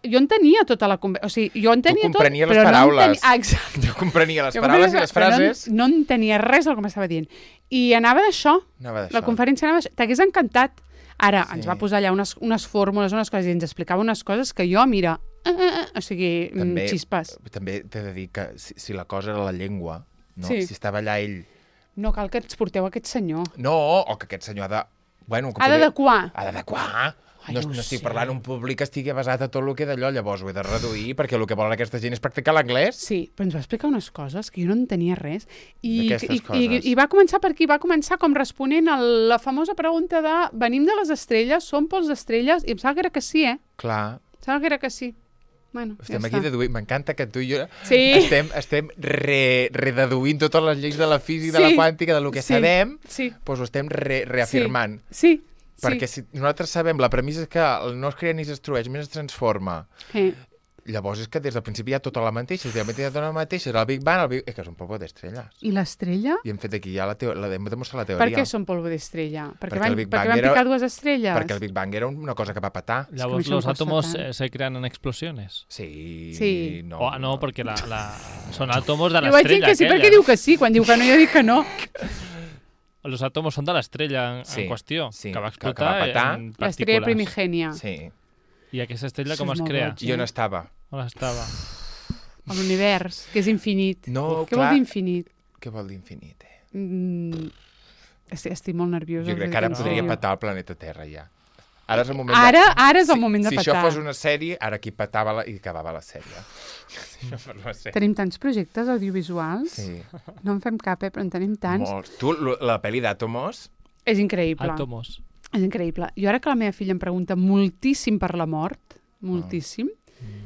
[SPEAKER 1] jo entenia tota la conversa, o sigui, jo entenia tot,
[SPEAKER 2] comprenies les
[SPEAKER 1] però no
[SPEAKER 2] paraules.
[SPEAKER 1] entenia... Ah, exacte.
[SPEAKER 2] Jo comprenia les
[SPEAKER 1] Jo
[SPEAKER 2] paraules i
[SPEAKER 1] comprenia,
[SPEAKER 2] les
[SPEAKER 1] però
[SPEAKER 2] frases.
[SPEAKER 1] No, no entenia res del que m'estava dient. I anava d'això,
[SPEAKER 2] Anava d'això.
[SPEAKER 1] la conferència anava d'això. T'hagués encantat. Ara,
[SPEAKER 2] Sí.
[SPEAKER 1] ens va posar allà unes, unes fórmules, unes coses, i ens explicava unes coses que jo, mira, eh, eh, eh, o sigui,
[SPEAKER 2] També-
[SPEAKER 1] també, xispes.
[SPEAKER 2] També t'he de dir que si, si la cosa era la llengua, no?
[SPEAKER 1] Sí.
[SPEAKER 2] Si estava allà ell...
[SPEAKER 1] No cal que ens porteu aquest senyor.
[SPEAKER 2] No, o que aquest senyor ha de... Bueno, que
[SPEAKER 1] Ha
[SPEAKER 2] poder-
[SPEAKER 1] d'adequar.
[SPEAKER 2] Ha d'adequar.
[SPEAKER 1] Ai,
[SPEAKER 2] No,
[SPEAKER 1] no
[SPEAKER 2] no
[SPEAKER 1] ho
[SPEAKER 2] estic
[SPEAKER 1] sé.
[SPEAKER 2] parlant un públic que estigui basat a tot el que d'allò, llavors ho he de reduir, perquè el que volen aquesta gent és practicar l'anglès.
[SPEAKER 1] Sí, però ens va explicar unes coses que jo no entenia res. I,
[SPEAKER 2] D'aquestes
[SPEAKER 1] i, i,
[SPEAKER 2] coses.
[SPEAKER 1] I va començar per aquí, va començar com responent a la famosa pregunta de venim de les estrelles, som pols d'estrelles, i em sembla que era que sí, eh?
[SPEAKER 2] Clar,
[SPEAKER 1] Em sembla que era que sí. Bueno,
[SPEAKER 2] estem
[SPEAKER 1] ja
[SPEAKER 2] aquí
[SPEAKER 1] està.
[SPEAKER 2] deduint. M'encanta que tu i jo
[SPEAKER 1] Sí.
[SPEAKER 2] estem, estem re, rededuint totes les lleis de la física, de
[SPEAKER 1] Sí.
[SPEAKER 2] la quàntica, del que
[SPEAKER 1] Sí.
[SPEAKER 2] sabem,
[SPEAKER 1] Sí,
[SPEAKER 2] doncs ho estem re, reafirmant.
[SPEAKER 1] sí, sí.
[SPEAKER 2] Perquè si nosaltres sabem, la premissa és que el no es crea ni es destrueix, més es transforma.
[SPEAKER 1] Eh.
[SPEAKER 2] Llavors és que des del principi hi ha tota la mateixa, si realment hi ha tota la mateixa, era el Big Bang, el Big... és que és un polvo d'estrelles.
[SPEAKER 1] I l'estrella?
[SPEAKER 2] I hem fet aquí ja la, teo... la hem demostrat la
[SPEAKER 1] Per
[SPEAKER 2] teoria.
[SPEAKER 1] què són polvo d'estrella? Perquè,
[SPEAKER 2] Perquè
[SPEAKER 1] van,
[SPEAKER 2] el Big
[SPEAKER 1] perquè
[SPEAKER 2] Bang
[SPEAKER 1] van
[SPEAKER 2] era-
[SPEAKER 1] picar dues estrelles?
[SPEAKER 2] Perquè el Big Bang era una cosa que va petar.
[SPEAKER 3] Llavors
[SPEAKER 1] això em
[SPEAKER 3] los
[SPEAKER 1] costa
[SPEAKER 3] átomos
[SPEAKER 1] tant.
[SPEAKER 3] eh, se crean en explosiones.
[SPEAKER 2] Sí,
[SPEAKER 1] Sí.
[SPEAKER 2] no.
[SPEAKER 3] O, no, perquè la, la... són átomos de
[SPEAKER 1] Jo vaig dir
[SPEAKER 3] l'estrella
[SPEAKER 1] que sí
[SPEAKER 3] aquella.
[SPEAKER 1] perquè diu que sí. Quan diu que no, jo dic que no.
[SPEAKER 3] Los átomos són de l'estrella en,
[SPEAKER 2] Sí,
[SPEAKER 3] en qüestió,
[SPEAKER 2] sí,
[SPEAKER 3] que va
[SPEAKER 2] que- que va
[SPEAKER 3] explotar
[SPEAKER 2] petar.
[SPEAKER 3] en
[SPEAKER 1] L'estrella
[SPEAKER 3] partícules.
[SPEAKER 1] primigènia.
[SPEAKER 2] Sí.
[SPEAKER 3] I aquesta estrella
[SPEAKER 1] Això
[SPEAKER 3] com
[SPEAKER 1] és
[SPEAKER 3] es
[SPEAKER 1] molt
[SPEAKER 3] crea?
[SPEAKER 1] boig.
[SPEAKER 2] Jo no estava.
[SPEAKER 3] On estava?
[SPEAKER 1] A l'univers, que és infinit.
[SPEAKER 2] No,
[SPEAKER 1] Què
[SPEAKER 2] clar.
[SPEAKER 1] vol dir infinit?
[SPEAKER 2] Què vol dir infinite?
[SPEAKER 1] Mm, estic, estic molt nerviosa.
[SPEAKER 2] Jo crec que ara podria petar el planeta Terra, ja. Ara és el moment
[SPEAKER 1] ara,
[SPEAKER 2] de...
[SPEAKER 1] ara és el moment de
[SPEAKER 2] si,
[SPEAKER 1] petar.
[SPEAKER 2] Si això fos una sèrie, ara aquí petava la... i acabava la sèrie. Si això fos la sèrie.
[SPEAKER 1] Tenim tants projectes audiovisuals.
[SPEAKER 2] Sí.
[SPEAKER 1] No en fem cap, eh, però en tenim tants.
[SPEAKER 2] Molts. Tu, la pel·li d'Àtomos...
[SPEAKER 1] És increïble.
[SPEAKER 3] Àtomos.
[SPEAKER 1] És increïble. Jo ara que la meva filla em pregunta moltíssim per la mort, moltíssim, oh. mm.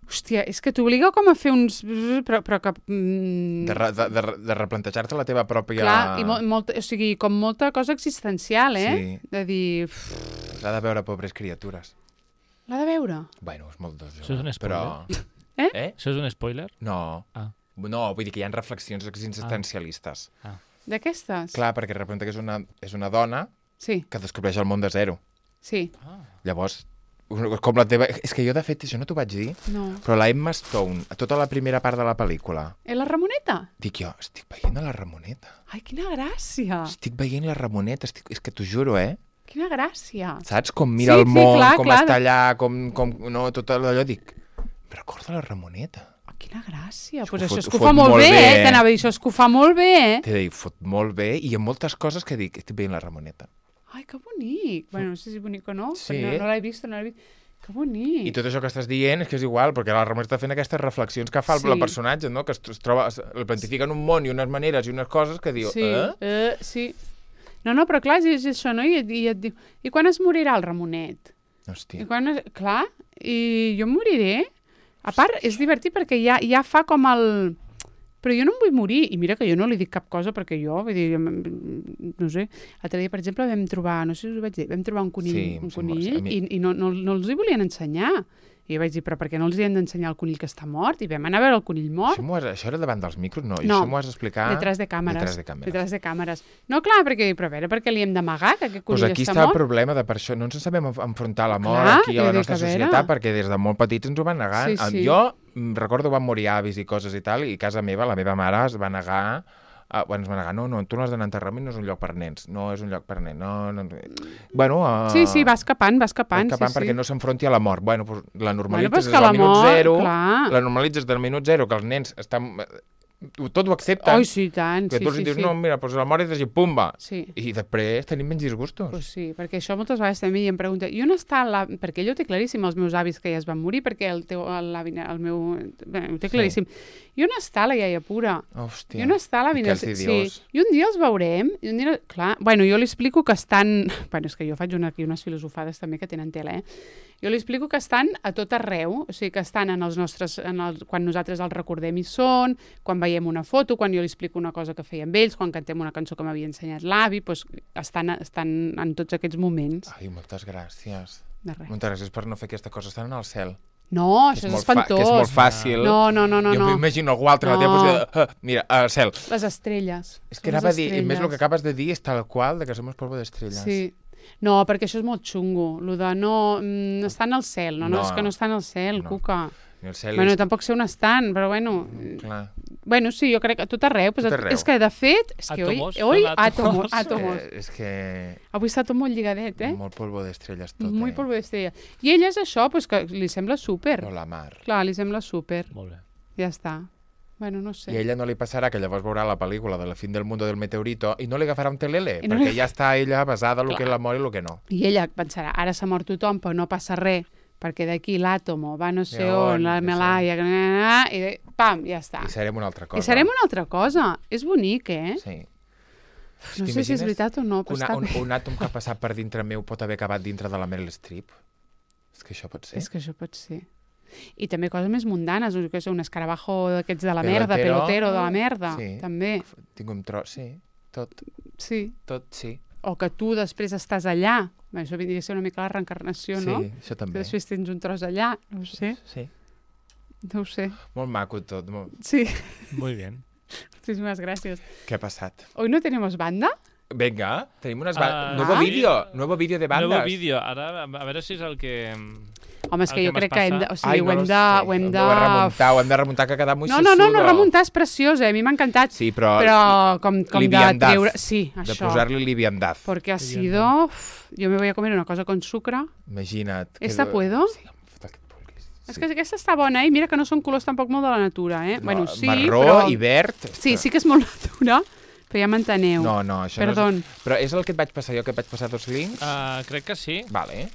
[SPEAKER 1] hòstia, és que t'obliga com a fer uns... Però, però que... Mm...
[SPEAKER 2] De, re, de, de, de replantejar-te la teva pròpia...
[SPEAKER 1] Clar, i mo molt, o sigui, com molta cosa existencial, eh?
[SPEAKER 2] Sí.
[SPEAKER 1] De dir...
[SPEAKER 2] L'ha de veure, pobres criatures.
[SPEAKER 1] L'ha de veure?
[SPEAKER 2] Bueno, és molt dos.
[SPEAKER 3] Això és un spoiler?
[SPEAKER 2] Però...
[SPEAKER 1] Eh?
[SPEAKER 2] eh?
[SPEAKER 3] Això és un spoiler?
[SPEAKER 2] No.
[SPEAKER 3] Ah.
[SPEAKER 2] No, vull dir que hi ha reflexions existencialistes.
[SPEAKER 3] Ah. Ah.
[SPEAKER 1] D'aquestes?
[SPEAKER 2] Clar, perquè representa que és una, és una dona
[SPEAKER 1] sí.
[SPEAKER 2] que descobreix el món de zero.
[SPEAKER 1] Sí.
[SPEAKER 3] Ah.
[SPEAKER 2] Llavors, com la teva... És que jo, de fet, això no t'ho vaig dir,
[SPEAKER 1] no.
[SPEAKER 2] però la Emma Stone, a tota la primera part de la pel·lícula...
[SPEAKER 1] És la Ramoneta?
[SPEAKER 2] Dic jo, estic veient a la Ramoneta.
[SPEAKER 1] Ai, quina gràcia!
[SPEAKER 2] Estic veient la Ramoneta, estic... és que t'ho juro, eh?
[SPEAKER 1] Quina gràcia!
[SPEAKER 2] Saps? Com mira
[SPEAKER 1] sí,
[SPEAKER 2] el món,
[SPEAKER 1] sí, clar,
[SPEAKER 2] com
[SPEAKER 1] clar.
[SPEAKER 2] està allà, com... com no, tot allò, dic... Em recorda la Ramoneta.
[SPEAKER 1] Quina gràcia. Doncs
[SPEAKER 2] pues
[SPEAKER 1] això
[SPEAKER 2] fot,
[SPEAKER 1] és que ho fa molt, molt bé, eh? T'anava a dir, això és que ho fa molt bé, eh?
[SPEAKER 2] T'he de dir, fot molt bé, i hi ha moltes coses que dic, estic veient la Ramoneta.
[SPEAKER 1] Ai, que bonic. Bueno, no sé si bonic o no,
[SPEAKER 2] sí.
[SPEAKER 1] no, no l'he vist, no l'he vist. Que bonic.
[SPEAKER 2] I tot això que estàs dient és que és igual, perquè la Ramoneta està fent aquestes reflexions que fa sí. el personatge, no? Que es, es troba, es, el plantifica en un món i unes maneres i unes coses que diu,
[SPEAKER 1] sí.
[SPEAKER 2] eh?
[SPEAKER 1] eh? Sí. No, no, però clar, és, és això, no? I, i et diu, i quan es morirà el Ramonet?
[SPEAKER 2] Hòstia.
[SPEAKER 1] I quan es... Clar, i jo em moriré. A part, és divertit perquè ja, ja fa com el... Però jo no em vull morir. I mira que jo no li dic cap cosa perquè jo, vull dir, no sé, l'altre dia, per exemple, vam trobar, no sé si us ho vaig dir, vam trobar un conill,
[SPEAKER 2] sí,
[SPEAKER 1] un
[SPEAKER 2] sí,
[SPEAKER 1] conill
[SPEAKER 2] mi...
[SPEAKER 1] i, i no, no, no els hi volien ensenyar. I jo vaig dir, però per què no els hi hem d'ensenyar el conill que està mort? I vam anar a veure el conill mort.
[SPEAKER 2] Això, has, això era davant dels micros? No,
[SPEAKER 1] no.
[SPEAKER 2] Això m'ho has d'explicar...
[SPEAKER 1] Detrás de càmeres.
[SPEAKER 2] Detrás de càmeres.
[SPEAKER 1] Detrás de càmeres. No, clar, perquè, però a veure, per què li hem d'amagar que aquest conill
[SPEAKER 2] pues aquí
[SPEAKER 1] està
[SPEAKER 2] està
[SPEAKER 1] mort?
[SPEAKER 2] el problema de per això. No ens sabem enfrontar la mort
[SPEAKER 1] clar,
[SPEAKER 2] aquí a la nostra societat perquè des de molt petits ens ho van negar.
[SPEAKER 1] Sí, sí.
[SPEAKER 2] Jo recordo van morir avis i coses i tal, i a casa meva, la meva mare es va negar... Uh, bueno, es va negar, no, no, tu no has d'anar a enterrament, no és un lloc per nens, no és un lloc per nens, no, no... Bueno... Uh,
[SPEAKER 1] sí, sí, va escapant, va escapant.
[SPEAKER 2] Va escapant
[SPEAKER 1] sí,
[SPEAKER 2] perquè
[SPEAKER 1] sí.
[SPEAKER 2] no s'enfronti a la mort. Bueno, pues, la normalitzes
[SPEAKER 1] bueno,
[SPEAKER 2] des del minut
[SPEAKER 1] mort,
[SPEAKER 2] zero,
[SPEAKER 1] clar.
[SPEAKER 2] la normalitzes del minut zero, que els nens estan... Tot ho accepten.
[SPEAKER 1] Oi, sí, tant.
[SPEAKER 2] Que
[SPEAKER 1] sí,
[SPEAKER 2] tu els
[SPEAKER 1] sí,
[SPEAKER 2] dius,
[SPEAKER 1] sí.
[SPEAKER 2] no, mira, pues la mort és així, pumba.
[SPEAKER 1] Sí.
[SPEAKER 2] I després tenim menys disgustos.
[SPEAKER 1] Pues sí, perquè això moltes vegades també em pregunta, i on està la... Perquè ell ho té claríssim, els meus avis que ja es van morir, perquè el, teu, l'avi, el meu... Bé, ho té claríssim. Sí. I on està la iaia pura?
[SPEAKER 2] Hòstia.
[SPEAKER 1] I on està l'avi?
[SPEAKER 2] Sí.
[SPEAKER 1] I un dia els veurem, i un dia... Clar, bueno, jo li explico que estan... Bueno, és que jo faig una, aquí unes filosofades també que tenen tela, eh? Jo li explico que estan a tot arreu, o sigui, que estan en els nostres... En el, quan nosaltres els recordem hi són, quan veiem una foto, quan jo li explico una cosa que feia amb ells, quan cantem una cançó que m'havia ensenyat l'avi, doncs estan, estan en tots aquests moments.
[SPEAKER 2] Ai, moltes gràcies.
[SPEAKER 1] De res.
[SPEAKER 2] Moltes gràcies per no fer aquesta cosa. Estan en el cel.
[SPEAKER 1] No,
[SPEAKER 2] que
[SPEAKER 1] això és,
[SPEAKER 2] és
[SPEAKER 1] espantós.
[SPEAKER 2] Que és molt fàcil.
[SPEAKER 1] No, no, no, no.
[SPEAKER 2] Jo
[SPEAKER 1] no.
[SPEAKER 2] m'imagino algú altre no. a la teva posició. Uh, mira, al cel.
[SPEAKER 1] Les estrelles.
[SPEAKER 2] És que anava a dir, més el que acabes de dir és tal qual de que som polvo d'estrelles.
[SPEAKER 1] Sí. No, perquè això és molt xungo. Lo de no... Mm, està en el cel. No, no, no, és que no està en el cel, no. Cuca.
[SPEAKER 2] Ni el cel
[SPEAKER 1] bueno,
[SPEAKER 2] és...
[SPEAKER 1] tampoc sé on estan, però bueno...
[SPEAKER 2] Clar.
[SPEAKER 1] Bueno, sí, jo crec que a tot arreu. Pues,
[SPEAKER 2] tot arreu.
[SPEAKER 1] És que, de fet... És que
[SPEAKER 3] Atomos,
[SPEAKER 1] oi, oi,
[SPEAKER 3] atomos.
[SPEAKER 1] atomos. atomos.
[SPEAKER 2] Eh, és que...
[SPEAKER 1] Avui està tot molt lligadet, eh?
[SPEAKER 2] Molt polvo d'estrelles tot,
[SPEAKER 1] Molt
[SPEAKER 2] eh?
[SPEAKER 1] polvo d'estrelles. I ella és això, pues, que li sembla súper.
[SPEAKER 2] No, la mar.
[SPEAKER 1] Clar, li sembla súper.
[SPEAKER 3] Molt bé.
[SPEAKER 1] Ja està. Bueno, no sé.
[SPEAKER 2] I a ella no li passarà que llavors veurà la pel·lícula de la fin del mundo del meteorito i no li agafarà un telele,
[SPEAKER 1] I no
[SPEAKER 2] perquè
[SPEAKER 1] li...
[SPEAKER 2] ja està ella basada en el
[SPEAKER 1] Clar.
[SPEAKER 2] que és l'amor i el que no.
[SPEAKER 1] I ella pensarà, ara s'ha mort tothom, però no passa res, perquè d'aquí l'àtomo va no sé
[SPEAKER 2] Ja,
[SPEAKER 1] on, la
[SPEAKER 2] ja
[SPEAKER 1] Melaia, i de... pam, ja està.
[SPEAKER 2] I serem una altra cosa.
[SPEAKER 1] I serem una altra cosa. És bonic, eh?
[SPEAKER 2] Sí.
[SPEAKER 1] No sé si és veritat o no, però
[SPEAKER 2] una,
[SPEAKER 1] està...
[SPEAKER 2] un, un àtom que ha passat per dintre meu pot haver acabat dintre de la Meryl Streep? És que això pot ser.
[SPEAKER 1] És que això pot ser. I també coses més mundanes, que és un escarabajo d'aquests de la
[SPEAKER 2] Pelotero.
[SPEAKER 1] merda, pelotero de la merda,
[SPEAKER 2] Sí.
[SPEAKER 1] també.
[SPEAKER 2] Tinc un tros, sí. Tot,
[SPEAKER 1] Sí.
[SPEAKER 2] tot, sí.
[SPEAKER 1] O que tu després estàs allà. Bé, això vindria a ser una mica la reencarnació, no?
[SPEAKER 2] Sí, això
[SPEAKER 1] Que
[SPEAKER 2] també.
[SPEAKER 1] després tens un tros allà, no ho sé.
[SPEAKER 2] Sí.
[SPEAKER 1] No ho sé.
[SPEAKER 2] Molt maco tot. Molt...
[SPEAKER 1] Sí.
[SPEAKER 3] Muy bien.
[SPEAKER 1] Muchísimas gracias.
[SPEAKER 2] Què ha passat?
[SPEAKER 1] Hoy no tenemos banda?
[SPEAKER 2] Venga, tenim unes...
[SPEAKER 3] Ah,
[SPEAKER 2] Ba... nuevo
[SPEAKER 1] ah.
[SPEAKER 2] vídeo, nuevo vídeo de bandes.
[SPEAKER 3] Nuevo vídeo. Ara, a veure si és el que...
[SPEAKER 1] Home, és que
[SPEAKER 3] El
[SPEAKER 1] jo
[SPEAKER 3] que
[SPEAKER 1] crec
[SPEAKER 3] m'has
[SPEAKER 1] que hem de... O
[SPEAKER 3] passat.
[SPEAKER 1] sigui,
[SPEAKER 2] Ai,
[SPEAKER 1] ho
[SPEAKER 2] no
[SPEAKER 1] hem
[SPEAKER 2] lo
[SPEAKER 1] de...
[SPEAKER 2] sé.
[SPEAKER 1] Ho hem de...
[SPEAKER 2] Ho hem de remuntar, ho hem de remuntar, que ha quedat molt
[SPEAKER 1] No, no, no, no,
[SPEAKER 2] sesudo.
[SPEAKER 1] remuntar és preciós, eh? A mi m'ha encantat.
[SPEAKER 2] Sí, però...
[SPEAKER 1] Però com, com de
[SPEAKER 2] liviandad.
[SPEAKER 1] treure... Sí,
[SPEAKER 2] De
[SPEAKER 1] això.
[SPEAKER 2] posar-li liviandad.
[SPEAKER 1] Porque ha sido... Uf, yo me voy a comer una cosa con sucre.
[SPEAKER 2] Imagina't.
[SPEAKER 1] ¿Esta
[SPEAKER 2] que...
[SPEAKER 1] puedo?
[SPEAKER 2] Sí, em fot aquest pulguis.
[SPEAKER 1] És que aquesta està bona, eh? Mira que no són colors tampoc molt de la natura, eh?
[SPEAKER 2] No,
[SPEAKER 1] bueno, sí,
[SPEAKER 2] marró
[SPEAKER 1] però...
[SPEAKER 2] i verd...
[SPEAKER 1] Sí, sí que és molt natura, però ja m'enteneu.
[SPEAKER 2] No, no, això
[SPEAKER 1] Perdón.
[SPEAKER 2] no és... Però és el que et vaig passar jo, que et vaig passar dos links?
[SPEAKER 3] Uh, crec que sí.
[SPEAKER 2] Vale.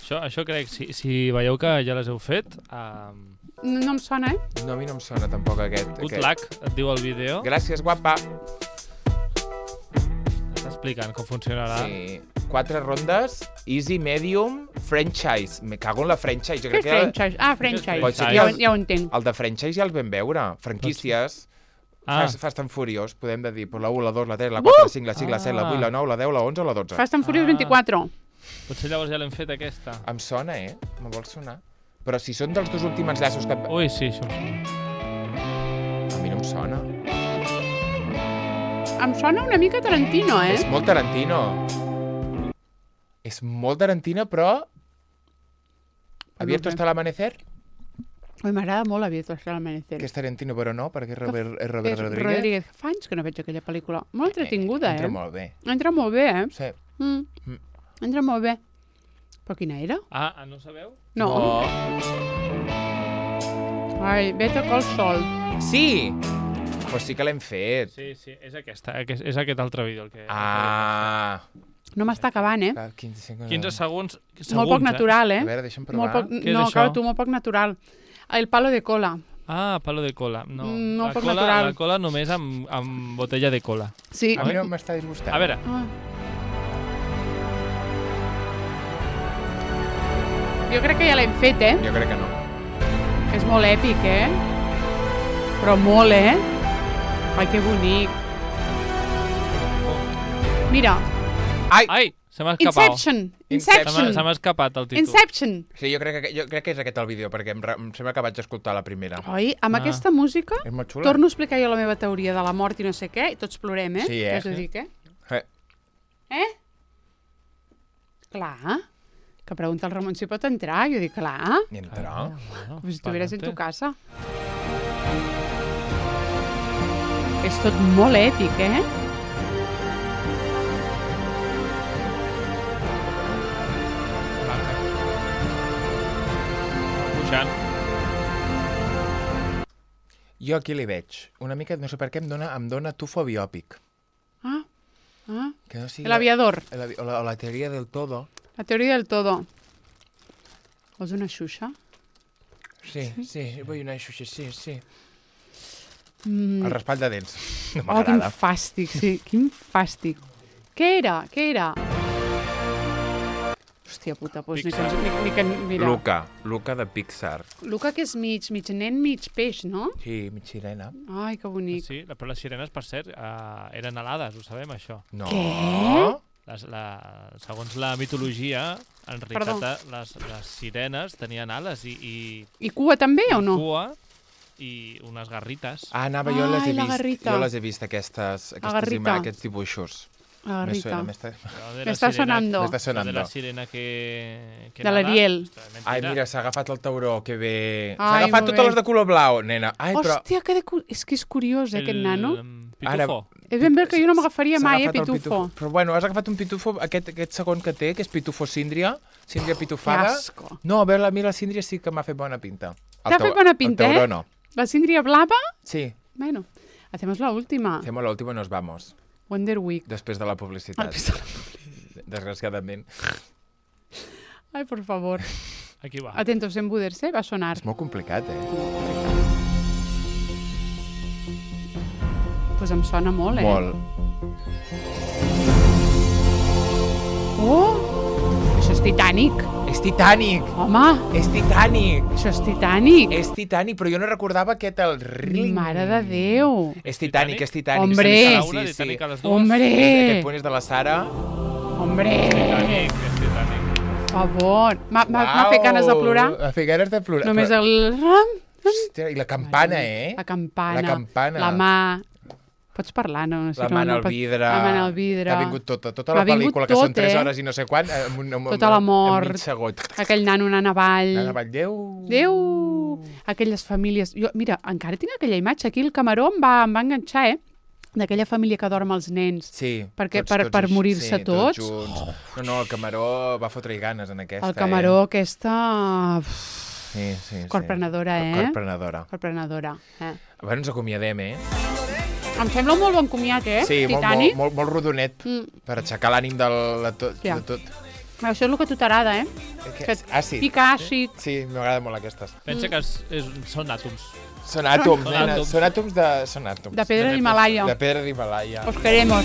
[SPEAKER 3] Això, això crec, si, si veieu que ja les heu fet... Uh...
[SPEAKER 1] No, no em sona, eh?
[SPEAKER 2] No, a mi no em sona tampoc aquest.
[SPEAKER 3] Good
[SPEAKER 2] aquest.
[SPEAKER 3] luck, et diu el vídeo.
[SPEAKER 2] Gràcies, guapa.
[SPEAKER 3] Està explicant com funcionarà.
[SPEAKER 2] Sí. Quatre rondes, easy, medium, franchise. Me cago en la franchise. Jo
[SPEAKER 1] Què
[SPEAKER 2] crec
[SPEAKER 1] és
[SPEAKER 2] que
[SPEAKER 1] franchise? Ah, franchise.
[SPEAKER 2] Pot ser
[SPEAKER 1] Ja,
[SPEAKER 2] que
[SPEAKER 1] ho- ja ho entenc.
[SPEAKER 2] el de franchise ja el vam veure. Franquícies.
[SPEAKER 3] Ah.
[SPEAKER 2] Fast, Fast and Furious, podem de dir. Pues la u, la dos, la tres, la quatre, la cinc, la sis, la set, la vuit, la nou, la deu, la onze o la dotze.
[SPEAKER 1] Fast and Furious
[SPEAKER 3] Ah.
[SPEAKER 1] vint-i-quatre.
[SPEAKER 3] Potser llavors ja l'hem fet, aquesta.
[SPEAKER 2] Em sona, eh? Me vol sonar. Però si són dels dos últims llaços que...
[SPEAKER 3] Ui, sí, això.
[SPEAKER 2] A mi no em sona.
[SPEAKER 1] Em sona una mica Tarantino, eh?
[SPEAKER 2] És molt Tarantino. És molt Tarantino, però... ¿Abierto hasta el amanecer?
[SPEAKER 1] Ui, m'agrada molt Abierto hasta el amanecer.
[SPEAKER 2] Que és Tarantino, però no, perquè és Robert, és Robert
[SPEAKER 1] És
[SPEAKER 2] Rodríguez.
[SPEAKER 1] Rodríguez. Fa anys que no veig aquella pel·lícula. Molt entretinguda,
[SPEAKER 2] Entra
[SPEAKER 1] eh?
[SPEAKER 2] molt bé.
[SPEAKER 1] Entra molt bé, eh?
[SPEAKER 2] Sí.
[SPEAKER 1] Mm.
[SPEAKER 2] Mm.
[SPEAKER 1] Entra molt bé. Però quina era?
[SPEAKER 3] Ah, ah, no sabeu?
[SPEAKER 1] No. Ai, Better Call Saul.
[SPEAKER 2] Sí! Pues sí que l'hem fet.
[SPEAKER 3] Sí, sí, és aquesta, és, és aquest altre vídeo. El que,
[SPEAKER 2] Ah!
[SPEAKER 3] el
[SPEAKER 1] No m'està acabant, eh?
[SPEAKER 2] Cal quinze segons.
[SPEAKER 3] que... quinze segons. segons
[SPEAKER 1] Molt poc natural,
[SPEAKER 2] A
[SPEAKER 1] eh?
[SPEAKER 2] veure, deixa'm
[SPEAKER 1] Molt
[SPEAKER 2] provar.
[SPEAKER 1] poc,
[SPEAKER 3] Què és
[SPEAKER 1] no,
[SPEAKER 3] això?
[SPEAKER 1] clar, tu, molt poc natural. El palo de cola.
[SPEAKER 3] Ah, palo de cola. No,
[SPEAKER 1] Mm, no
[SPEAKER 3] la,
[SPEAKER 1] poc
[SPEAKER 3] cola
[SPEAKER 1] natural.
[SPEAKER 3] la cola només amb, amb botella de cola.
[SPEAKER 1] Sí.
[SPEAKER 2] A mi no m'està disgustant.
[SPEAKER 3] A veure,
[SPEAKER 1] Ah. Jo crec que ja l'hem fet, eh?
[SPEAKER 2] Jo crec que no.
[SPEAKER 1] És molt èpic, eh? Però molt, eh? Ai, que bonic. Mira,
[SPEAKER 2] Ai!
[SPEAKER 3] ai, se m'ha escapat.
[SPEAKER 1] Inception.
[SPEAKER 2] Inception.
[SPEAKER 3] Se m'ha-
[SPEAKER 1] Inception.
[SPEAKER 3] Se m'ha escapat el títol.
[SPEAKER 1] Inception.
[SPEAKER 2] Sí, jo crec que, jo crec que és aquest el vídeo, perquè em, re- em sembla que vaig escoltar la primera.
[SPEAKER 1] Oi, amb
[SPEAKER 3] Ah.
[SPEAKER 1] aquesta música
[SPEAKER 2] És molt xula.
[SPEAKER 1] torno a explicar jo la meva teoria de la mort i no sé què, i tots plorem, eh?
[SPEAKER 2] Sí, eh?
[SPEAKER 1] Què us ho dic, eh?
[SPEAKER 2] Eh,
[SPEAKER 1] Eh? Clar. Que pregunta el Ramon si pot entrar. Jo dic, clar,
[SPEAKER 2] I entra.
[SPEAKER 3] Ah, bueno,
[SPEAKER 1] com si estuvieras en tu
[SPEAKER 3] pa'lante.
[SPEAKER 1] casa. És tot molt èpic, eh?
[SPEAKER 3] Pujant.
[SPEAKER 2] Jo aquí li veig. Una mica, no sé per què, em dona, em dona tufo biòpic.
[SPEAKER 1] Ah, ah.
[SPEAKER 2] Que no sigui...
[SPEAKER 1] El aviador.
[SPEAKER 2] La, o, la, o la teoria del todo.
[SPEAKER 1] La teoria del todo. Vols una xuxa?
[SPEAKER 2] Sí, sí, vull una xuxa, sí, sí.
[SPEAKER 1] Mm.
[SPEAKER 2] El raspall de dents. No
[SPEAKER 1] Oh, quin
[SPEAKER 2] m'agrada.
[SPEAKER 1] fàstic, sí, quin fàstic. Què era? Què era? Hòstia puta, doncs ni que, ens- ni, ni que... Mira.
[SPEAKER 2] Luca. Luca de Pixar.
[SPEAKER 1] Luca, que és mig, mig nen, mig peix, no?
[SPEAKER 2] Sí, mig sirena.
[SPEAKER 1] Ai, que bonic.
[SPEAKER 3] Sí, però les sirenes, per cert, uh, eren alades, ho sabem, això.
[SPEAKER 2] No.
[SPEAKER 1] Què?
[SPEAKER 3] Les, la, segons la mitologia, en realitat,
[SPEAKER 1] Perdó.
[SPEAKER 3] eh, les, les sirenes tenien ales i, i
[SPEAKER 1] I cua també o no?
[SPEAKER 3] cua i unes garrites.
[SPEAKER 2] Ah, anava, jo les he
[SPEAKER 1] Ai, la
[SPEAKER 2] vist.
[SPEAKER 1] garrita.
[SPEAKER 2] Jo les he vist, aquestes, aquestes
[SPEAKER 1] garrita.
[SPEAKER 2] ima- aquests dibuixos.
[SPEAKER 1] La
[SPEAKER 2] Me
[SPEAKER 1] garrita.
[SPEAKER 2] suena, me està...
[SPEAKER 3] Allò de
[SPEAKER 1] Me
[SPEAKER 3] la
[SPEAKER 1] està
[SPEAKER 3] sirena-
[SPEAKER 1] sonando.
[SPEAKER 2] Me està
[SPEAKER 3] allò
[SPEAKER 2] sonando.
[SPEAKER 3] de la sirena que... que
[SPEAKER 1] De
[SPEAKER 3] nada.
[SPEAKER 1] l'Ariel.
[SPEAKER 3] Ostres,
[SPEAKER 2] Ai,
[SPEAKER 3] mentira.
[SPEAKER 2] mira, s'ha agafat el tauró, que bé. S'ha
[SPEAKER 1] Ai,
[SPEAKER 2] agafat
[SPEAKER 1] molt
[SPEAKER 2] totes
[SPEAKER 1] bé.
[SPEAKER 2] les de color blau, nena. Ai, però...
[SPEAKER 1] Hòstia, que de... cu- és que és curiós, eh, aquest nano.
[SPEAKER 3] El
[SPEAKER 2] Ara-
[SPEAKER 3] pitufo.
[SPEAKER 1] És ben bé que jo no m'agafaria
[SPEAKER 2] S'ha
[SPEAKER 1] mai, eh,
[SPEAKER 2] agafat el
[SPEAKER 1] pitufo.
[SPEAKER 2] Però bueno, has agafat un pitufo, aquest, aquest segon que té, que és pitufo síndria, síndria
[SPEAKER 1] Que
[SPEAKER 2] pitufada.
[SPEAKER 1] asco.
[SPEAKER 2] No, a veure, a mi la síndria sí que m'ha fet bona pinta. El
[SPEAKER 1] T'ha
[SPEAKER 2] tau-
[SPEAKER 1] fet bona pinta,
[SPEAKER 2] el tauró
[SPEAKER 1] eh?
[SPEAKER 2] no.
[SPEAKER 1] La síndria blava?
[SPEAKER 2] Sí,
[SPEAKER 1] Bueno, hacemos la última.
[SPEAKER 2] hacemos la última y nos vamos.
[SPEAKER 1] Wonder Week.
[SPEAKER 2] Després de la
[SPEAKER 1] Al
[SPEAKER 2] publicitat.
[SPEAKER 1] pistol.
[SPEAKER 2] Desgraciadament.
[SPEAKER 1] Ai, por favor.
[SPEAKER 3] Aquí va.
[SPEAKER 1] Atentos, en Buderse va a sonar.
[SPEAKER 2] És molt complicat, eh?
[SPEAKER 1] Pues em sona molt, eh?
[SPEAKER 2] Molt.
[SPEAKER 1] Oh! Això és Titanic.
[SPEAKER 2] És Titanic!
[SPEAKER 1] Home,
[SPEAKER 2] És Titanic!
[SPEAKER 1] això és Titanic.
[SPEAKER 2] És Titanic, però jo no recordava aquest el ring.
[SPEAKER 1] Mare de Déu.
[SPEAKER 2] És Titanic, és Titanic.
[SPEAKER 1] Hombre.
[SPEAKER 2] Sí,
[SPEAKER 3] Cada
[SPEAKER 2] sí,
[SPEAKER 3] una,
[SPEAKER 2] sí,
[SPEAKER 3] Titanic
[SPEAKER 2] sí.
[SPEAKER 3] a les dues.
[SPEAKER 1] Hombre,
[SPEAKER 2] Aquest punt és de la Sara.
[SPEAKER 1] hombre,
[SPEAKER 3] Titanic, és Titanic.
[SPEAKER 1] per favor. M'ha m'ha- m'ha fet ganes de plorar.
[SPEAKER 2] M'ha fet ganes de plorar.
[SPEAKER 1] Només
[SPEAKER 2] Però-
[SPEAKER 1] el...
[SPEAKER 2] Hòstia, i la campana, eh?
[SPEAKER 1] La campana.
[SPEAKER 2] La campana.
[SPEAKER 1] La mà. Pots parlar, no? no sé,
[SPEAKER 2] La
[SPEAKER 1] no,
[SPEAKER 2] mà en
[SPEAKER 1] no
[SPEAKER 2] el
[SPEAKER 1] pot-
[SPEAKER 2] vidre.
[SPEAKER 1] La mà en el vidre.
[SPEAKER 2] T'ha vingut tota, tota
[SPEAKER 1] M'ha
[SPEAKER 2] la
[SPEAKER 1] vingut
[SPEAKER 2] pel·lícula, que
[SPEAKER 1] tot,
[SPEAKER 2] són tres
[SPEAKER 1] eh?
[SPEAKER 2] hores i no sé quan. Amb, un- amb,
[SPEAKER 1] Tota la mort.
[SPEAKER 2] En mig segon.
[SPEAKER 1] Aquell nano anant avall.
[SPEAKER 2] Anava al Déu.
[SPEAKER 1] Déu! Aquelles famílies... Jo, mira, encara tinc aquella imatge. Aquí el Camaró em va, em va enganxar, eh? D'aquella família que dorm els nens.
[SPEAKER 2] Sí,
[SPEAKER 1] Perquè
[SPEAKER 2] tots,
[SPEAKER 1] per-
[SPEAKER 2] tots
[SPEAKER 1] per
[SPEAKER 2] així,
[SPEAKER 1] morir-se
[SPEAKER 2] sí,
[SPEAKER 1] tots.
[SPEAKER 2] junts. No, no, el Camaró va fotre-hi ganes en aquesta.
[SPEAKER 1] El Camaró, aquesta...
[SPEAKER 2] Eh? Sí, sí, sí.
[SPEAKER 1] Corprenedora, eh?
[SPEAKER 2] Corprenedora.
[SPEAKER 1] Corprenedora, eh?
[SPEAKER 2] Bueno, ens acomiadem, eh?
[SPEAKER 1] Em sembla un molt bon comiat, eh?
[SPEAKER 2] Sí, molt,
[SPEAKER 1] Titani.
[SPEAKER 2] molt, molt, molt rodonet, mm. per aixecar l'ànim del, de, tot,
[SPEAKER 1] ja.
[SPEAKER 2] de tot.
[SPEAKER 1] Això és el que a tu t'agrada, eh?
[SPEAKER 2] Que, àcid.
[SPEAKER 1] Pica àcid.
[SPEAKER 2] Sí, m'agrada molt aquestes.
[SPEAKER 3] Pensa mm. que és, és, són àtoms.
[SPEAKER 2] Són àtoms,
[SPEAKER 3] són
[SPEAKER 2] nena.
[SPEAKER 3] àtoms.
[SPEAKER 2] Són àtoms de... Són àtoms.
[SPEAKER 1] De pedra d'Himalaya.
[SPEAKER 2] De pedra d'Himalaya.
[SPEAKER 1] Os queremos.